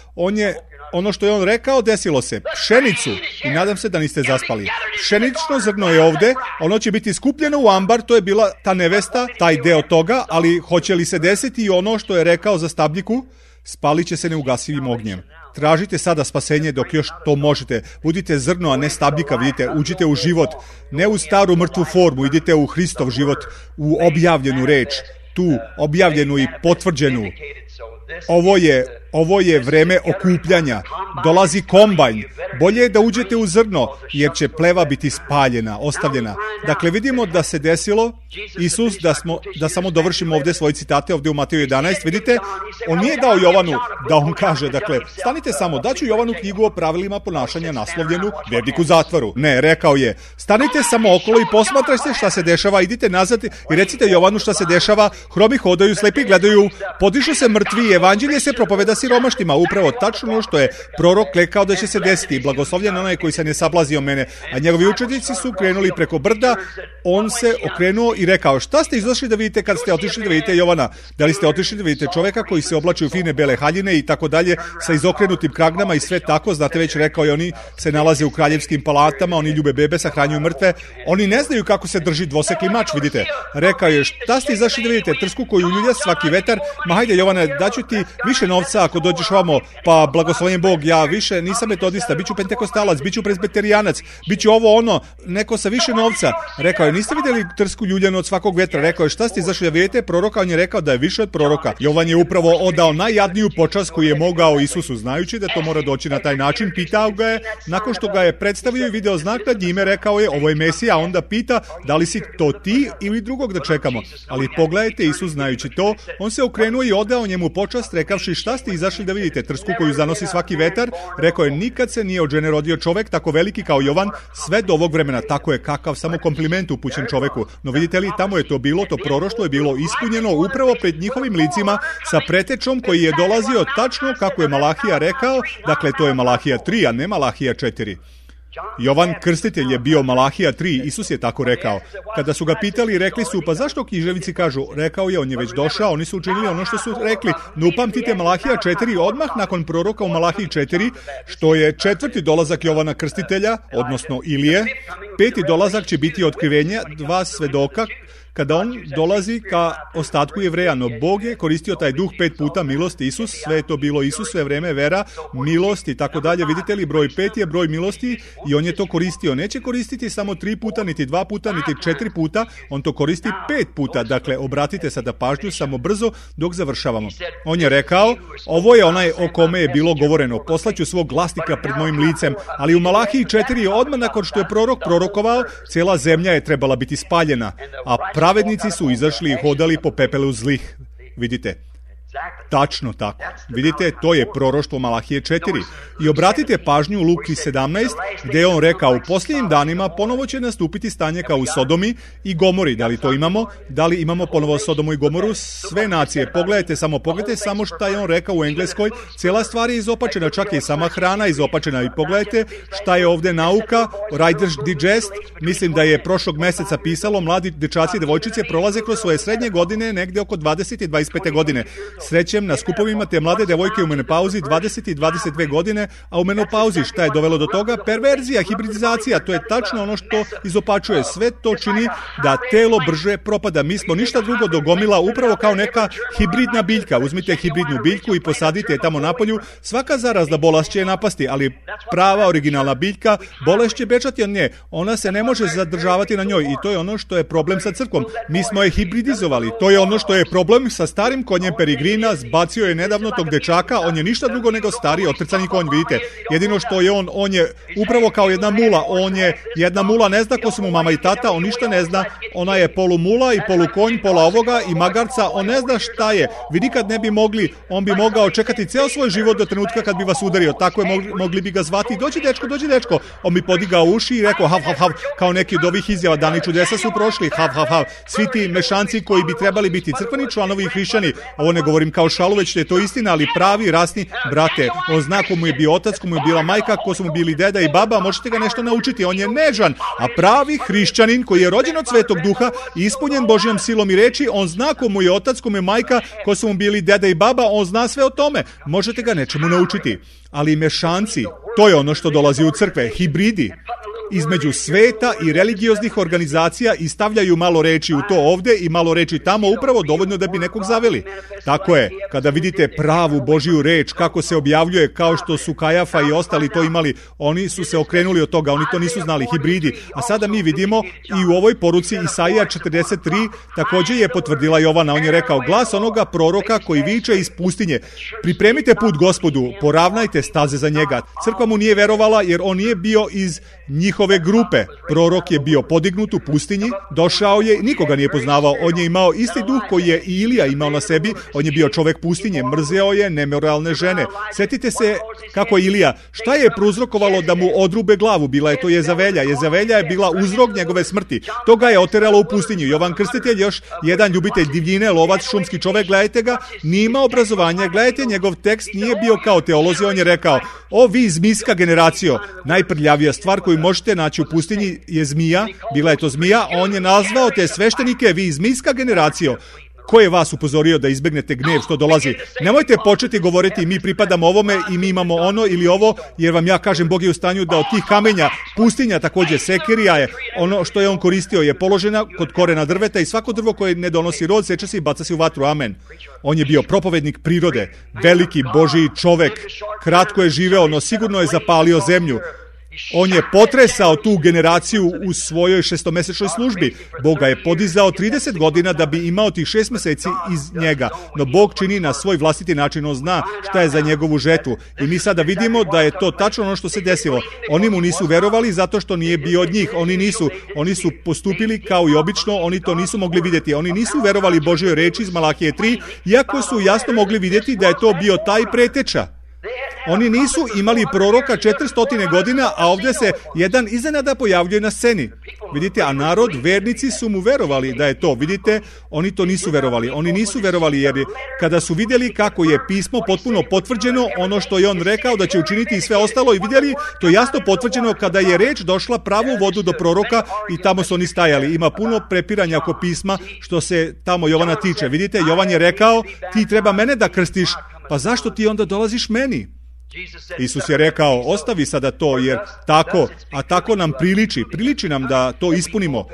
Ono što je on rekao, desilo se. Pšenicu, i nadam se da niste zaspali. Pšenično zrno je ovdje, ono će biti skupljeno u ambar, to je bila ta nevesta, taj deo toga, ali hoće li se desiti i ono što je rekao za stabljiku? Spalit će se neugasivim ognjem. Tražite sada spasenje dok još to možete. Budite zrno, a ne stabljika, vidite. Uđite u život, ne u staru mrtvu formu, idite u Hristov život, u objavljenu reč. tu objavljenu i potvrđenu. Ovo je vreme okupljanja. Dolazi kombajn. Bolje je da uđete u zrno, jer će pleva biti spaljena, ostavljena. Dakle, vidimo da se desilo, Isus, da samo dovršimo ovdje svoje citate, ovdje u Mateju 11, vidite, on nije dao Jovanu da on kaže, dakle, stanite samo, daću Jovanu knjigu o pravilima ponašanja naslovljenu Vjernik u zatvoru. Ne, rekao je, stanite samo okolo i posmatrajte šta se dešava, idite nazad i recite Jovanu šta se dešava, hromi hodaju, slepi gledaju, podižu se mrtvi, evanđelje se propoveda siromaštima, upravo tačno ono što je prorok rekao da će se desiti. Blagoslovljen onaj koji se ne sablazio mene. A njegovi učenici su krenuli preko brda, on se okrenuo i rekao, šta ste izašli da vidite kad ste otišli da vidite Jovana? Da li ste otišli da vidite čoveka koji se oblači u fine bele haljine i tako dalje, sa izokrenutim kragnama i sve tako, znate već rekao je, oni se nalaze u kraljevskim palatama, oni ljube bebe, sahranjuju mrtve, oni ne znaju kako se drži dvosekli mač, vidite. Rekao je, šta ste izašli da vidite? Trsku koju ljulja svaki vetar, ma hajde Jovane, daću ti više novca ako dođeš vamo, pa blagoslovljen Bog, ja više nisam metodista, biću pentekostalac, biću presbiterijanac, biću ovo ono, neko sa više novca. Rekao je, niste vidjeli trsku ljuljanu od svakog vetra? Rekao je, šta ste izašli da vidite? Proroka, on je rekao da je više od proroka. Jovan je upravo odao najjadniju počast koju je mogao Isusu, znajući da to mora doći na taj način. Pitao ga je, nakon što ga je predstavio i video znak nad njime, rekao je, ovo je Mesija, a onda pita, da li si to ti ili drugog da čekamo. Ali pogledajte, Isus znajući to, on se okrenuo i odao njemu počast, rekavši, šta ste izašli da vidite? Trsku koju zanosi svaki vetar? Rekao je, nikad se nije od žene rodio čovek tako veliki kao Jovan, sve do ovog vremena. Tako je, kakav samo kompliment upućen čoveku. No vidite li, tamo je to bilo, to proroštvo je bilo ispunjeno upravo pred njihovim licima sa pretečom koji je dolazio tačno kako je Malahija rekao, dakle to je Malahija 3, a ne Malahija 4. Jovan Krstitelj je bio Malahija 3, Isus je tako rekao. Kada su ga pitali, rekli su, pa zašto književnici kažu? Rekao je, on je već došao, oni su učinili ono što su rekli. No upamtite Malahija 4, odmah nakon proroka u Malahiji 4, što je 4. dolazak Jovana Krstitelja, odnosno Ilije. 5. dolazak će biti otkrivenje 2 svedoka, kada on dolazi ka ostatku Jevreja, no Bog je koristio taj duh 5 puta, milost, Isus, sve je to bilo Isus, sve vreme vera, milost i tako dalje. Vidite li, broj 5 je broj milosti i on je to koristio. Neće koristiti samo 3 puta, niti 2 puta, niti 4 puta, on to koristi 5 puta. Dakle, obratite sada pažnju samo brzo dok završavamo. On je rekao, ovo je onaj o kome je bilo govoreno, poslaću svog glasnika pred mojim licem, ali u Malahiji 4 odmah nakon što je prorok prorokovao, cijela zemlja je trebala biti spaljena, a pravednici su izašli i hodali po pepelu zlih. Vidite, tačno tako. Vidite, to je proroštvo Malahije 4. I obratite pažnju u Luki 17, gdje je on rekao, u posljednjim danima ponovo će nastupiti stanje kao u Sodomi i Gomori. Da li to imamo? Da li imamo ponovo Sodomu i Gomoru? Sve nacije. Pogledajte samo šta je on rekao u Engleskoj. Cijela stvar je izopačena, čak je i sama hrana izopačena. I pogledajte šta je ovdje nauka, Riders Digest. Mislim da je prošlog mjeseca pisalo, mladi dečaci i devojčice prolaze kroz svoje srednje godine negdje oko 20 i 25 godine. Srećem na skupovima te mlade devojke u menopauzi 20 i 22 godine, a u menopauzi šta je dovelo do toga? Perverzija, hibridizacija, to je tačno ono što izopačuje. Sve to čini da telo brže propada. Mi smo ništa drugo do gomila, upravo kao neka hibridna biljka. Uzmite hibridnu biljku i posadite je tamo napolju. Svaka zarazna bolest će je napasti, ali prava originalna biljka, bolest će bečati od nje. Ona se ne može zadržavati na njoj i to je ono što je problem sa crkvom. Mi smo je hibridizovali. To je ono što je problem sa starim konjem Perigrina. Zbacio je nedavno tog dečaka, on je ništa drugo nego stari otrcani konj, vidite. Jedino što je on je upravo kao jedna mula. On je jedna mula, ne zna ko su mu mama i tata, on ništa ne zna. Ona je polu mula i polu konj, pola ovoga i magarca, on ne zna šta je. Vi nikad ne bi mogli, on bi mogao čekati ceo svoj život do trenutka kad bi vas udario. Tako je, mogli bi ga zvati, dođi dečko. On bi podigao uši i rekao hav, kao neki od ovih izjava, dani čudesa su prošli, hav. Svi ti mešanci koji bi trebali biti crkveni članovi i hrišćani, ovo ne govorim kao šalu, već je to istina, ali pravi rasni brate. On zna ko mu je bio otac, ko mu je bila majka, ko su mu bili deda i baba, možete ga nešto naučiti. On je nežan, a pravi hrišćanin koji je rođen od Svetog Duha i ispunjen Božjom silom i reči, on zna ko mu je otac, ko mu je majka, ko su mu bili deda i baba, on zna sve o tome. Možete ga nečemu naučiti. Ali mešanci, to je ono što dolazi u crkve, hibridi. između sveta i religioznih organizacija i stavljaju malo reči u to ovde i malo reči tamo, upravo dovoljno da bi nekog zaveli. Tako je, kada vidite pravu Božiju reč, kako se objavljuje, kao što su Kajafa i ostali to imali, oni su se okrenuli od toga, oni to nisu znali, hibridi. A sada mi vidimo i u ovoj poruci Isaija 43 također je potvrdila Jovana. On je rekao, glas onoga proroka koji viče iz pustinje, pripremite put Gospodu, poravnajte staze za njega. Crkva mu nije verovala jer on nije bio iz njihove grupe. Prorok je bio podignut u pustinji, došao je, nikoga nije poznavao. On je imao isti duh koji je i Ilija imao na sebi. On je bio čovek pustinje, mrzeo je nemoralne žene. Sjetite se kako je Ilija, šta je prouzrokovalo da mu odrube glavu? Bila je to Jezavelja. Jezavelja je bila uzrok njegove smrti. To ga je oteralo u pustinju. Jovan Krstitelj, još jedan ljubitelj divljine, lovac, šumski čovek, gledajte ga, nije imao obrazovanja, gledajte, njegov tekst nije bio kao teolozi, on je rekao, o vi zmijska generacijo, najprljavija stvar koju možete naći u pustinji je zmija, bila je to zmija, on je nazvao te sveštenike, vi zmijska generacijo. Ko je vas upozorio da izbegnete gnev što dolazi? Nemojte početi govoriti mi pripadamo ovome i mi imamo ono ili ovo, jer vam ja kažem Bog je u stanju da od tih kamenja, pustinja također sekirija je, ono što je on koristio je položena kod korena drveta i svako drvo koje ne donosi rod seče se i baca se u vatru, amen. On je bio propovednik prirode, veliki Božiji čovek, kratko je živeo, no sigurno je zapalio zemlju. On je potresao tu generaciju u svojoj 6-mesečnoj službi. Bog ga je podizao 30 godina da bi imao tih 6 meseci iz njega. No Bog čini na svoj vlastiti način, on zna šta je za njegovu žetvu. I mi sada vidimo da je to tačno ono što se desilo. Oni mu nisu verovali zato što nije bio od njih. Oni su postupili kao i obično, oni to nisu mogli vidjeti. Oni nisu verovali Božjoj reči iz Malahije 3, iako su jasno mogli vidjeti da je to bio taj preteča. Oni nisu imali proroka 400 godina, a ovdje se jedan iznenada pojavljuje na sceni. Vidite, a narod, vernici su mu verovali da je to. Vidite, oni to nisu verovali. Oni nisu verovali jer kada su vidjeli kako je pismo potpuno potvrđeno, ono što je on rekao da će učiniti i sve ostalo i vidjeli, to jasno potvrđeno kada je reč došla pravu vodu do proroka i tamo su oni stajali. Ima puno prepiranja oko pisma što se tamo Jovana tiče. Vidite, Jovan je rekao, ti treba mene da krstiš, pa zašto ti onda dolaziš meni? Isus je rekao, ostavi sada to, jer tako nam priliči nam da to ispunimo.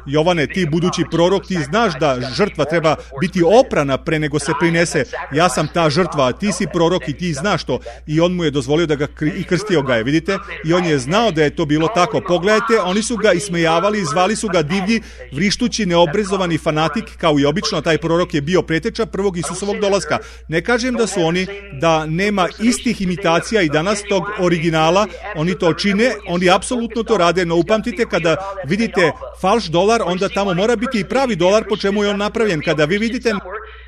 Jovane, ti budući prorok, ti znaš da žrtva treba biti oprana pre nego se prinese. Ja sam ta žrtva, a ti si prorok i ti znaš to. I on mu je dozvolio da ga i krstio ga je, vidite? I on je znao da je to bilo tako. Pogledajte, oni su ga ismejavali, zvali su ga divlji, vrištući, neobrazovani fanatik, kao i obično, taj prorok je bio preteča prvog Isusovog dolaska. Ne kažem da su oni, da nema istih imitacija i danas tog originala, oni to čine, oni apsolutno to rade, no upamtite kada vidite falš dolar, onda tamo mora biti i pravi dolar po čemu je on napravljen. Kada vi vidite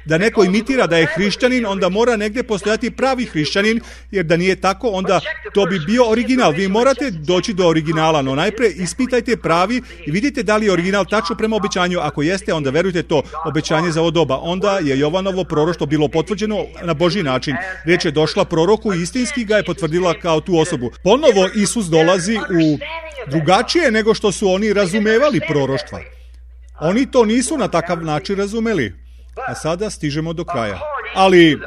da neko imitira da je hrišćanin, onda mora negdje postojati pravi hrišćanin, jer da nije tako, onda to bi bio original. Vi morate doći do originala, no najprije ispitajte pravi i vidite da li je original tačno prema obećanju. Ako jeste, onda verujte to obećanje za ovo doba. Onda je Jovanovo proroštvo bilo potvrđeno na Božji način. Riječ je došla proroku i istinski ga je potvrdila kao tu osobu. Ponovo Isus dolazi u drugačije nego što su oni razumevali proroštva. Oni to nisu na takav način razumeli. A sada stižemo do kraja. Ali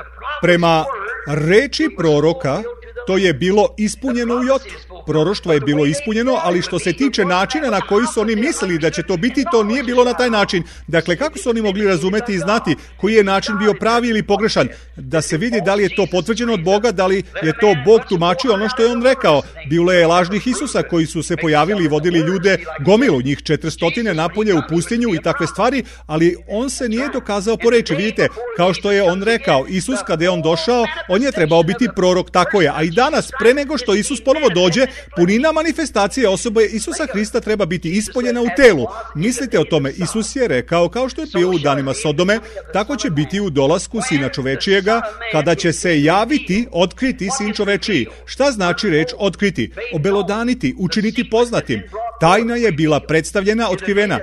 prema reči proroka to je bilo ispunjeno u jotu. Proroštvo je bilo ispunjeno, ali što se tiče načina na koji su oni mislili da će to biti, to nije bilo na taj način. Dakle, kako su oni mogli razumeti i znati koji je način bio pravi ili pogrešan? Da se vidi da li je to potvrđeno od Boga, da li je to Bog tumačio ono što je on rekao. Bilo je lažnih Isusa koji su se pojavili i vodili ljude, gomilu njih 400 napolje u pustinju i takve stvari, ali on se nije dokazao po reči. Vidite, kao što je on rekao, Isus kada je on došao, on je trebao biti prorok, tako je. A i danas, pre nego što Isus ponovo dođe, punina manifestacije osobe Isusa Hrista treba biti ispoljena u telu. Mislite o tome, Isus je rekao, kao što je bio u danima Sodome, tako će biti u dolasku Sina čovečijega, kada će se javiti, otkriti Sin čovečiji. Šta znači reč otkriti? Obelodaniti, učiniti poznatim. Tajna je bila predstavljena, otkrivena.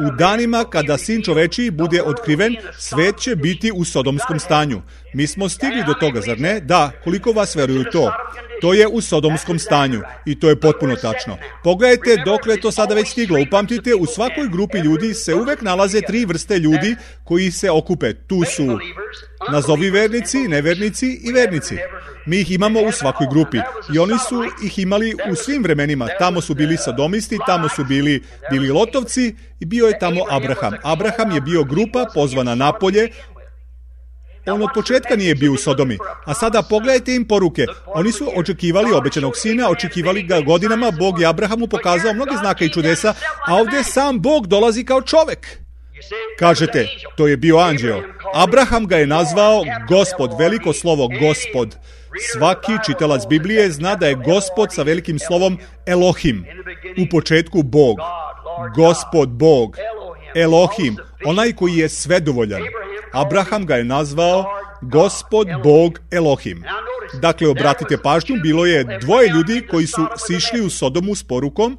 U danima kada Sin čovečiji bude otkriven, svet će biti u sodomskom stanju. Mi smo stigli do toga, zar ne? Da, koliko vas veruju to? To je u sodomskom stanju i to je potpuno tačno. Pogledajte dokle je to sada već stiglo. Upamtite, u svakoj grupi ljudi se uvek nalaze 3 vrste ljudi koji se okupe. Tu su nazovi vernici, nevernici i vernici. Mi ih imamo u svakoj grupi i oni su ih imali u svim vremenima. Tamo su bili sodomisti, tamo su bili lotovci i bio je tamo Abraham. Abraham je bio grupa pozvana napolje. On od početka nije bio u Sodomi. A sada pogledajte im poruke. Oni su očekivali obećanog sina, očekivali ga godinama. Bog je Abrahamu pokazao mnoge znake i čudesa, a ovdje sam Bog dolazi kao čovek. Kažete, to je bio anđeo. Abraham ga je nazvao Gospod, veliko slovo Gospod. Svaki čitalac Biblije zna da je Gospod sa velikim slovom Elohim. U početku Bog. Gospod Bog. Elohim, onaj koji je svedovoljan. Abraham ga je nazvao Gospod Bog Elohim. Dakle, obratite pažnju, bilo je dvoje ljudi koji su sišli u Sodomu s porukom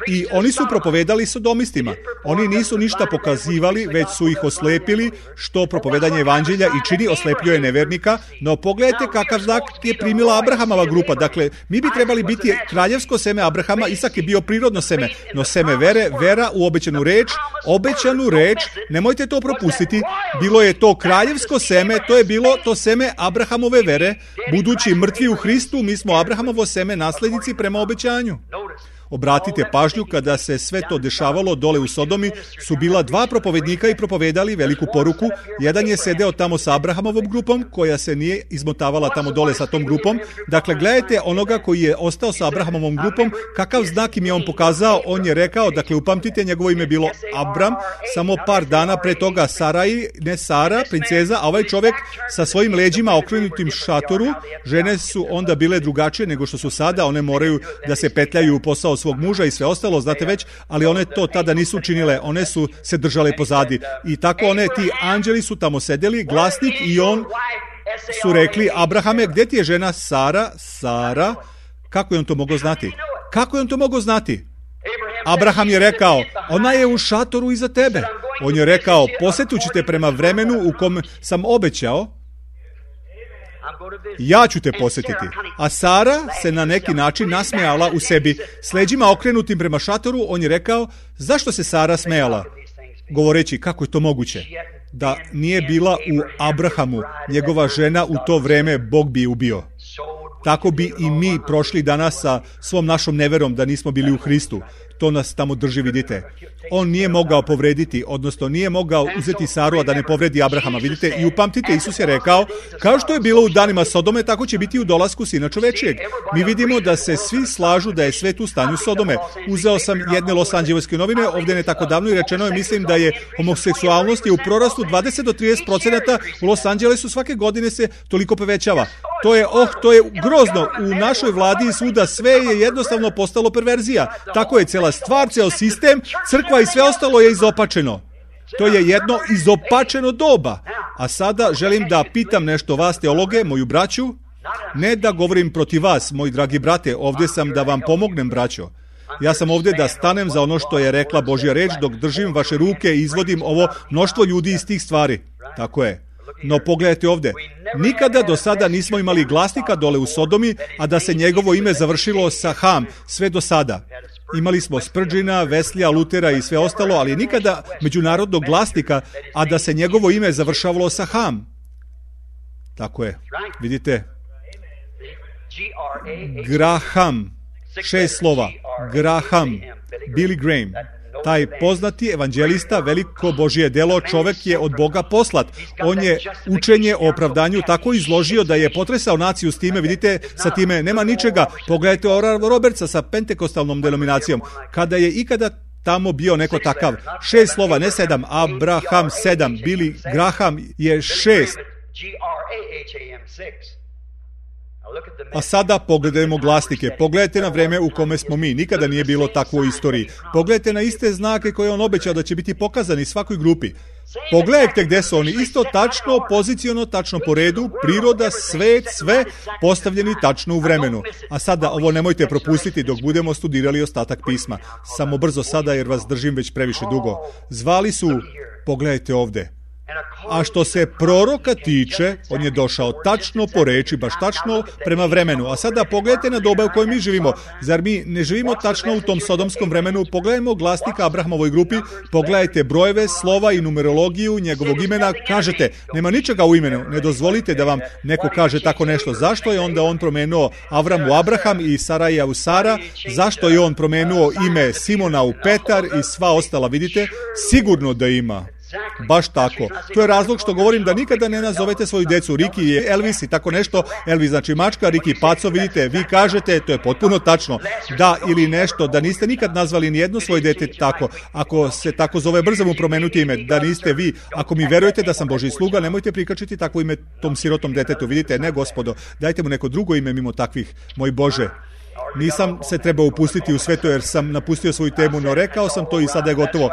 i oni su propovedali sodomistima. Oni nisu ništa pokazivali, već su ih oslepili, što propovedanje evanđelja i čini, oslepljuje nevernika. No pogledajte kakav znak je primila Abrahamova grupa. Dakle, mi bi trebali biti kraljevsko seme Abrahama, Isak je bio prirodno seme, no seme vere, vera u obećanu reč, nemojte to propustiti. Bilo je to kraljevsko seme, to je bilo to seme Abrahamove vere. Budući mrtvi u Hristu, mi smo Abrahamovo seme, naslednici prema obećanju. Obratite pažnju, kada se sve to dešavalo dole u Sodomi, su bila dva propovednika i propovedali veliku poruku. Jedan je sedeo tamo sa Abrahamovom grupom, koja se nije izmotavala tamo dole sa tom grupom. Dakle, gledajte onoga koji je ostao sa Abrahamovom grupom, kakav znak im je on pokazao. On je rekao, dakle, upamtite, njegovo ime bilo Abram, samo par dana pre toga Sarai, ne Sara, princeza, a ovaj čovjek sa svojim leđima okrenutim šatoru. Žene su onda bile drugačije nego što su sada, one moraju da se petljaju u posao svog muža i sve ostalo, znate već, ali one to tada nisu činile, one su se držale pozadi. I tako ti anđeli su tamo sedeli, glasnik i on su rekli, Abrahame, gdje ti je žena Sara? Kako je on to mogao znati? Abraham je rekao, ona je u šatoru iza tebe. On je rekao, posjetit ćete prema vremenu u kom sam obećao, ja ću te posjetiti. A Sara se na neki način nasmejala u sebi. S leđima okrenutim prema šatoru, on je rekao, zašto se Sara smejala? Govoreći, kako je to moguće? Da nije bila u Abrahamu, njegova žena u to vreme, Bog bi je ubio. Tako bi i mi prošli danas sa svom našom neverom da nismo bili u Hristu. To nas tamo drži, vidite. On nije mogao povrediti, odnosno nije mogao uzeti Saru, a da ne povredi Abrahama. Vidite, i upamtite, Isus je rekao, kao što je bilo u danima Sodome, tako će biti u dolasku Sina čovečijeg. Mi vidimo da se svi slažu da je svet u stanju Sodome. Uzeo sam jedne Los Angeleske novine, ovdje ne tako davno, i rečeno je, mislim da je homoseksualnost je u prorastu 20 do 30%, u Los Angelesu svake godine se toliko povećava. To je grozno. U našoj vladi i svuda sve je jednostavno postalo perverzija. Tako je cela stvar, ceo sistem, crkva i sve ostalo je izopačeno. To je jedno izopačeno doba. A sada želim da pitam nešto vas, teologe, moju braću. Ne da govorim protiv vas, moji dragi brate, ovdje sam da vam pomognem, braćo. Ja sam ovdje da stanem za ono što je rekla Božja reč, dok držim vaše ruke i izvodim ovo mnoštvo ljudi iz tih stvari. Tako je. No pogledajte ovdje, nikada do sada nismo imali glasnika dole u Sodomi, a da se njegovo ime završilo sa Ham, sve do sada. Imali smo Spurgeona, Weslija, Lutera i sve ostalo, ali nikada međunarodnog glasnika, a da se njegovo ime završavalo sa Ham. Tako je, vidite. Graham, 6 slova, Graham, Billy Graham. Taj poznati evanđelista, veliko Božje delo, čovjek je od Boga poslat. On je učenje o opravdanju tako izložio da je potresao naciju s time. Vidite, sa time nema ničega. Pogledajte Oral Robertsa sa pentekostalnom denominacijom. Kada je ikada tamo bio neko takav. 6 slova, ne 7. Abraham 7. Billy Graham je 6. A sada pogledajmo glasnike. Pogledajte na vreme u kome smo mi. Nikada nije bilo takvo u istoriji. Pogledajte na iste znake koje on obećao da će biti pokazani svakoj grupi. Pogledajte gdje su oni. Isto tačno, poziciono, tačno po redu, priroda, svet, sve postavljeni tačno u vremenu. A sada ovo nemojte propustiti dok budemo studirali ostatak pisma. Samo brzo sada jer vas držim već previše dugo. Zvali su, pogledajte ovdje, A što se proroka tiče, on je došao tačno po reči, baš tačno prema vremenu. A sada pogledajte na doba u kojoj mi živimo. Zar mi ne živimo tačno u tom sodomskom vremenu? Pogledajmo glasnika Abrahamovoj grupi, pogledajte brojeve, slova i numerologiju njegovog imena. Kažete, nema ničega u imenu, ne dozvolite da vam neko kaže tako nešto. Zašto je onda on promenuo Avram u Abraham i Saraja u Sara? Zašto je on promenuo ime Simona u Petar i sva ostala? Vidite, sigurno da ima. Baš tako. To je razlog što govorim da nikada ne nazovete svoju decu Riki i Elvis i tako nešto. Elvis znači mačka, Riki paco, vidite, vi kažete, to je potpuno tačno, da ili nešto, da niste nikad nazvali nijedno svoje dete tako. Ako se tako zove, brzo mu promenuti ime, da niste vi. Ako mi verujete da sam Božji sluga, nemojte prikačiti takvo ime tom sirotom detetu. Vidite, ne gospodo, dajte mu neko drugo ime mimo takvih, moj Bože. Nisam se trebao upustiti u sve to jer sam napustio svoju temu, no rekao sam to i sada je gotovo.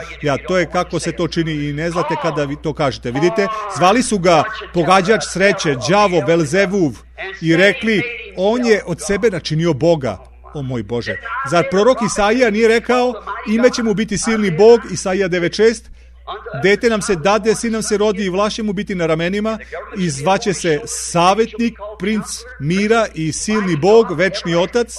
To je kako se to čini i ne znate kada vi to kažete. Vidite, zvali su ga pogađač sreće, đavo, Belzevuv i rekli, on je od sebe načinio Boga. O moj Bože. Zar prorok Isaija nije rekao, ime će mu biti silni Bog, Isaija 9.6, dete nam se dade, sin nam se rodi i vlast će mu biti na ramenima i zvaće se savjetnik, princ mira i silni Bog, večni otac.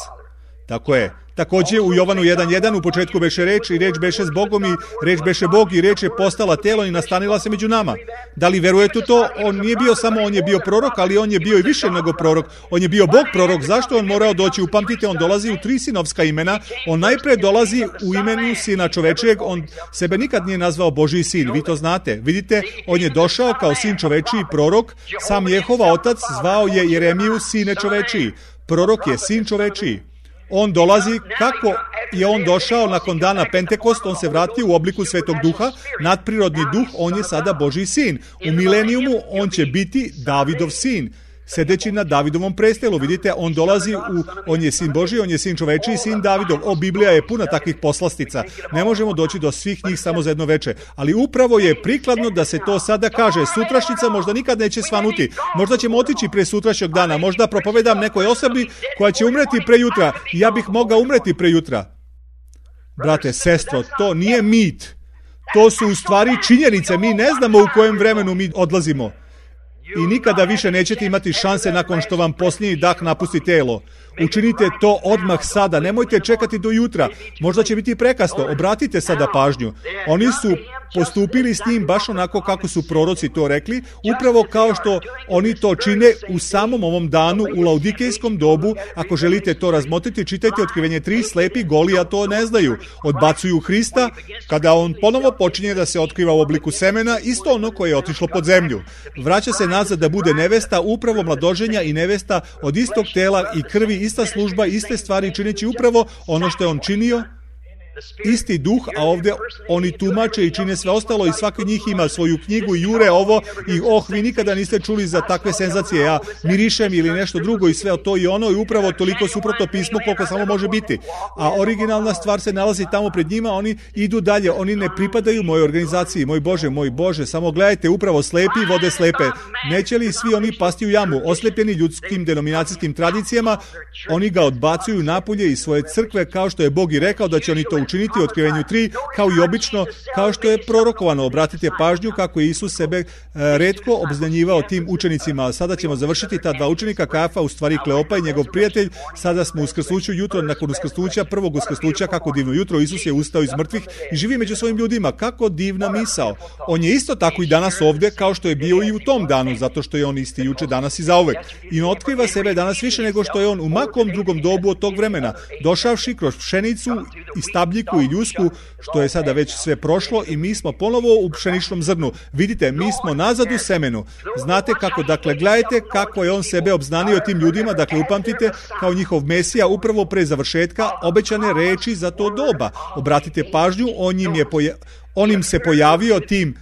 Tako je. Također u Jovanu 1.1 u početku beše reč i reč beše s Bogom i reč beše Bog i reč je postala telo i nastanila se među nama. Da li verujete u to? On nije bio samo, on je bio prorok, ali on je bio i više nego prorok. On je bio Bog prorok. Zašto on morao doći? Upamtite, on dolazi u 3 sinovska imena. On najpre dolazi u imenu sina čovečijeg. On sebe nikad nije nazvao Božji sin. Vi to znate. Vidite, on je došao kao sin čovečiji prorok. Sam Jehova otac zvao je Jeremiju sine čovečiji. Prorok je sin čovečiji. On dolazi, kako je on došao nakon dana Pentekost, on se vratio u obliku Svetog Duha, nadprirodni duh, on je sada Božji sin. U milenijumu on će biti Davidov sin, sedeći na Davidovom prestolu. Vidite, on dolazi on je sin Božji, on je sin čovečiji, sin Davidov. Biblija je puna takvih poslastica. Ne možemo doći do svih njih samo za jedno veče. Ali upravo je prikladno da se to sada kaže. Sutrašnjica možda nikad neće svanuti. Možda ćemo otići pre sutrašnjeg dana. Možda propovedam nekoj osobi koja će umreti prejutra. Ja bih mogao umreti prejutra. Brate, sestro, to nije mit. To su u stvari činjenice. Mi ne znamo u kojem vremenu mi odlazimo. I nikada više nećete imati šanse nakon što vam posljednji dah napusti telo. Učinite to odmah sada, nemojte čekati do jutra. Možda će biti prekasno, obratite sada pažnju. Oni su postupili s njim baš onako kako su proroci to rekli, upravo kao što oni to čine u samom ovom danu, u laudikejskom dobu. Ako želite to razmotriti, čitajte Otkrivenje 3, slepi, goli, a to ne znaju. Odbacuju Hrista, kada on ponovo počinje da se otkriva u obliku semena, isto ono koje je otišlo pod zemlju. Vraća se nazad da bude nevesta, upravo mladoženja i nevesta od istog tela i krvi, ista služba, iste stvari, čineći upravo ono što je on činio, isti duh, a ovdje oni tumače i čine sve ostalo i svaki njih ima svoju knjigu i jure ovo i vi nikada niste čuli za takve senzacije, ja mirišem ili nešto drugo i sve to i ono i upravo toliko suprotno pismo koliko samo može biti. A originalna stvar se nalazi tamo pred njima, oni idu dalje, oni ne pripadaju mojoj organizaciji, moj Bože, samo gledajte, upravo slepi vode slepe. Neće li svi oni pasti u jamu, oslepljeni ljudskim denominacijskim tradicijama, oni ga odbacuju napolje iz svoje crkve kao što je Bog i rekao da će oni to učiniti u Otkrivenju 3, kao i obično, kao što je prorokovano. Obratite pažnju kako je Isus sebe retko obznanjivao tim učenicima. Sada ćemo završiti ta dva učenika, Kajafa, u stvari Kleopa i njegov prijatelj. Sada smo u uskrsnuću jutro, nakon uskrsnuća, prvog uskrsnuća, kako divno jutro, Isus je ustao iz mrtvih i živi među svojim ljudima. Kako divna misao. On je isto tako i danas ovdje, kao što je bio i u tom danu, zato što je on isti juče, danas i zauvek. I on otkriva sebe danas više nego što je on u makom drugom dobu od tog vremena, došavši kroz pšenicu i stabljiku i ljusku, što je sada već sve prošlo i mi smo ponovo u pšeničnom zrnu. Vidite, mi smo nazad u semenu. Znate kako, dakle, gledajte kako je on sebe obznanio tim ljudima, dakle, upamtite, kao njihov Mesija, upravo pre završetka obećane reči za to doba. Obratite pažnju, on im se pojavio tim,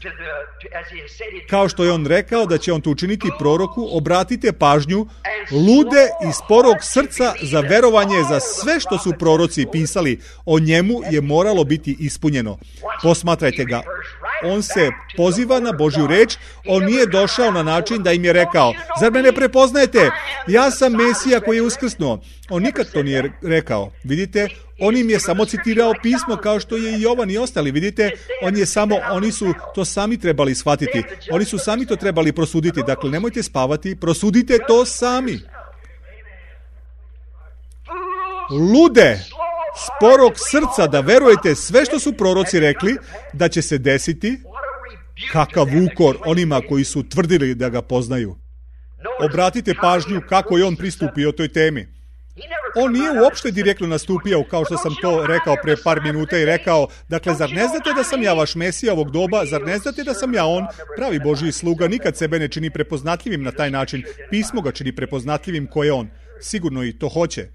kao što je on rekao da će on to učiniti proroku. Obratite pažnju, lude i sporog srca za verovanje za sve što su proroci pisali. O njemu je moralo biti ispunjeno. Posmatrajte ga. on se poziva na Božju reč, on nije došao na način da im je rekao, zar me ne prepoznajete, ja sam Mesija koji je uskrsnuo. On nikad to nije rekao, vidite, on im je samo citirao pismo kao što je i Jovan i ostali, vidite, oni su to sami trebali shvatiti, oni su sami to trebali prosuditi, dakle nemojte spavati, prosudite to sami. Lude, sporog srca da verujete sve što su proroci rekli da će se desiti, kakav ukor onima koji su tvrdili da ga poznaju. Obratite pažnju kako je on pristupio toj temi. On nije uopšte direktno nastupio, kao što sam to rekao pre par minuta i rekao, dakle, zar ne znate da sam ja vaš Mesija ovog doba, zar ne znate da sam ja on, pravi Božji sluga, nikad sebe ne čini prepoznatljivim na taj način, pismo ga čini prepoznatljivim ko je on, sigurno i to hoće.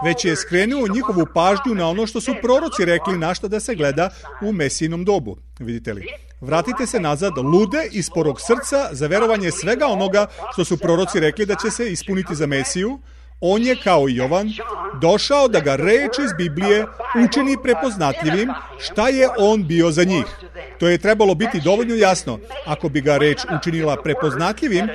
Već je skrenuo njihovu pažnju na ono što su proroci rekli na šta da se gleda u Mesijinom dobu. Vidite li? Vratite se nazad, lude i sporog srca za verovanje svega onoga što su proroci rekli da će se ispuniti za Mesiju. On je, kao i Jovan, došao da ga reč iz Biblije učini prepoznatljivim šta je on bio za njih. To je trebalo biti dovoljno jasno. Ako bi ga reč učinila prepoznatljivim,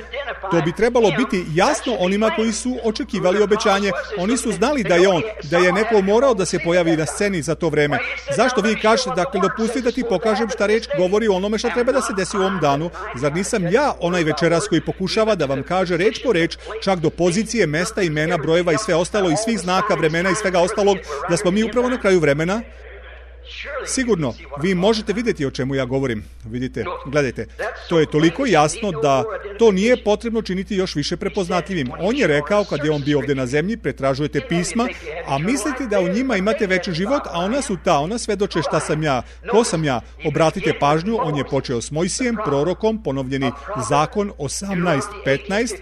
to bi trebalo biti jasno onima koji su očekivali obećanje. Oni su znali da je on, da je neko morao da se pojavi na sceni za to vreme. Zašto vi kažete, dakle, dopusti da ti pokažem šta reč govori o onome šta treba da se desi u ovom danu? Zar nisam ja onaj večeras koji pokušava da vam kaže reč po reč, čak do pozicije, mesta, imena, brojeva i sve ostalo, i svih znaka, vremena i svega ostalog, da smo mi upravo na kraju vremena? Sigurno, vi možete vidjeti o čemu ja govorim. Vidite, gledajte, to je toliko jasno da to nije potrebno činiti još više prepoznatljivim. On je rekao, kad je on bio ovdje na zemlji, pretražujete pisma, a mislite da u njima imate veći život, a ona svedoče šta sam ja, ko sam ja. Obratite pažnju, on je počeo s Mojsijem, prorokom, ponovljeni zakon 18:15.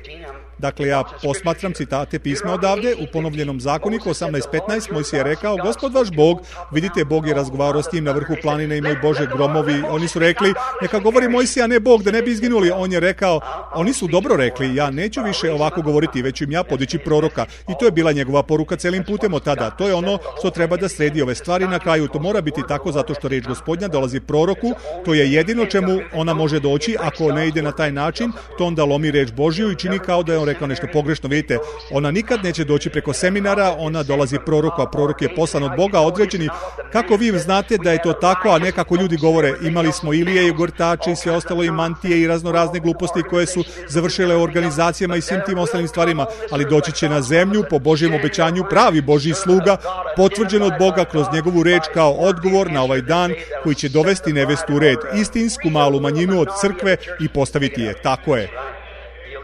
Dakle, ja posmatram citate pisma odavde, u ponovljenom zakoniku 18:15, Mojsije je rekao, Gospod vaš Bog, vidite, Bog je razgovarao s njim na vrhu planine i moj Bože gromovi, oni su rekli, neka govori Mojsija, a ne Bog, da ne bi izginuli. On je rekao, oni su dobro rekli, ja neću više ovako govoriti, već im ja podići proroka. I to je bila njegova poruka celim putem od tada. To je ono što treba da sredi ove stvari na kraju. To mora biti tako zato što reč Gospodnja dolazi proroku, to je jedino čemu ona može doći. Ako ne ide na taj način, to onda lomi reč Božju i čini kao da je on rekao nešto pogrešno. Vidite, ona nikad neće doći preko seminara, ona dolazi proroku, a prorok je poslan od Boga, određeni. Kako vi znate da je to tako, a ne kako ljudi govore? Imali smo Ilije i gortače i sve ostalo i mantije i raznorazne gluposti koje su završile u organizacijama i svim tim ostalim stvarima, ali doći će na zemlju po Božjem obećanju pravi Božji sluga, potvrđen od Boga kroz njegovu reč kao odgovor na ovaj dan koji će dovesti nevestu u red, istinsku malu manjinu od crkve i postaviti je. Tako je.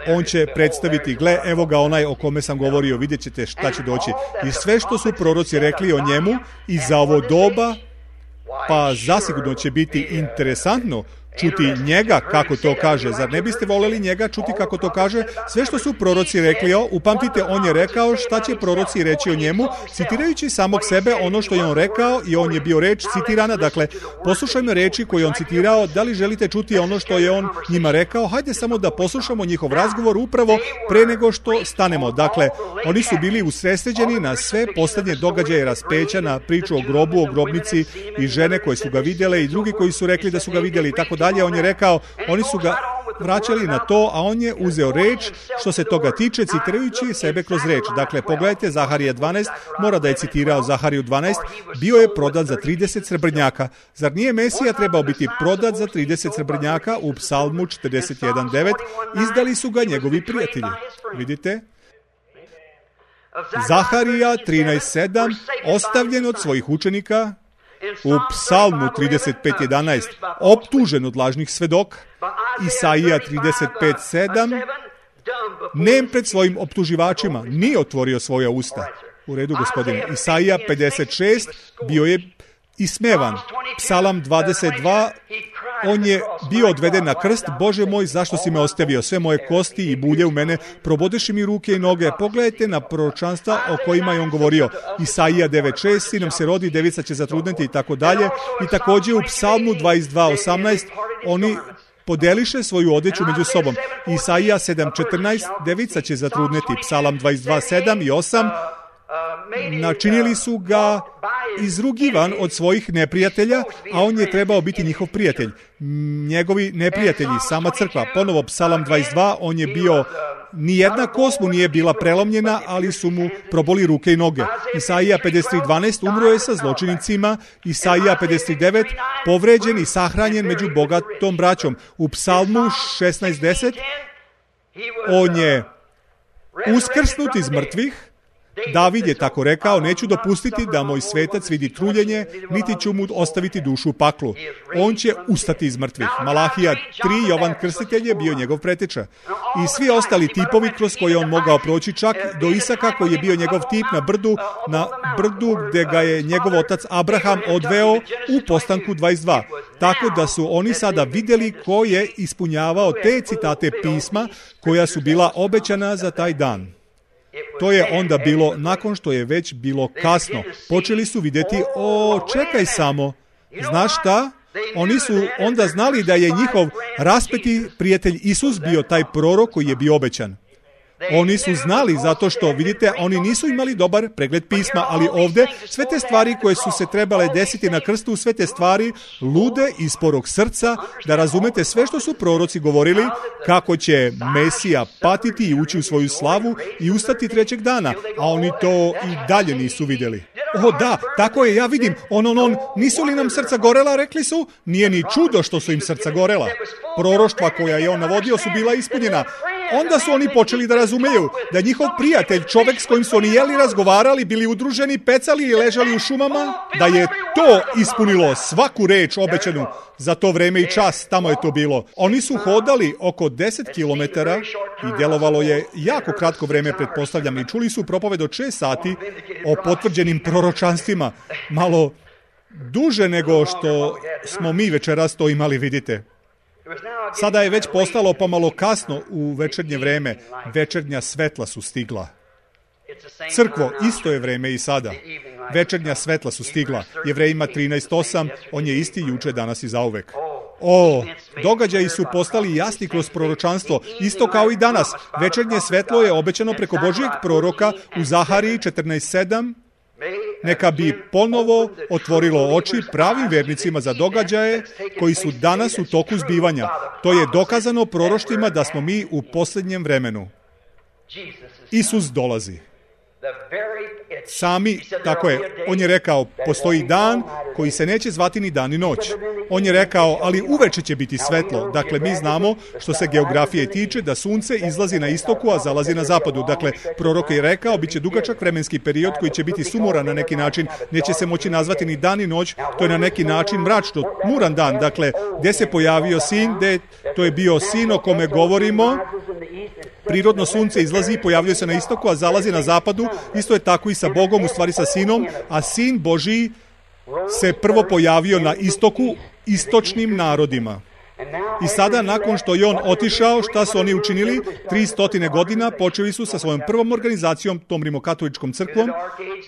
On će predstaviti, gle, evo ga onaj o kome sam govorio, vidjet ćete šta će doći. I sve što su proroci rekli o njemu i za ovo doba, pa zasigurno će biti interesantno čuti njega kako to kaže. Zar ne biste voleli njega čuti kako to kaže? Sve što su proroci rekli, upamtite, on je rekao šta će proroci reći o njemu, citirajući samog sebe ono što je on rekao i on je bio reč citirana. Dakle, poslušajmo reči koje on citirao. Da li želite čuti ono što je on njima rekao? Hajde samo da poslušamo njihov razgovor upravo pre nego što stanemo. Dakle, oni su bili usredsređeni na sve posljednje događaje raspeća, na priču o grobu, o grobnici i žene koje su ga vidjele i drugi koji su rekli da su ga vidjeli i tako dalje. On je rekao, oni su ga vraćali na to, a on je uzeo reč što se toga tiče, citirajući sebe kroz reč. Dakle, pogledajte Zaharija 12, mora da je citirao Zahariju 12, bio je prodat za 30 srebrnjaka. Zar nije Mesija trebao biti prodat za 30 srebrnjaka? U Psalmu 41:9 izdali su ga njegovi prijatelji. Vidite? Zaharija 13:7, ostavljen od svojih učenika. U Psalmu 35:11, optužen od lažnih svedoka. Isaija 35:7, nem pred svojim optuživačima, nije otvorio svoja usta. U redu, gospodine. Isaija 56, bio je ismevan. Psalam 22, on je bio odveden na krst. Bože moj, zašto si me ostavio? Sve moje kosti i bulje u mene, probodeši mi ruke i noge. Pogledajte na proročanstva o kojima je on govorio. Isaija 9:6, sin nam se rodi, devica će zatrudneti i tako dalje. I također u Psalmu 22:18, oni podeliše svoju odeću među sobom. Isaija 7:14, devica će zatrudneti. Psalam 22:7 i 8, načinili su ga izrugivan od svojih neprijatelja, a on je trebao biti njihov prijatelj. Njegovi neprijatelji, sama crkva. Ponovo Psalam 22, on je bio, nijedna kost mu nije bila prelomljena, ali su mu proboli ruke i noge. Isaija 53.12, umro je sa zločinicima. Isaija 59, povređen i sahranjen među bogatom braćom. U Psalmu 16.10, on je uskrsnut iz mrtvih. David je tako rekao, neću dopustiti da moj svetac vidi truljenje, niti ću mu ostaviti dušu u paklu. On će ustati iz mrtvih. Malahija 3, Jovan Krstitelj je bio njegov preteča. I svi ostali tipovi kroz koje on mogao proći, čak do Isaka koji je bio njegov tip na brdu gde ga je njegov otac Abraham odveo u Postanku 22. Tako da su oni sada vidjeli ko je ispunjavao te citate pisma koja su bila obećana za taj dan. To je onda bilo, nakon što je već bilo kasno. Počeli su vidjeti, čekaj samo, znaš šta? Oni su onda znali da je njihov raspeti prijatelj Isus bio taj prorok koji je bio obećan. Oni su znali zato što, vidite, oni nisu imali dobar pregled pisma, ali ovdje sve te stvari koje su se trebale desiti na krstu, sve te stvari lude iz sporog srca, da razumete sve što su proroci govorili, kako će Mesija patiti i ući u svoju slavu i ustati trećeg dana, a oni to i dalje nisu vidjeli. Da, tako je, ja vidim, nisu li nam srca gorela, rekli su, nije ni čudo što su im srca gorela. Proroštva koja je on navodio su bila ispunjena. Onda su oni počeli da razumeju da njihov prijatelj, čovek s kojim su oni jeli, razgovarali, bili udruženi, pecali i ležali u šumama, da je to ispunilo svaku reč obećanu za to vreme i čas, tamo je to bilo. Oni su hodali oko 10 kilometara i djelovalo je jako kratko vreme, pretpostavljam, i čuli su propoved od 6 sati o potvrđenim proročanstvima, malo duže nego što smo mi večeras to imali, vidite. Sada je već postalo pomalo kasno u večernje vreme. Večernja svetla su stigla. Crkvo, isto je vreme i sada. Večernja svetla su stigla. Jevrejima 13.8, on je isti juče, danas i zauvek. Događaji su postali jasni kroz proročanstvo, isto kao i danas. Večernje svetlo je obećano preko Božijeg proroka u Zahariji 14.7. Neka bi ponovo otvorilo oči pravim vernicima za događaje koji su danas u toku zbivanja. To je dokazano proroštvima da smo mi u posljednjem vremenu. Isus dolazi. Tako je, on je rekao, postoji dan koji se neće zvati ni dan ni noć. On je rekao, ali uveče će biti svetlo. Dakle, mi znamo, što se geografije tiče, da sunce izlazi na istoku, a zalazi na zapadu. Dakle, prorok je rekao, bit će dugačak vremenski period koji će biti sumoran na neki način. Neće se moći nazvati ni dan ni noć, to je na neki način mračno, muran dan. Dakle, gdje se pojavio sin, to je bio sin o kome govorimo. Prirodno sunce izlazi, pojavljuje se na istoku, a zalazi na zapadu. Isto je tako i sa Bogom, u stvari sa sinom, a sin Božiji se prvo pojavio na istoku, istočnim narodima. I sada, nakon što je on otišao, šta su oni učinili? 300 godina počeli su sa svojom prvom organizacijom, tom rimokatoličkom crkvom,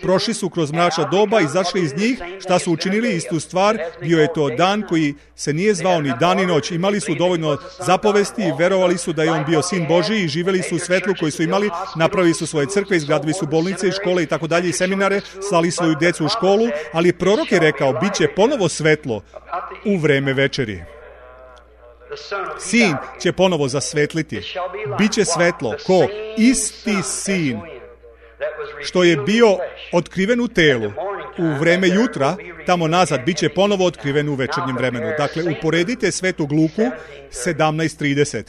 prošli su kroz mračna doba, izašli iz njih, šta su učinili? Istu stvar, bio je to dan koji se nije zvao ni dan ni noć. Imali su dovoljno zapovesti i verovali su da je on bio sin Božiji i živjeli su u svetlu koji su imali, napravili su svoje crkve, izgradili su bolnice i škole i tako dalje i seminare, slali svoju djecu u školu, ali prorok je rekao, bit će ponovo svetlo u vreme večeri. Sin će ponovo zasvetliti. Biće svetlo. Ko? Isti sin što je bio otkriven u telu u vreme jutra, tamo nazad, bit će ponovo otkriven u večernjem vremenu. Dakle, uporedite Svetog Luku 17.30.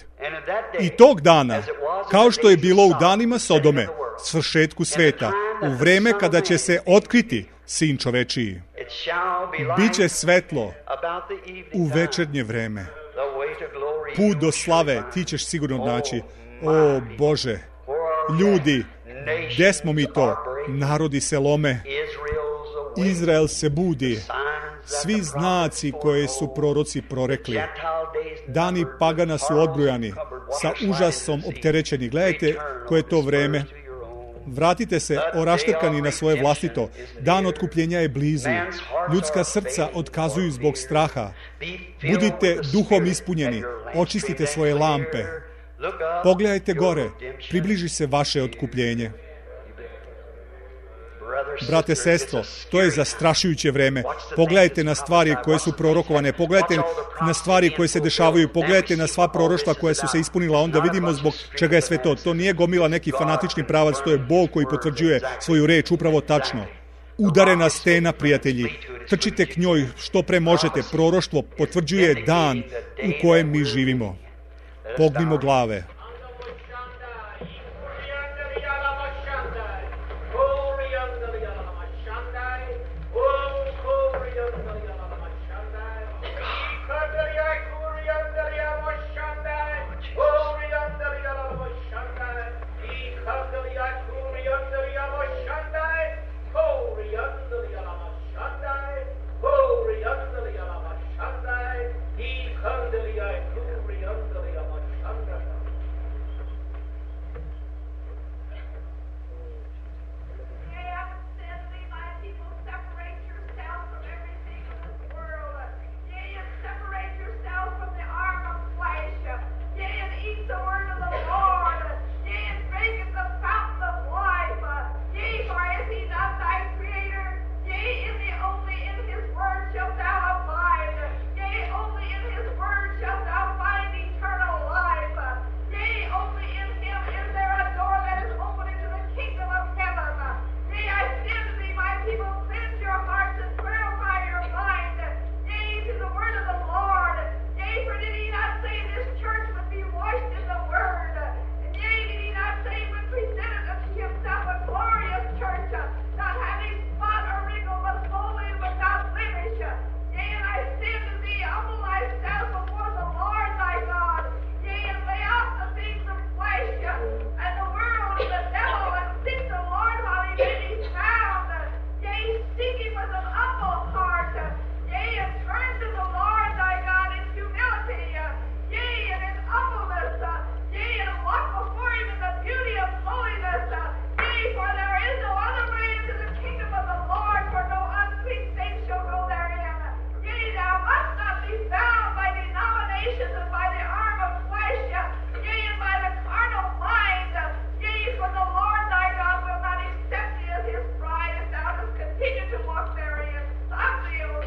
I tog dana, kao što je bilo u danima Sodome, svršetku sveta, u vreme kada će se otkriti sin čovečiji, biće svetlo u večernje vreme. Put do slave, ti ćeš sigurno naći. O Bože, ljudi, gdje smo mi to? Narodi se lome, Izrael se budi, svi znaci koje su proroci prorekli. Dani pagana su odbrojani, sa užasom opterećeni. Gledajte koje je to vreme. Vratite se oraštrkani na svoje vlastito. Dan otkupljenja je blizu. Ljudska srca otkazuju zbog straha. Budite duhom ispunjeni. Očistite svoje lampe. Pogledajte gore. Približi se vaše otkupljenje. brate, sestro, to je zastrašujuće vreme. Pogledajte na stvari koje su prorokovane, pogledajte na stvari koje se dešavaju, pogledajte na sva proroštva koja su se ispunila, onda vidimo zbog čega je sve to. To nije gomila neki fanatični pravac, to je Bog koji potvrđuje svoju reč upravo tačno. Udarena stena, prijatelji. Trčite k njoj što pre možete. Proroštvo potvrđuje dan u kojem mi živimo. Pognimo glave.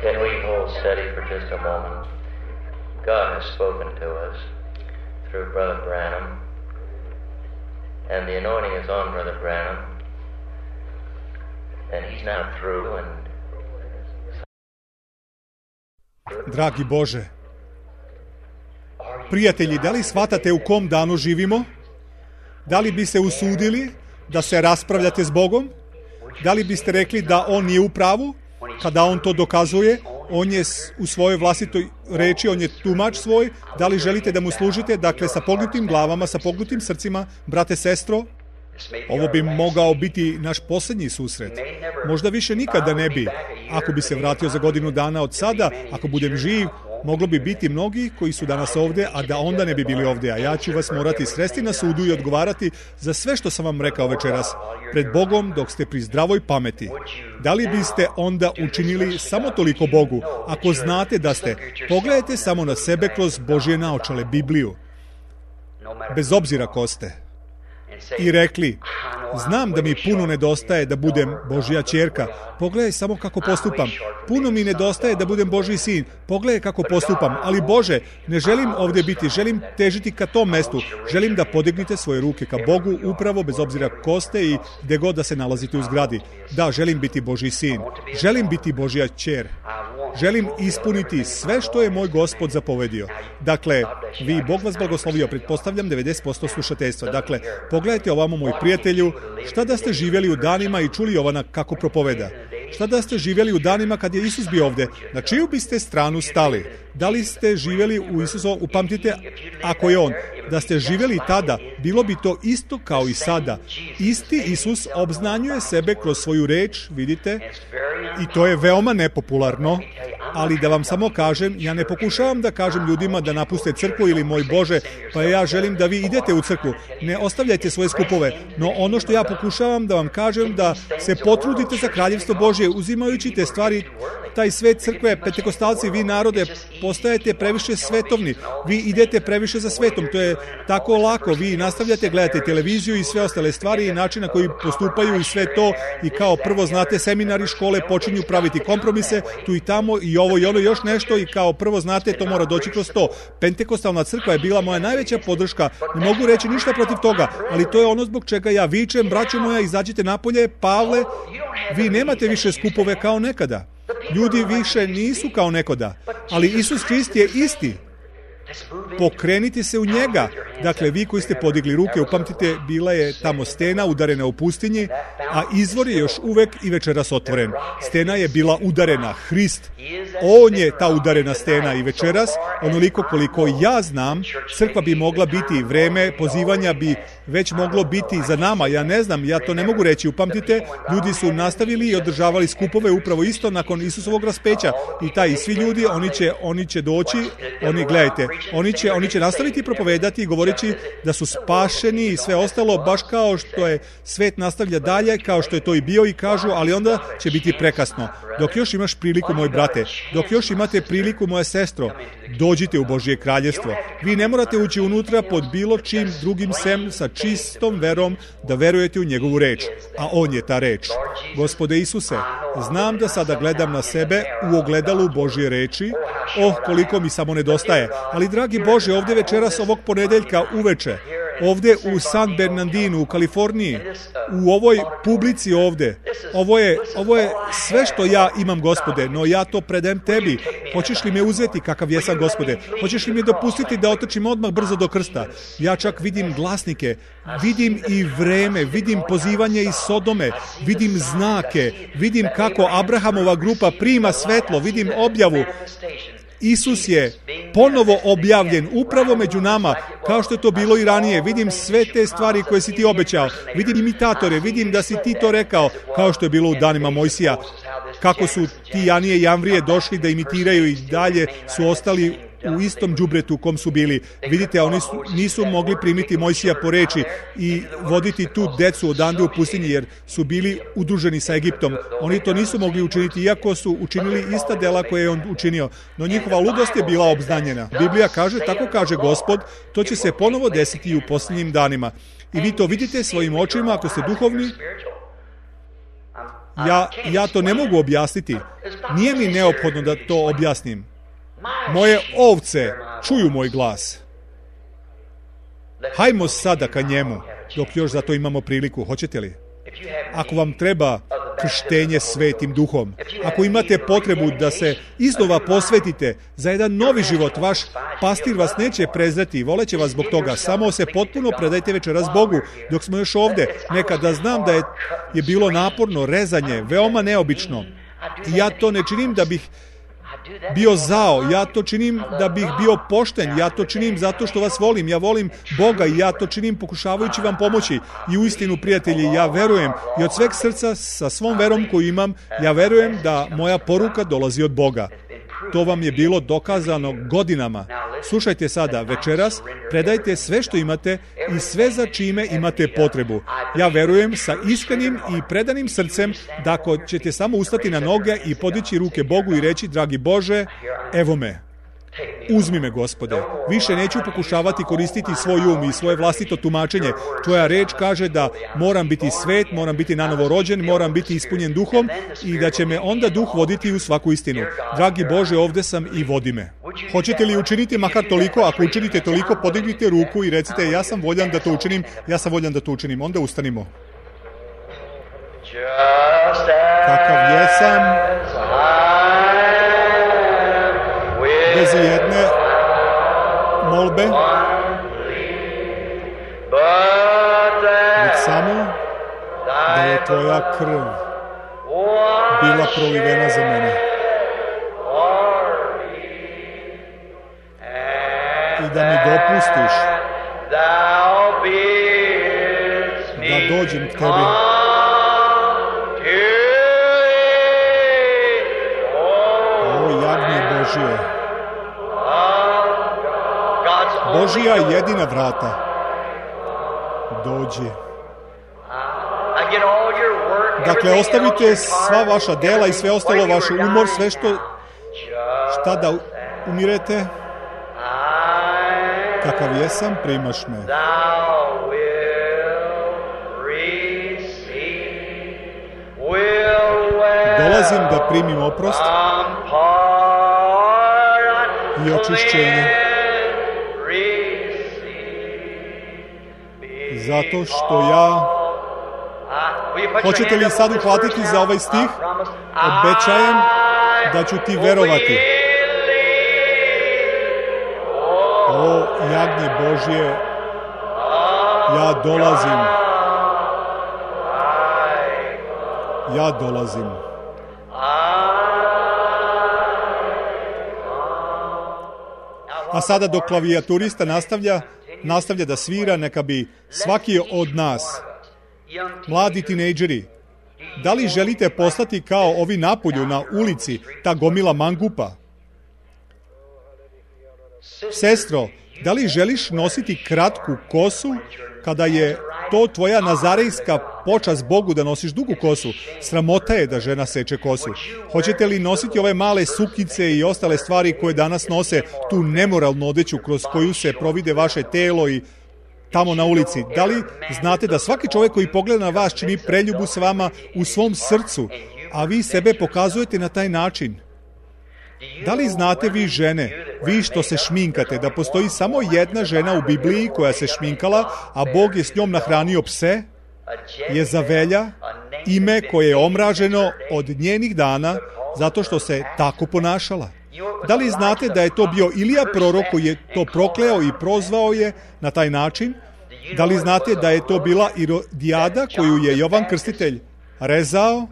Can we hold steady for just a moment? God has spoken to us through Brother Branham, and the anointing is on Brother Branham, and he's now through. And Dragi Bože, prijatelji, da li shvatate u kom danu živimo? Da li bi se usudili da se raspravljate s Bogom? Da li biste rekli da On nije u pravu? Kada On to dokazuje, On je u svojoj vlastitoj reči, On je tumač svoj. Da li želite da mu služite? Dakle, sa pognutim glavama, sa pognutim srcima, brate, sestro, ovo bi mogao biti naš posljednji susret. Možda više nikada ne bi. Ako bi se vratio za godinu dana od sada, ako budem živ, moglo bi biti mnogi koji su danas ovde, a da onda ne bi bili ovde. A ja ću vas morati sresti na sudu i odgovarati za sve što sam vam rekao večeras pred Bogom dok ste pri zdravoj pameti. Da li biste onda učinili samo toliko Bogu? Ako znate da ste, pogledajte samo na sebe kroz Božje naočale, Bibliju. Bez obzira ko ste. I rekli, znam da mi puno nedostaje da budem Božja ćerka, pogledaj samo kako postupam. Puno mi nedostaje da budem Božji sin, pogledaj kako postupam. Ali Bože, ne želim ovdje biti, želim težiti ka tom mestu. Želim da podignite svoje ruke ka Bogu, upravo bez obzira ko ste i gde god da se nalazite u zgradi. Da, želim biti Božji sin. Želim biti Božja ćer. Želim ispuniti sve što je moj Gospod zapovedio. Dakle, vi, Bog vas blagoslovio, pretpostavljam 90% slušateljstva. Dakle, pogledajte ovamo, moj prijatelju, šta da ste živjeli u danima i čuli Jovana kako propoveda. Šta da ste živjeli u danima kad je Isus bio ovde? Na čiju biste stranu stali? Da li ste živjeli u Isusu? Upamtite, ako je On. Da ste živjeli tada, bilo bi to isto kao i sada. Isti Isus obznanjuje sebe kroz svoju reč, vidite, i to je veoma nepopularno, Ali da vam samo kažem, ja ne pokušavam da kažem ljudima da napuste crkvu ili moj Bože, pa ja želim da vi idete u crkvu. Ne ostavljajte svoje skupove, no ono što ja pokušavam da vam kažem, da se potrudite za kraljevstvo Božje, uzimajući te stvari, taj svet crkve, pentekostalci, vi narode, postajete previše svetovni, vi idete previše za svetom, to je tako lako, vi nastavljate, gledate televiziju i sve ostale stvari i način na koji postupaju i sve to, i kao prvo znate, seminari, škole počinju praviti kompromise, tu i tamo i ovo i ono još nešto, i kao prvo znate, to mora doći kroz to. Pentekostalna crkva je bila moja najveća podrška, ne mogu reći ništa protiv toga, ali to je ono zbog čega ja vičem, braćo moja, izađite napolje, Pavle, vi nemate više skupove kao nekada. Ljudi više nisu kao nekoda, ali Isus Krist je isti. Pokrenite se u njega. Dakle, vi koji ste podigli ruke, upamtite, bila je tamo stena udarena u pustinji, a izvor je još uvek i večeras otvoren. Stena je bila udarena, Hrist. On je ta udarena stena i večeras, onoliko koliko ja znam, crkva bi mogla biti, vreme pozivanja bi već moglo biti za nama. Ja ne znam, ja to ne mogu reći. Upamtite, ljudi su nastavili i održavali skupove upravo isto nakon Isusovog raspeća. I svi ljudi, oni će doći, gledajte, oni će nastaviti propovedati i govoreći da su spašeni i sve ostalo, baš kao što je svet nastavlja dalje, kao što je to i bio, i kažu, ali onda će biti prekasno. Dok još imaš priliku, moj brate, dok još imate priliku, moja sestro, dođite u Božje kraljevstvo. Vi ne morate ući unutra pod bilo čim drugim sem sa čistom verom da verujete u njegovu reč, a on je ta reč. Gospode Isuse, znam da sada gledam na sebe u ogledalu Božje reči, koliko mi samo nedostaje, ali dragi Bože, ovdje večeras ovog ponedeljka uveče, ovdje u San Bernardinu, u Kaliforniji, u ovoj publici ovdje, ovo je sve što ja imam, Gospode, no ja to predajem tebi. Hoćeš li me uzeti kakav jesam, Gospode? Hoćeš li mi dopustiti da otrčim odmah brzo do krsta? Ja čak vidim glasnike, vidim i vreme, vidim pozivanje iz Sodome, vidim znake, vidim kako Abrahamova grupa prima svetlo, vidim objavu. Isus je ponovo objavljen upravo među nama, kao što je to bilo i ranije. Vidim sve te stvari koje si ti obećao. Vidim imitatore, vidim da si ti to rekao, kao što je bilo u danima Mojsija. Kako su ti Janije i Jamvrije došli da imitiraju i dalje su ostali u istom đubretu u kom su bili. Vidite, oni nisu mogli primiti Mojsija po reči i voditi tu decu odande u pustinji, jer su bili udruženi sa Egiptom. Oni to nisu mogli učiniti, iako su učinili ista dela koje je on učinio. No njihova ludost je bila obznanjena. Biblija kaže, tako kaže Gospod, to će se ponovo desiti u posljednjim danima. I vi to vidite svojim očima, ako ste duhovni. Ja to ne mogu objasniti. Nije mi neophodno da to objasnim. Moje ovce čuju moj glas. Hajmo sada ka njemu, dok još za to imamo priliku. Hoćete li? Ako vam treba krštenje Svetim Duhom, ako imate potrebu da se iznova posvetite za jedan novi život, vaš pastir vas neće prezreti, voleće vas zbog toga. Samo se potpuno predajte večeras Bogu dok smo još ovde. Nekada znam da je bilo naporno rezanje, veoma neobično. I ja to ne činim da bih bio zao, ja to činim da bih bio pošten, ja to činim zato što vas volim, ja volim Boga i ja to činim pokušavajući vam pomoći. I uistinu, prijatelji, ja verujem i od sveg srca, sa svom verom koju imam, ja verujem da moja poruka dolazi od Boga. To vam je bilo dokazano godinama. Slušajte sada, večeras, predajte sve što imate i sve za čime imate potrebu. Ja verujem sa iskrenim i predanim srcem da ako ćete samo ustati na noge i podići ruke Bogu i reći, dragi Bože, evo me. Uzmi me, Gospode. Više neću pokušavati koristiti svoj um i svoje vlastito tumačenje. Tvoja reč kaže da moram biti svet, moram biti nanovo rođen, moram biti ispunjen duhom i da će me onda duh voditi u svaku istinu. Dragi Bože, ovde sam i vodi me. Hoćete li učiniti makar toliko? Ako učinite toliko, podignite ruku i recite, ja sam voljan da to učinim, ja sam voljan da to učinim. Onda ustanimo. Kakav jesam, bez jedne molbe, već samo da je tvoja krv bila prolivena za mene i da mi dopustiš da dođem k tebi. O, Božije. Božija jedina vrata. Dođi. Dakle, ostavite sva vaša dela i sve ostalo, vaš umor, sve šta da umirete. Kakav jesam, primaš me. Dolazim da primim oprost i očišćenje. Zato što ja... Hoćete li sad uhvatiti za ovaj stih? Obećajem da ću ti verovati. O, jagnje Božje, ja dolazim. Ja dolazim. A sada dok klavijaturista nastavlja da svira, neka bi svaki od nas, mladi tinejdžeri, da li želite postati kao ovi napolju na ulici, ta gomila mangupa? Sestro, da li želiš nositi kratku kosu kada je to tvoja nazarejska počast Bogu da nosiš dugu kosu? Sramota je da žena seče kosu. Hoćete li nositi ove male sukice i ostale stvari koje danas nose, tu nemoralnu odeću kroz koju se provide vaše telo i tamo na ulici? Da li znate da svaki čovjek koji pogleda na vas čini preljubu s vama u svom srcu, a vi sebe pokazujete na taj način? Da li znate vi žene, vi što se šminkate, da postoji samo jedna žena u Bibliji koja se šminkala, a Bog je s njom nahranio pse? Jezavelja, ime koje je omraženo od njenih dana zato što se tako ponašala. Da li znate da je to bio Ilija prorok koji je to prokleo i prozvao je na taj način? Da li znate da je to bila Irodijada koju je Jovan Krstitelj rezao?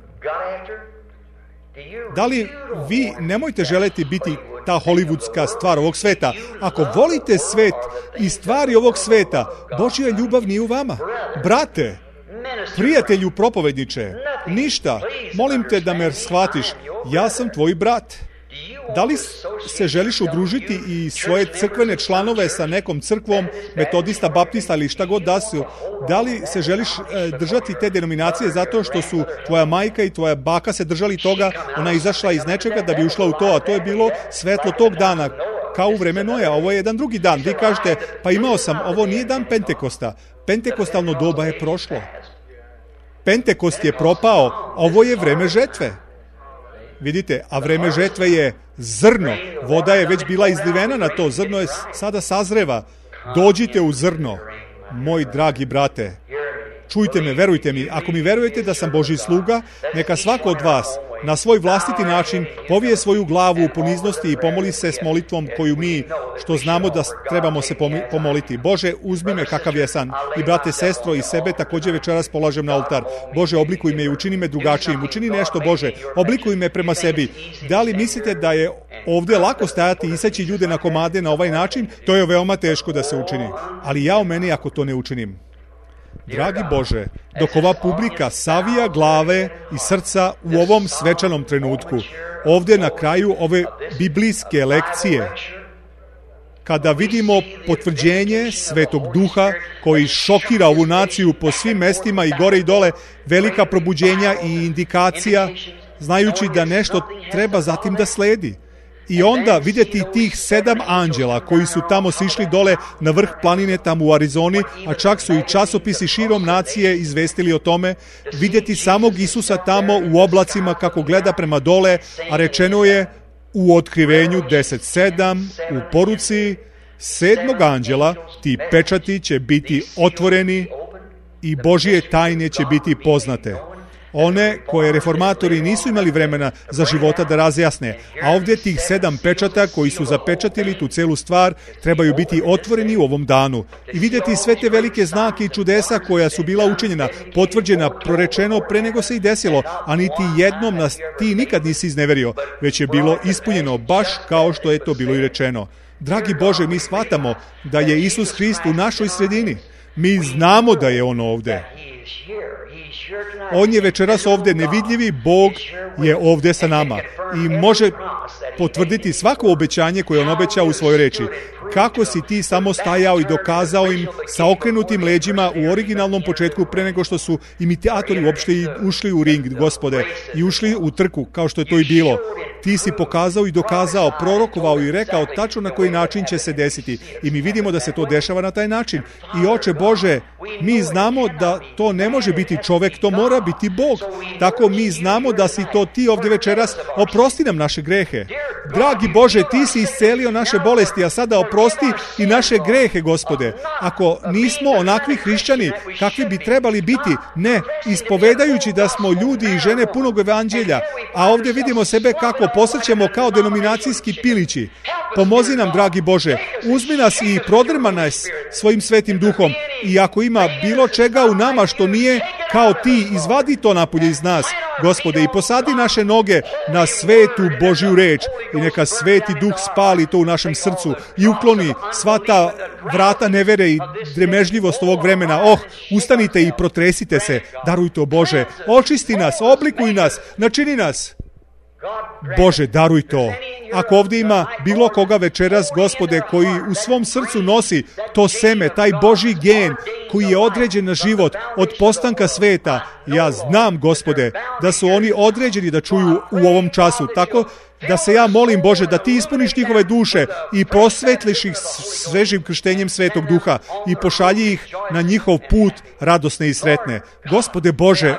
Da li vi nemojte želeti biti ta hollywoodska stvar ovog sveta? Ako volite svet i stvari ovog sveta, Božja ljubav nije u vama. Brate, prijatelju propovedniče, ništa, molim te da me shvatiš, ja sam tvoj brat. Da li se želiš udružiti i svoje crkvene članove sa nekom crkvom, metodista, baptista ili šta god da su? Da li se želiš držati te denominacije zato što su tvoja majka i tvoja baka se držali toga, ona je izašla iz nečega da bi ušla u to, a to je bilo svetlo tog dana, kao u vreme Noja. Ovo je jedan drugi dan. Vi kažete, pa imao sam, ovo nije dan Pentekosta. Pentekostalno doba je prošlo. Pentekost je propao, ovo je vreme žetve. Vidite, a vreme žetve je zrno. Voda je već bila izlivena na to. Zrno je sada sazreva. Dođite u zrno, moj dragi brate. Čujte me, verujte mi. Ako mi verujete da sam Božji sluga, neka svako od vas na svoj vlastiti način povije svoju glavu u poniznosti i pomoli se s molitvom koju mi, što znamo da trebamo se pomoliti. Bože, uzmi me kakav jesam. I brate, sestro, i sebe također večeras polažem na oltar. Bože, oblikuj me i učini me drugačijim. Učini nešto, Bože. Oblikuj me prema sebi. Da li mislite da je ovdje lako stajati i iseći ljude na komade na ovaj način? To je veoma teško da se učini. Ali ja u meni ako to ne učinim. Dragi Bože, dok ova publika savija glave i srca u ovom svečanom trenutku, ovdje na kraju ove biblijske lekcije, kada vidimo potvrđenje Svetog Duha koji šokira ovu naciju po svim mestima i gore i dole, velika probuđenja i indikacija, znajući da nešto treba zatim da sledi. I onda vidjeti tih 7 anđela koji su tamo sišli dole na vrh planine tamo u Arizoni, a čak su i časopisi širom nacije izvestili o tome, vidjeti samog Isusa tamo u oblacima kako gleda prema dole, a rečeno je u Otkrivenju 10.7, u poruci 7. anđela, ti pečati će biti otvoreni i Božje tajne će biti poznate. One koje reformatori nisu imali vremena za života da razjasne, a ovdje tih 7 pečata koji su zapečatili tu celu stvar trebaju biti otvoreni u ovom danu i vidjeti sve te velike znake i čudesa koja su bila učinjena, potvrđena, prorečeno pre nego se i desilo, a niti jednom nas ti nikad nisi izneverio, već je bilo ispunjeno baš kao što je to bilo i rečeno. Dragi Bože, mi shvatamo da je Isus Hrist u našoj sredini. Mi znamo da je on ovdje. On je večeras ovdje nevidljivi Bog je ovdje sa nama i može potvrditi svako obećanje koje on obećao u svojoj reči. Kako si ti samo stajao i dokazao im sa okrenutim leđima u originalnom početku pre nego što su imitatori uopšte ušli u ring, Gospode, i ušli u trku kao što je to i bilo. Ti si pokazao i dokazao, prorokovao i rekao tačno na koji način će se desiti. I mi vidimo da se to dešava na taj način. I Oče Bože, mi znamo da to ne može biti čovek, to mora biti Bog. Tako mi znamo da si to ti ovdje večeras, oprosti nam naše grehe. Dragi Bože, ti si iscelio naše bolesti, a sada oprosti i naše grehe, Gospode. Ako nismo onakvi hrišćani kakvi bi trebali biti, ne, ispovedajući da smo ljudi i žene punog evanđelja, a ovdje vidimo sebe kako posrećemo kao denominacijski pilići. Pomozi nam, dragi Bože, uzmi nas i prodrma nas svojim svetim duhom i ako ima bilo čega u nama što nije kao ti, izvadi to napolje iz nas, Gospode, i posadi naše noge na svetu Božju reč i neka sveti duh spali to u našem srcu i ukloni sva ta vrata nevere i dremežljivost ovog vremena. Ustanite i protresite se, daruj to, Bože, očisti nas, oblikuj nas, načini nas. Bože, daruj to. Ako ovdje ima bilo koga večeras, Gospode, koji u svom srcu nosi to seme, taj Božji gen koji je određen na život od postanka sveta, ja znam, Gospode, da su oni određeni da čuju u ovom času. Tako da se ja molim, Bože, da ti ispuniš njihove duše i prosvetliš ih svežim krštenjem Svetog Duha i pošalji ih na njihov put radosne i sretne. Gospode Bože,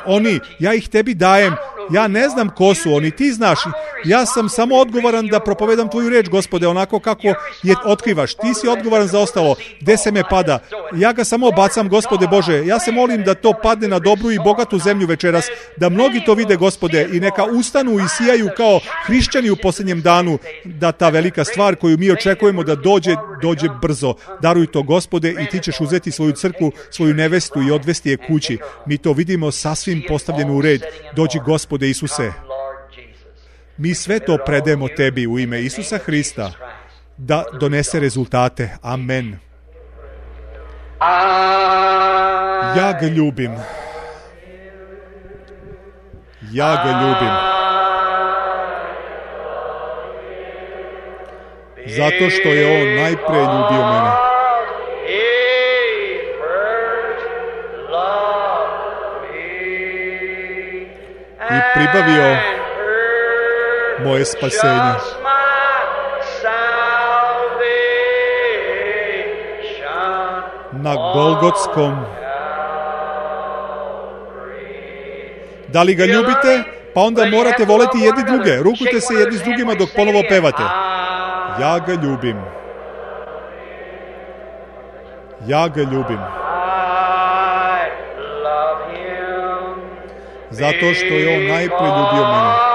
ja ih tebi dajem. Ja ne znam ko su oni, ti znaš. Ja sam samo odgovoran da propovedam tvoju reč, Gospode, onako kako je otkrivaš. Ti si odgovoran za ostalo. Gde se me pada? Ja ga samo bacam, Gospode Bože. Ja se molim da to padne na dobru i bogatu zemlju večeras, da mnogi to vide, Gospode, i neka ustanu i sijaju kao hrišćani u posljednjem danu, da ta velika stvar koju mi očekujemo da dođe brzo. Daruj to, Gospode, i ti ćeš uzeti svoju crkvu, svoju nevestu i odvesti je kući. Mi to vidimo sasvim postavljeno u red. Dođi, Gospode Isuse. Mi sve to predajemo tebi u ime Isusa Hrista da donese rezultate. Amen. Ja ga ljubim. Ja ga ljubim. Zato što je on najpre ljubio mene. I pribavio moje spasenje. Na Golgotskom. Da li ga ljubite? Pa onda morate voleti jedni druge. Rukujte se jedni s drugima dok ponovo pevate. Ja ga ljubim. Ja ga ljubim. Zato što je on najpre ljubio mene.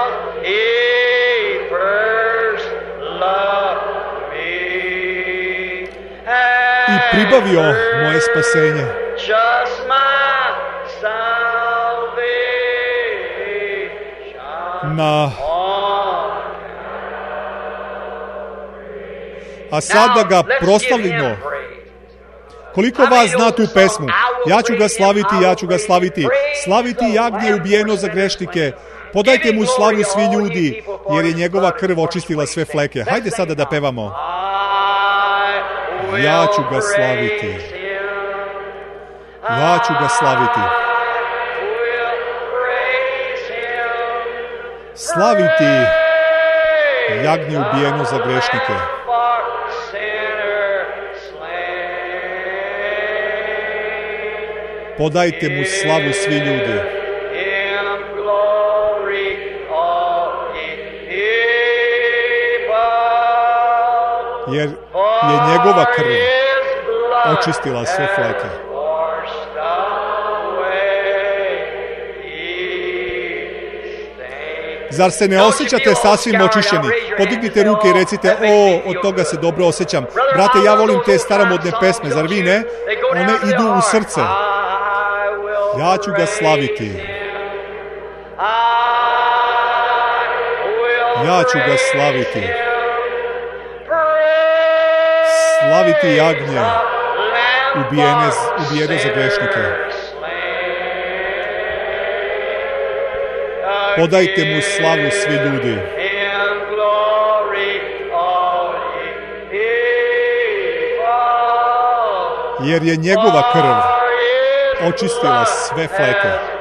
I pribavio moje spasenje. A sada ga proslavimo. Koliko vas zna tu pesmu? Ja ću ga slaviti, ja ću ga slaviti. Slaviti jagnje ubijeno za grešnike. Podajte mu slavu svi ljudi, jer je njegova krv očistila sve fleke. Hajde sada da pevamo. Ja ću ga slaviti. Ja ću ga slaviti. Slaviti jagnje ubijeno za grešnike. Podajte mu slavu svi ljudi. Jer je njegova krv očistila sve fleke. Zar se ne osjećate sasvim očišćeni? Podignite ruke i recite, od toga se dobro osjećam. Brate, ja volim te staromodne pesme, zar vi ne? One idu u srce. Ja ću ga slaviti. Ja ću ga slaviti. Slaviti jagnje ubijene za grešnike. Odajte mu slavu svi ljudi. Jer je njegova krv očistila sve fleke.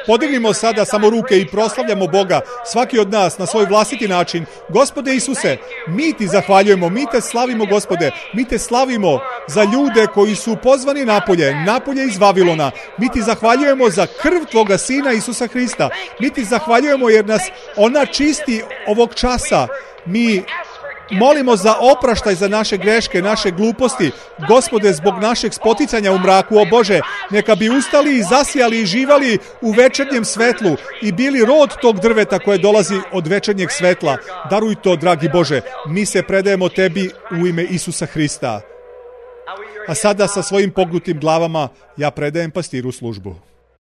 Podignimo sada samo ruke i proslavljamo Boga, svaki od nas na svoj vlastiti način. Gospode Isuse, mi ti zahvaljujemo, mi te slavimo, Gospode, mi te slavimo za ljude koji su pozvani napolje iz Vavilona. Mi ti zahvaljujemo za krv tvoga Sina Isusa Hrista. Mi ti zahvaljujemo jer nas ona čisti ovog časa. Mi molimo za opraštaj za naše greške, naše gluposti. Gospode, zbog našeg spoticanja u mraku, o Bože, neka bi ustali i zasijali i živali u večernjem svetlu i bili rod tog drveta koje dolazi od večernjeg svetla. Daruj to, dragi Bože. Mi se predajemo tebi u ime Isusa Hrista. A sada sa svojim pognutim glavama ja predajem pastiru službu.